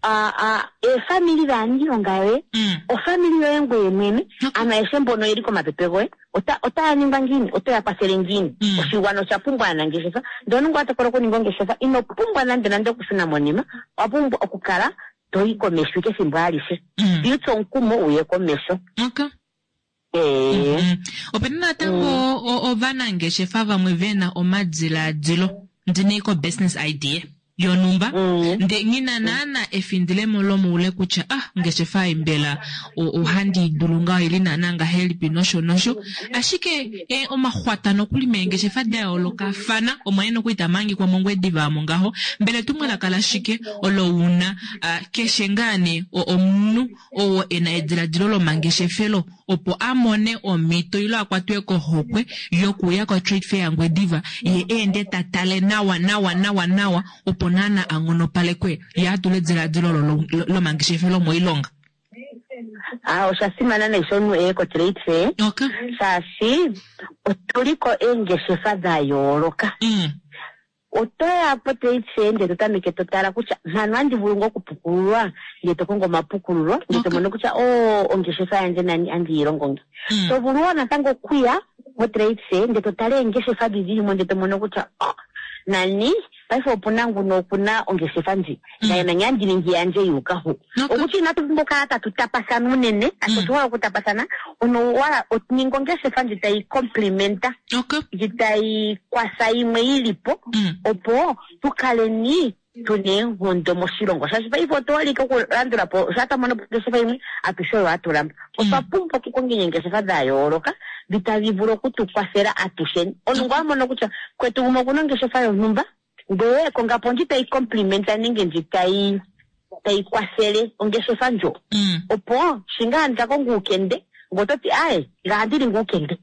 S11: ah, ah, eefamili dhaaniilonga yoye ofamili yoye ngoye mwene ano ayehe mbono yeli komapepe goye ota- otaya ningwa ngiini otoya kwathele ngiini oshigwana osha pumbwa aanangeshefa ndele ngoye wa tokola okuninga ongeshefa ino pumbwa nande nande okushuna monima owa pumbwa okukala toyi komesho ike ethimbo alihe twiitsa omukumo uye komesho
S1: Mm. Opena natango o- ovanangeshefa vamwe vena omadiladilo ndine business idea yonumba nde ngina naana efindilemo lomoule kutya ah ongeshefa ei mbela o- ohandi i dulu ngaho ili naana ngahelipi nosho nosho ashike eh, omaxwata nokuli meengeshefa da yoolokafana omo ye nokuli tamangikwa mongwediva omo ngaho mbela etumwalaka lashike olo una ah, keshe ngaa nee o- omunhu oo ena ediladilo lomangeshefelo opo amone omhito ilo akwatwe kohokwe yokuya ko-trade fair yangwediva ye eende tatale nawa nawa nawa nawa opo naana anghonopalekwe ye atule ediladilo olo lo- lo- lomangeshefelo moilonga
S11: Ah, osha simana nayi sho omuntu eye ko-trade fair shaashi otuliko eengeshefa dha yooloka otoya po-trade fair ndele to tameke to tala kutya mpano andi vulu ngo okupukululwa ndele to kongo omapukululo ndele to mono kutya o ongeshefa yandje nani andi yi longo nge to vulu wo natango okuya mo-trade fair ndele to tala eengeshefa dhi dhili mo ndele to mono kutya oh, nani paife opuna nguno okuna ongeshefa ndji naye nani andi ningi yandje yuuka hu okutya inatu pumbwa okukala tatu tapathana unene ati otu hole okutapathana ono wala ninga ongeshefa ndji tayi complimenta ndji tayi kwatha yimwe yili po opo tu kaleni tuna eenkondo moshilongo shaashi paife otu holike okulandula po shaa twa mono po ongeshefa yimwe atushe oyo atulamba otwa pumbwa okukonga eengeshefa dha yooloka dhi tadhi vulu okutu kwathela atusheni omuntu ngo a mono kutya kwetu gumwe okuna ongeshefa yontumba ndele konga po ndji tayi complimenta nenge ndji tayi tayi kwathele ongeshefa ndjo opo shi ngaa ndika konga uukende ngo toti aye nga andi linga uukende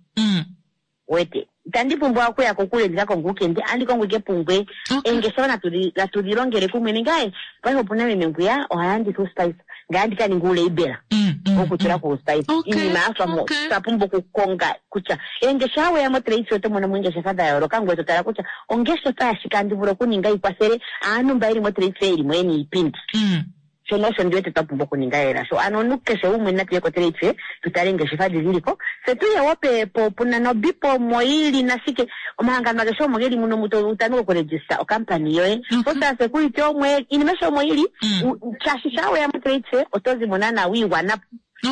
S11: wete itandi pumbwa okuya kokule ndika konga uukende andi kongo ike pungwe eengeshefa natu natu dhi longele kumwe nenge aye paife opuna meme ngwiya oha landitha uuspice ngaye andi ka ninga uulabela wokutula ko uuspice iinima ya fa mo twa pumbwa okukonga kutya eengeshefa weya mo-trade fair oto mono mo eengeshefa dha yooloka ngoye to tala kutya ongeshefa yashike andi vulu okuninga yi kwathele aantu mba yeli mo-trade fair yeli mo yena iipindi shono osho ndi wete twa pumbwa okuninga lela sho ano omuntu keshe gumwe natu ye ko-trade fair tu tale eengeshefa dhi dhiliko tse tuye wo pe po puna nobipo omo yili nashike omahangano ageshe omo geli muno muto utameke okuregista okampani yoye social security omo iinima eshe omo yili U- shaashi shaa weya mo-trade fair oto zimo naana wiigwana po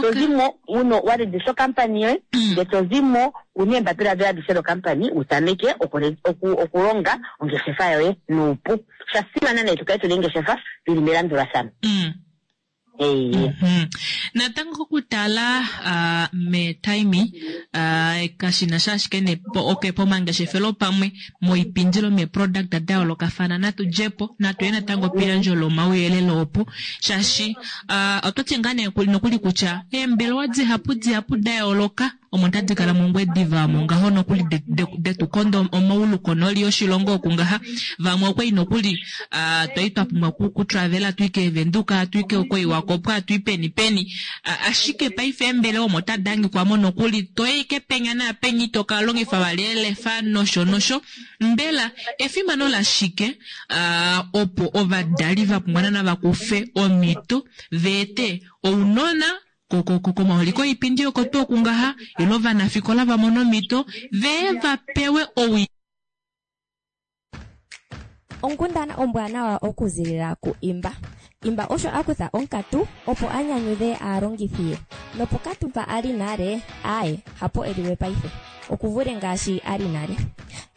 S11: to zimo uno wa regista okampani yoye ndele to zimo una eembapila dhoye adhishe dhokampani wu tameke okure- oku- okulonga ongeshefa yoye nuupu osha simana nayi tukale tuna eengeshefa dhili melandulathano Ee.
S1: Natango okutala uh, metaimi uh, kashina sha ashike ne po, okay, pomangeshefelo pamwe moipindilo meproduct da yoolokafana natu djepo natu ye natango peyandjo lomauyelele opo shaashi uh, oto ti ngaa nee nokuli kutya eembelewa dihapu dihapu da yooloka omo tadi kala mongwediva omo ngaho nokuli de- de- detu konda omaulu konoli yoshilongo oku ngaha vamwe okwali nokuli uh, twali twa pumbwa ku, ku travela tuike Venduka tuike koiwakopwa tui peni peni uh, ashike paife eembelewa omo tadi hangikwamo nokuli toyi penya naapenya ito ka longifa vali elefa nosho nosho mbela efimano lashike uh, opo ovadali va pumbwa naana vakufe omhito veete ounona komauliko oipindi oko tuu okungaha ilo ovanafikola va mone omhito vee va pewe owi
S12: Onkundana ombwanawa okuzilila ku Imba. Imba osho a kutha onkatu opo a nyanyudhe aalongithi ye. Nopokatu mpa a li nale, aaye, hapo e liwe paife. Okuvule ngaashi a li nale.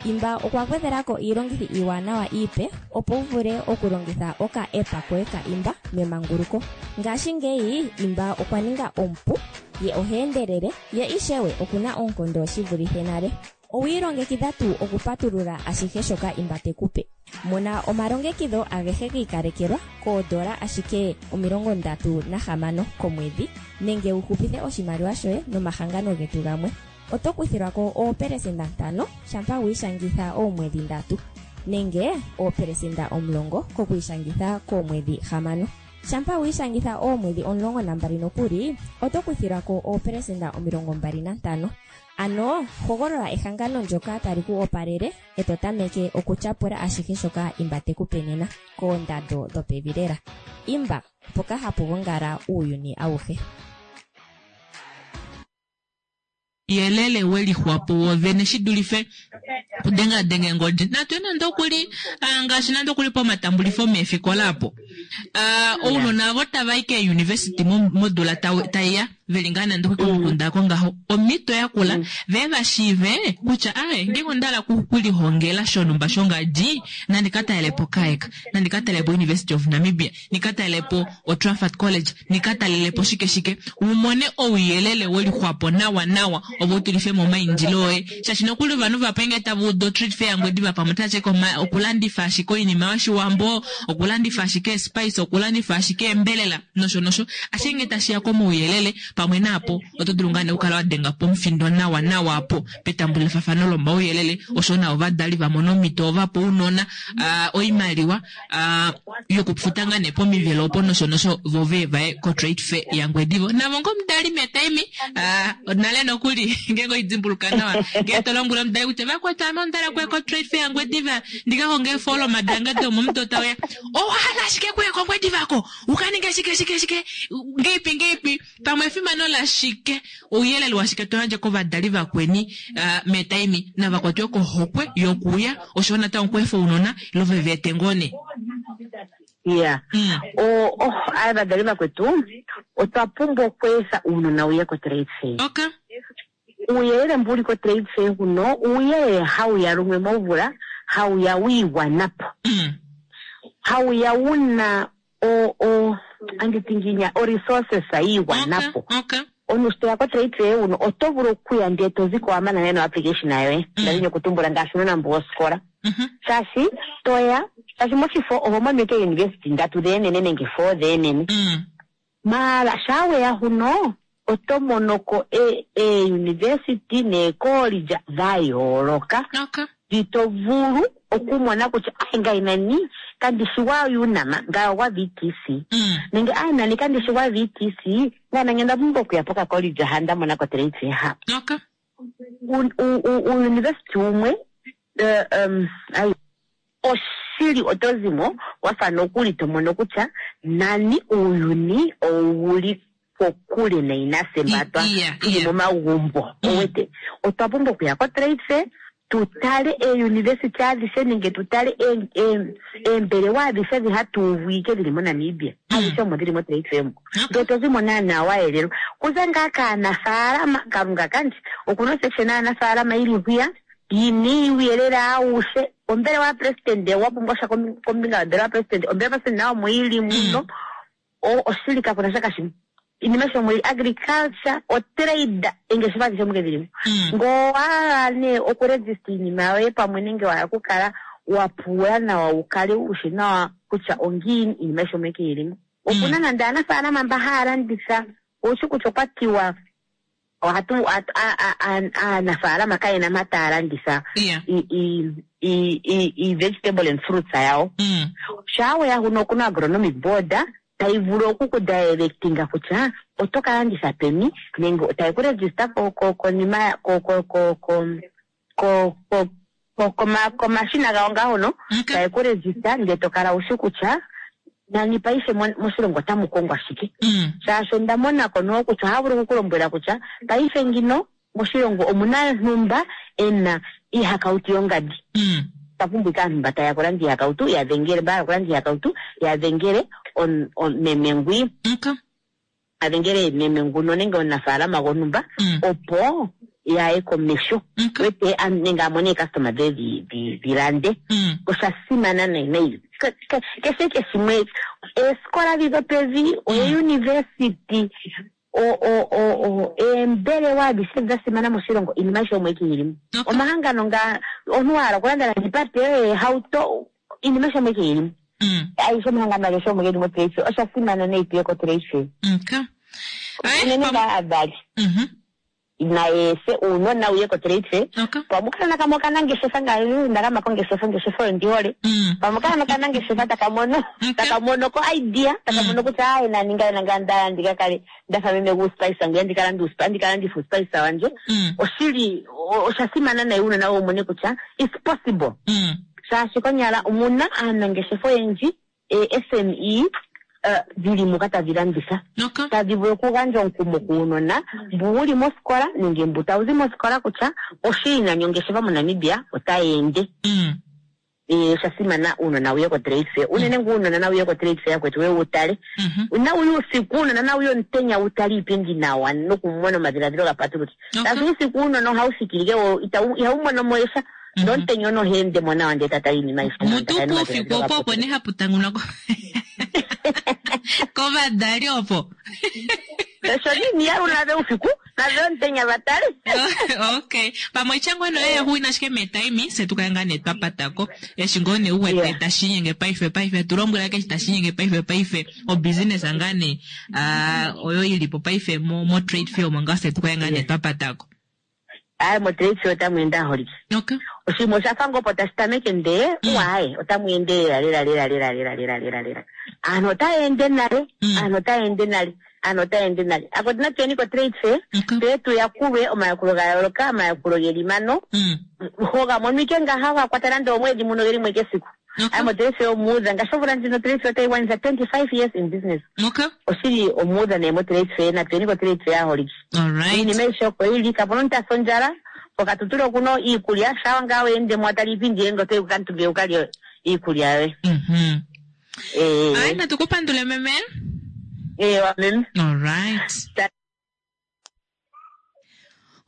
S12: Imba okwa gwedhelako iilongithi iiwanawa iipe opo wu vule okulongitha oka app koye ka Imba memanguluko. Ngashingeyi Imba okwa ninga omupu, ye oha endelele, ye ishewe okuna oonkondo shi vulithe nale. Owi ilongekidha tuu okupatulula ashihe shoka Imba te ku pe? Mona omalongekidho agehe gi ikalekelwa koodola ashike omilongo ndatu nahamano komwedhi nenge wu hupithe oshimaliwa shoye nomahangano getu gamwe. Oto kuthilwa ko oopelesenda ntano shampa wi ishangitha oomwedhi ndatu nenge oopelesenda omulongo kokwiishangitha koomwedhi hamano. Shampa wi ishangitha oomwedhi omulongo nambali nokuli, oto kuthilwa ko oopelesenda omilongo mbali nantano. Ano hogolola ehangano ndyoka tali ku opalele e to tameke okutyapula ashihe shoka Imba te ku pe nena koondando dhopevi lela. Imba, mpoka hapu gongala uuyuni awuhe.
S1: Yelele we lixwapo wovene shi dulife kudengadenga eengodi. Natu ye nande okuli ah, ngaashi nande okuli pomatambulifo meefikola apo. Ah, ounona ovo tava i keeuniversity mo- modula tau- taiya veli ngaa nande okuli komukunda oko ngaho omhito yakula vee va shiive kutya ae ngeenge onda hala oku- okulihongela shonhumba shongadi nandi ka talelepo KAEK, nandi ka talelepo University of Namibia, ndi ka talelepo oTrafford College, ndi ka talelepo shike shike, u mone ouyelele we lixwapo nawa nawa ove u tulife mo omaindilo oye. Shaashi nokuli ovanhu vape ngee tava udu oTrade Fair yaNgwediva pamwe otava ti ashike okulandifa ashike oinima yOshiwambo, okulandifa ashike eespice, okulandifa ashike eembelela nosho nosho. Ashike ngee tashi ya komauyelele pamwe naapo oto dulu ngaa nee okukala wa denga pomufindo nawa nawa apo petambulifafano lomauyelele osho na ovadali va mona omhito va pa ounona uh, oimaliwa uh, yokufuta ngaa nee pomivelo opo nosho nosho vo ve vaye koTrade Fair yaNgwediva. Navo ngo omudali metaimi uh, nale nokuli ngeenge oidimbuluka nawa ngee to lombwele omudali kutya vakwetu ame onda kuya koTrade Fair yaNgwediva ndika konge eefoloma dange domomudo tauya, owahala ashike kuya kOngwediva ko uka ninge shike shike shike ngeipi ngeipi pamwe efimano lashike ouyelele washike to yandje kovadali vakweni uh, metaimi navakwatwe kohokwe yokuya osho natango okweefa ounona ile ve ete ngoo nee.
S11: Ya o oh aavadali vakwetu otwa pumbwa okweetha uunona wuye koTrade Fair.
S1: Okay.
S11: Uuyelele mbu uli koTrade Fair huno uuyelele hawu ya lumwe momvula, hawu ya wiigwanapo, hawu ya wuna o o anditi nginya o resources yiigwanapo.
S1: Okay.
S11: Omuntu sho toya koTrade Fair huno oto vulu okuya ndele to ziko wa mana neno application yoye, ndadhini okutumbula ngaashi uunona mbu wosikola, shaashi toya shaashi moshifo oho mono ike university ndatu dheenene nenge four dheenene, maala shaa weya huno oto monoko eeuniversity neekoolidja dha yooloka dhi to vulu okumona kutya ai ngai nani kandi shi gwa UNAM ngai ogwa V T C nenge ai nani kandi shi gwa V T C ngai nani onda pumbwa okuya pokakoolidja ha nda mona koTrade Fair ha. Uuniversity wumwe um, ai oshili oto zimo wafa nokuli to mono kutya nani uuyuni ouli kokule nainasembatwa tuli momagumbo. Owete otwa pumbwa okuya koTrade Fair tu tale eeuniversity adhishe nenge tu tale eembelewa adhishe dhi hatu uvu ike dhili moNamibia adhishe omo dhili moTrade Fair mo, ndee to zimo naanaa wa yelelwa kuza ngaa kaanafaalama. Kalunga kandje okuna osection yaanafaalama ili hwiya yina uuyelele awushe. Ombelewa yapresidente wa pumbwa sha kombinga yombelewa yapresidente, ombelewa yapresidente nayo omo ili muno. Oshili kakuna sha kashimwe iinima sho mwili agriculture otrade engeshefa adhishe muke dhilimo. Ngoo wahala nee okuregista iinima yoye pamwe nenge wahala okukala wa pula nawa wu kale wushi nawa kutya ongiini iinima ayihe omo ike yilimo. Okuna nande aanafaalama mba haya landitha, owushi kutya okwa tiwa ohatu aanafaalama kayena mpa taya landitha i-vegetable and fruits yawo. Shaa weya huno okuna agronomic board tayi vulu oku ku directinga kutya oto ka landitha peni nenge tayi ku register konima komashina gawo ngaa hono, tayi ku register ndele to kala wushi kutya nani paife moshilongo otamu kongwa shike. Shaashi onda monako noo kutya ohaya vulu oku kulombwela kutya paife ngino moshilongo omuna ntumba ena iihakautu yongadi, ta pumbwa ike aantu mba taya kulanda iihakautu ya dhengele, mba hala okulanda iihakautu ya dhengele meme ngwi, a dhengele meme nguno nenge omunafaalama gontumba opo yaye komesho wete nenge a mone eecustoma dhe dhi lande. Osha simana nayi nayi keshe ke shimwe eesikola dhi dhopevi, oeuniversity, eembelewa adhishe dha simana moshilongo, iinima ayihe omo ike yilimo. Omahangano nga omuntu wa hala okulanda nande ipate ehauto, iinima ayihe omo ike yilimo. Ayihe omahangano ageshe omo geli moTrade Fair. Osha simana nayi tuye koTrade Fair. Unene ngaa aavali. Naye efe uunona wuye ko-trade fair. Pamwe okanona kamwe okanangeshefa ngaashi ndagama kongeshefa, ongeshefa oyo ndi hole. Pamwe okanona okanangeshefa taka mono taka mono ko idea, taka mono kutya aye nani ngaye nanga ndaya ndika kale ndafa meme guuspice ngwiya ndika lande uuspi- ndika landithe uuspice wandje. Oshili o- osha simana nayi uunona wu mone kutya it's possible, shaashi konyala omuna aanangeshefa oyendji e S M E eh, dhili muka tadhi landitha, tadhi vulu okugandja omukumo kuunona mbu wuli mosikola nenge mbu tawu zi mosikola kutya oshili nani ongeshefa moNamibia otayi ende. Eh, osha simana uunona wuye ko-trade fair, unene ngu uunona nawu ye ko-trade fair yakwetu we wu tale, nawu ye uusiku, uunona nawu ye omutenya wu tale iipindi nawa nokumona omadhiladhilo ga patuluke, shaashi uusiku uunona ohawu thikilike wo itawu- ihawu mono mo esha, nomutenya ono oha ende mo nawa ndele ta tala iinima ayihe nawa,
S1: Mutu
S11: ta kala
S1: puufiku
S11: nomadhiladhilo ga
S1: opo opo ne hapu tangunwa ko- kovadali opo.
S11: Sho nini yalula nave uusiku nave omutenya va tale.
S1: Okay, pamwe ichango no ye huina ashike metaimi se tukale ngaa nee twapatako eshi ngoo nee uwete tashi inyenge paife paife tulombwela keshi tashi inyenge paife paife obusiness ngaa nee ah, oyo ilipo paife mo, mo trade fair omo ngaa se tukale ngaa nee twapatako.
S11: Aye, mo-trade fair otamu ende aholike.
S1: Okay.
S11: Oshinima osha fa ngoo opo tashi tameke ndee uaye otamu ende lela lela lela lela lela lela lela lela. Aantu otaya ende nale, aantu otaya ende nale, aantu otaya ende nale. Ako natuyeni ko-trade fair tse tu yakulwe omayakulo ga yooloka, omayakulo geli mano hoga monwike ngaha ga kwata nande omwedhi muno geli mwe kesiku. Aye, mo-trade fair omuudha ngaashi omvula ndjino trade fair otayi gwanitha twenty five years in business. Oshili omuudha nee mo-trade fair, natuyeni ko-trade fair aholike. Iinima ayihe oko yili, kapuna omuntu asa ondjala. Pokatutula okuno iikulya shawa ngaa weende mo watala iipindi yoye ngoye otoyi kukamutumba wukalye iikulya yoye. Eh.
S1: Ayi, natukupandule meme.
S11: Ewa meme.
S1: Alright.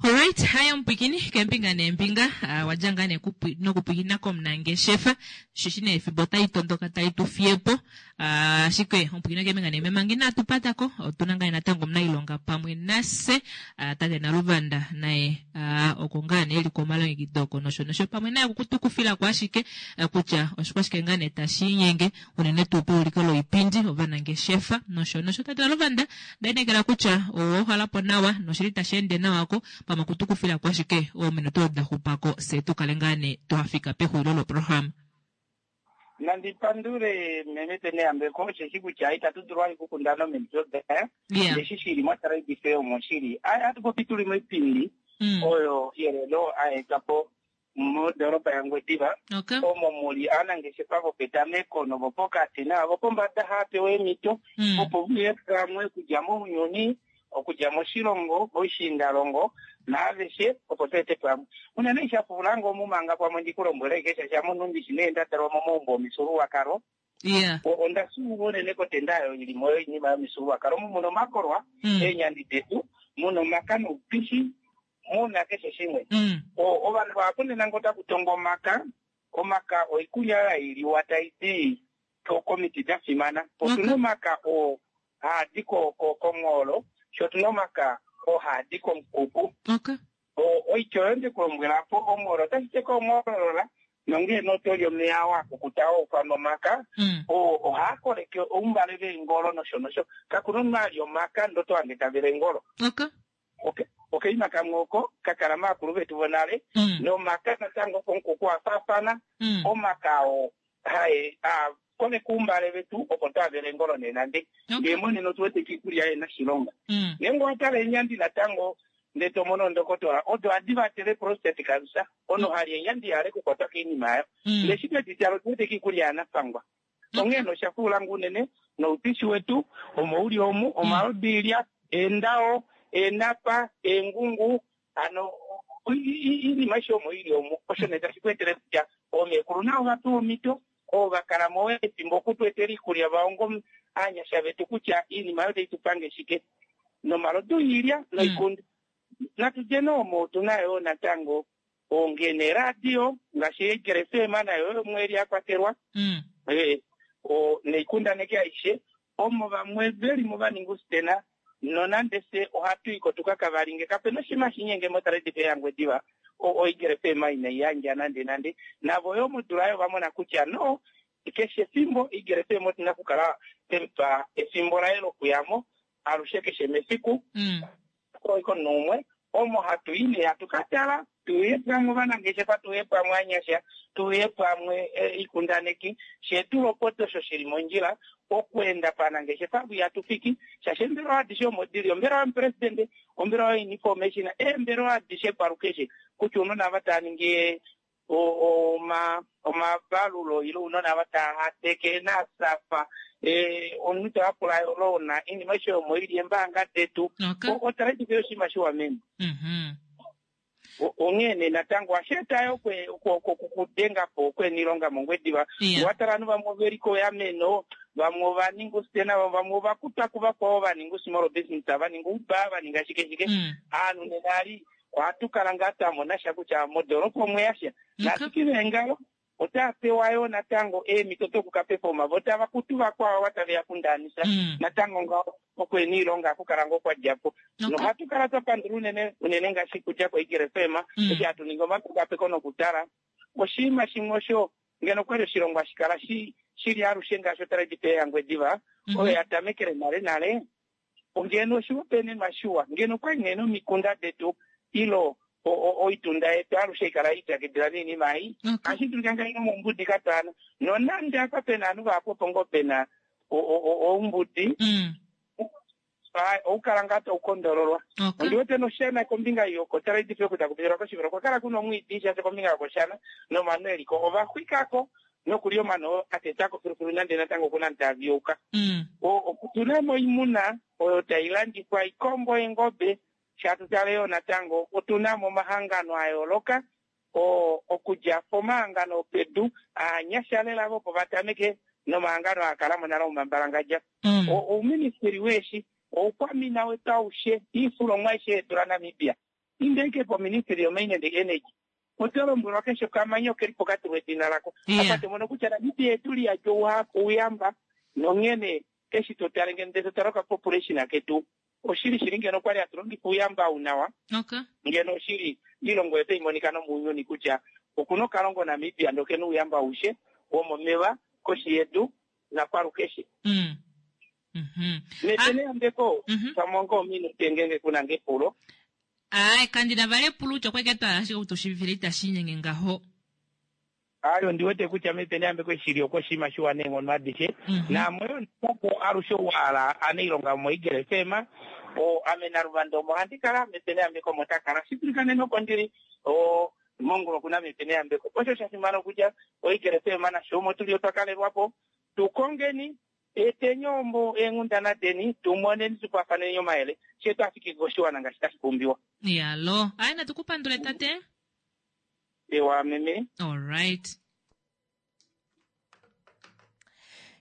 S1: Alright, haya mpwikini kembinga nembinga uh, wadja ngaa nee kupwi- nokupwikina komunangeshefa shishi nee efimbo otayi tondoka tayi tu fiyepo uh, ashike ompwikina kembinga nembinga manga inatu patako otuna ngaa natango omunailonga pamwe nase uh, tate Naluvanda naye uh, oko ngaa nee eli komalongekidho oko nosho nosho pamwe naye okutukufilako ashike uh, kutya oshikwashike ngaa nee tashi inyenge unene tuu peuliko loipindi ovanangeshefa nosho nosho. Tate Naluvanda, ndainekela kutya owohalapo nawa noshili tashi ende nawa ko pamwe okutukufilako ashike oominute odo da xupako se tukale ngaa nee twafika pexulilo loprograma.
S13: Nandi pandule meme Peneyambeko, osheshi kutya itatu dulu ali kukundana ominute daya.
S1: Yeah.
S13: Ndeshi shili motrade fair omo shili hatu popi tuli moipindi oyo yelelo aetwa po modoropa yaNgwediva, omo muli aanangeshefa vopetameko novopokati naavopombada haapewa eemhito opo vuye pamwe okudja mounyuni, okudja moshilongo, moishiindalongo naaveshe opo tweete pamwe. Unene ishapula ngo omumanga pamwe ndikulombwele kesha shamunhu ndishi nee ndatalwa momaumbo omifyuululwakalo.
S1: Yeah.
S13: O- onda suuva unene kotenda oyo ili mo yoinima yomifyuululwakalo omu muna omakolwa, eenyandi detu, muna omaka noupishi, muna keshe shimwe. O- ovanhu vahapu nena ngo otaku tongwa omaka, omaka oikulya oyo hailiwa tayi di ko- komiti da fimana. Otuna omaka oo haadi ko- ko- konghoolo, sho otuna omaka oo haadi komukuku. O- oitya oyo ndikulombwela po onghoolo otashi teka omhoolola nongee notoli omeya wakukuta oufa nomaka oo ohaa koleke oumbale veengolo nosho nosho. Kakuna omunhu ali omaka ndo tohange tavele engolo. Okaima kamwe oko kakala maakulu vetu vonale nomaka natango komukuku afaafana omaka oo hae a koleka oumbale vetu opo twavele engolo nenande ndee monena otu wete kiikulya yena shilonga. Ngeenge owatala eenyandi natango ndee tomono ondokotola odo ohadi vatele prostate cancer, ono hali eenyandi ihale kukwatwa kiinima yayo. Ndee shi twedi tala otu wete kiikulya yanafangwa, onghee nosha fuula unene noupishi wetu omo uli omu omalodu eendao eenapa eengungu ano iinima aishe omo ili omu. Osho nee tashi ku etele kutya oomekulu navo vapewa omhito oo vakala mo efimbo okutu etela iikulya vaongo aanyasha vetu kutya iinima oyo tayi tu pange shike nomalodu iilya noikundu natu dje noomo otuna yo natango ongene radio ngaashi Eagle F M nayo yomwe ya kwatelwa eh, o neikundaneki aishe omo vamwe veli mo vaninga usitena nonande se ohatu iko tuka kavalinge kapena oshinima shinyenge motrade fair yaNgwediva oEagle F M inayi yandja nande nande navo yo modula yo vamona kutya no keshe efimbo Eagle F M otuna okukala twemupa efimbo laye lokuyamo alushe keshe mefiku oiko numwe. Omo hatu i nee hatu ka tala, tuuye pamwe ovanangeshefa, tuuye pamwe anyasha, tuuye pamwe ikundaneki, she tulopota osho shili mondjila okuenda panangeshefa ihatu fiki, shaashi eembelewa adishe omo dili, ombelewa yomupresidente, ombelewa yoinformation, eembelewa adishe kwalukeshe, kutya ounona ava tava ningi oma omavalulo ile ounona ava tava hateke nasafa, omunhu tava lona, oinima aishe omo ili, eembaanga detu, otrade fair oshinima shiwa meme. Onghee nee natango ohashi eta yo okudenga po okweena mOngwediva. Watala ovanhu vamwe oveli koyameno, vamwe ova ninga ustena, vamwe ova kutwa kuvakwao va ninga small business, va ninga uba, va ninga shike shike. Aanhu nena ali ohatu kala ngaa twa mona sha kutya modoolopa omwe ya sha. Naashike ngaho otava pewa yo natango eemhito dokuka pefoma, vo tava kutu vakwao ava tave ya kundaanisa. Natango ngaho okweena oilonga ohaku kala ngoo kwa dja po. Nohatu kala twa pandula unene unene ngaashi kudja koEagle F M, eshi hatu ningi omapekapeko nokutala. Oshinima shimwe osho ngeno okwali oshilongo hashi kala shili alushe ngaashi otrade fair yaNgwediva, oyo ya tamekele nale nale, ngeno oshihopaenenwa shiwa, ngeno okwali nee nomikunda detu ilo oitunda yetu alushe ikala ipyakidila noinima ei, ohashi dulika ngahelipi omoumbudi katwaana, nonande apa pena ovanhu vahapu opo ngoo pena oumbudi, oukala ngaa taukondololwa. Ondi wete noshana kombinga yokotrade fair oku taku pitilwa koshivelo, okwa kala kuna omwiidi shaashi kombinga yokoshana nomano eliko ova xwikako nokuli omano atetako filufilu nande natango okuna taviyuka. Otuna mo oimuna oyo tai landifwa, ikombo, eengobe, shatu tale yo natango otuna mo omahangano a yooloka, okudja pomahangano opedu aanyasha lela opo va tameke nomahangano a kala mo nale omambalangadja. Ouministeli weeshi, oukwamina wetu aushe, iifulomwa aishe yetu laNamibia, inda poministry yomine and energy, oto lombwelwa keshe okamanya okeli pokatulwa edina lako. Apa to mono kutya Namibia etu li yadja ouyamba, nonghene eshi to tale ngeno to tale okapopulation ketu, oshili shili ngeno okwali hatu longifa ouyamba ou nawa, ngeno oshili ilongo yetu imonika nomuuyuni kutya okuna okalongo Namibia ndo kena ouyamba aushe womomeva koshi yedu nakwalukeshe. Mepene yambeko pamwe ngoo ominute ngenge kuna ngepulo.
S1: Ai, kandina vali epulo kutya okweke twala ashike kutushivifile itashi inyenge ngaho.
S13: Ayo ndiwete kutya mepene yambeko shili okoshinima shiwa neenghono adishe. Naamwe yo natango alushe wahala anailonga moEagle F M, o ame naLuvanda omo handi kala, mepene yambeko omo takala. Shidulika nene oko ndili, o mongula okuna mepene yambeko. Osho sha fimana kutya oEagle F M nasho omo tuli otwa kalelwapo. Tukongeni etenyombo eenghundana deni, tumoneni tupafaneni omayele, she twafike koshiwana ngaashi tashi pumbiwa.
S1: Yalo, aye natukupandule tate.
S13: Ewa meme.
S1: All right.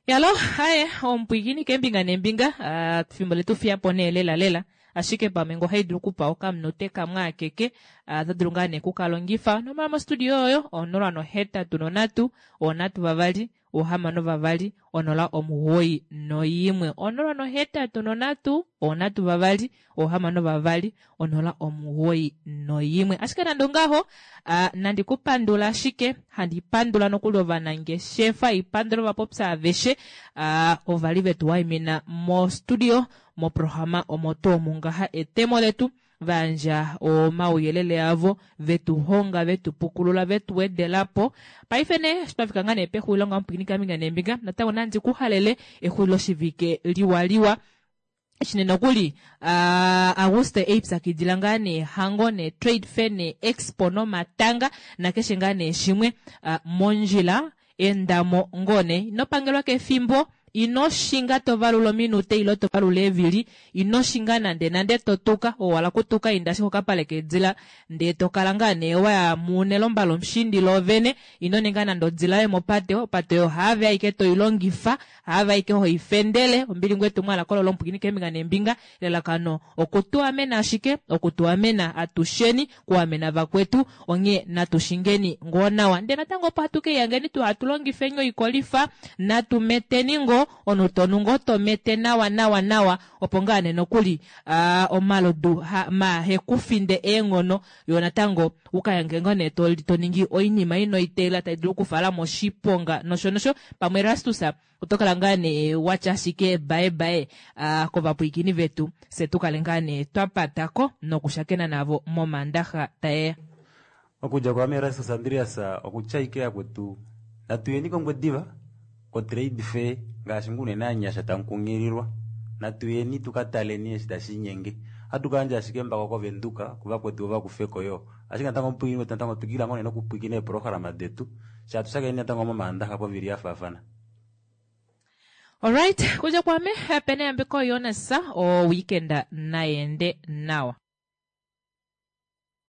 S1: Yalo, aye ompwigini kembinga nembinga, fimbo letu fiyapo nee lela lela. Ashike pamwe ngo haidulu kupa okamunute kamwe akeke, tadulu ngaa nee kukalongifa. Nomala mostudio oyo, onola nohetatu nonhatu, onhatu vavali, ohamano vavali, onola omugoyi noyimwe. Onola nohetatu nonhatu, onhatu vavali, ohamano vavali, onola omugoyi noyimwe. Ashike nande ongaho, nandi kupandula ashike, handi pandula nokuli ovanangeshefa, ipandula ovapopya aveshe, ovali vetu waimina mostudio, moprograma omo tuu mungaha etemo letu, vanja omauyelele avo, vetu honga, vetu pukulula, vetu wedelapo. Paife ne, shitwafika nga ne pexulilo nga mupwini kaminga nembinga, natango nandi kuhalele exulilo shivike liwaliwa. Shine nokuli, Auguste eipyakidila ngaa ne hango ne trade fair ne expo nomatanga, nakeshe ngaa ne shimwe, mondjila endamo ngone. Ino pangelwa kefimbo, ino shinga tovalula ominute ilo tovalula eevili, ino shinga nande nande totuka, owala kutuka inda ashike okapale kedila, ndee tokala ngaa nee waya munelomba lomushindi lovene, ino ninga nande odila yomopate, opate oyo haave aike toilongifa, haave aike hoifendele, ombili ngwe tumwala kololo omupwikini kembinga nembinga, elalakano okutuamena ashike, okutuamena atusheni, kuamena vakwetu, onghee natushingeni ngoo nawa. Ndee natango opo hatu keiyangeni tu hatu longifeni oikolifa, natu meteni ngoo, ngoo omunhu tonu ngoo tomete nawa nawa nawa opo ngaa nee nokuli ah, omalodu ha- mahekufinde eenghono yo natango ukayange ngoo nee to, to ningi oinima inoiteela tai dulu okufala moshiponga nosho nosho pamwe Erastus oto kala ngaa nee watya ashike bae bae ah, kovapwiikini vetu fye tukale ngaa nee twapatako nokushakena navo momandaxa taeya
S2: okudja kwame Erastus Andreas okutya ike yakwetu natuyeni kOngwediva kotrade fair ngaashi ngoo unene anyasha tamukunghililwa natuyeni tukataleni eshi tashiinyenge ohatu kayandja ashike embako kovenduka kuvakwetu vo vakufeko yoo ashike natango omupwiikini wetu natango twikila ngoo nee nokupwiikina eeprograma detu shaashi tushakeni natango momaandaxa povili yafaafana
S1: Alright, kuja kwame pene yambeko Jonas o weekend naende nawa.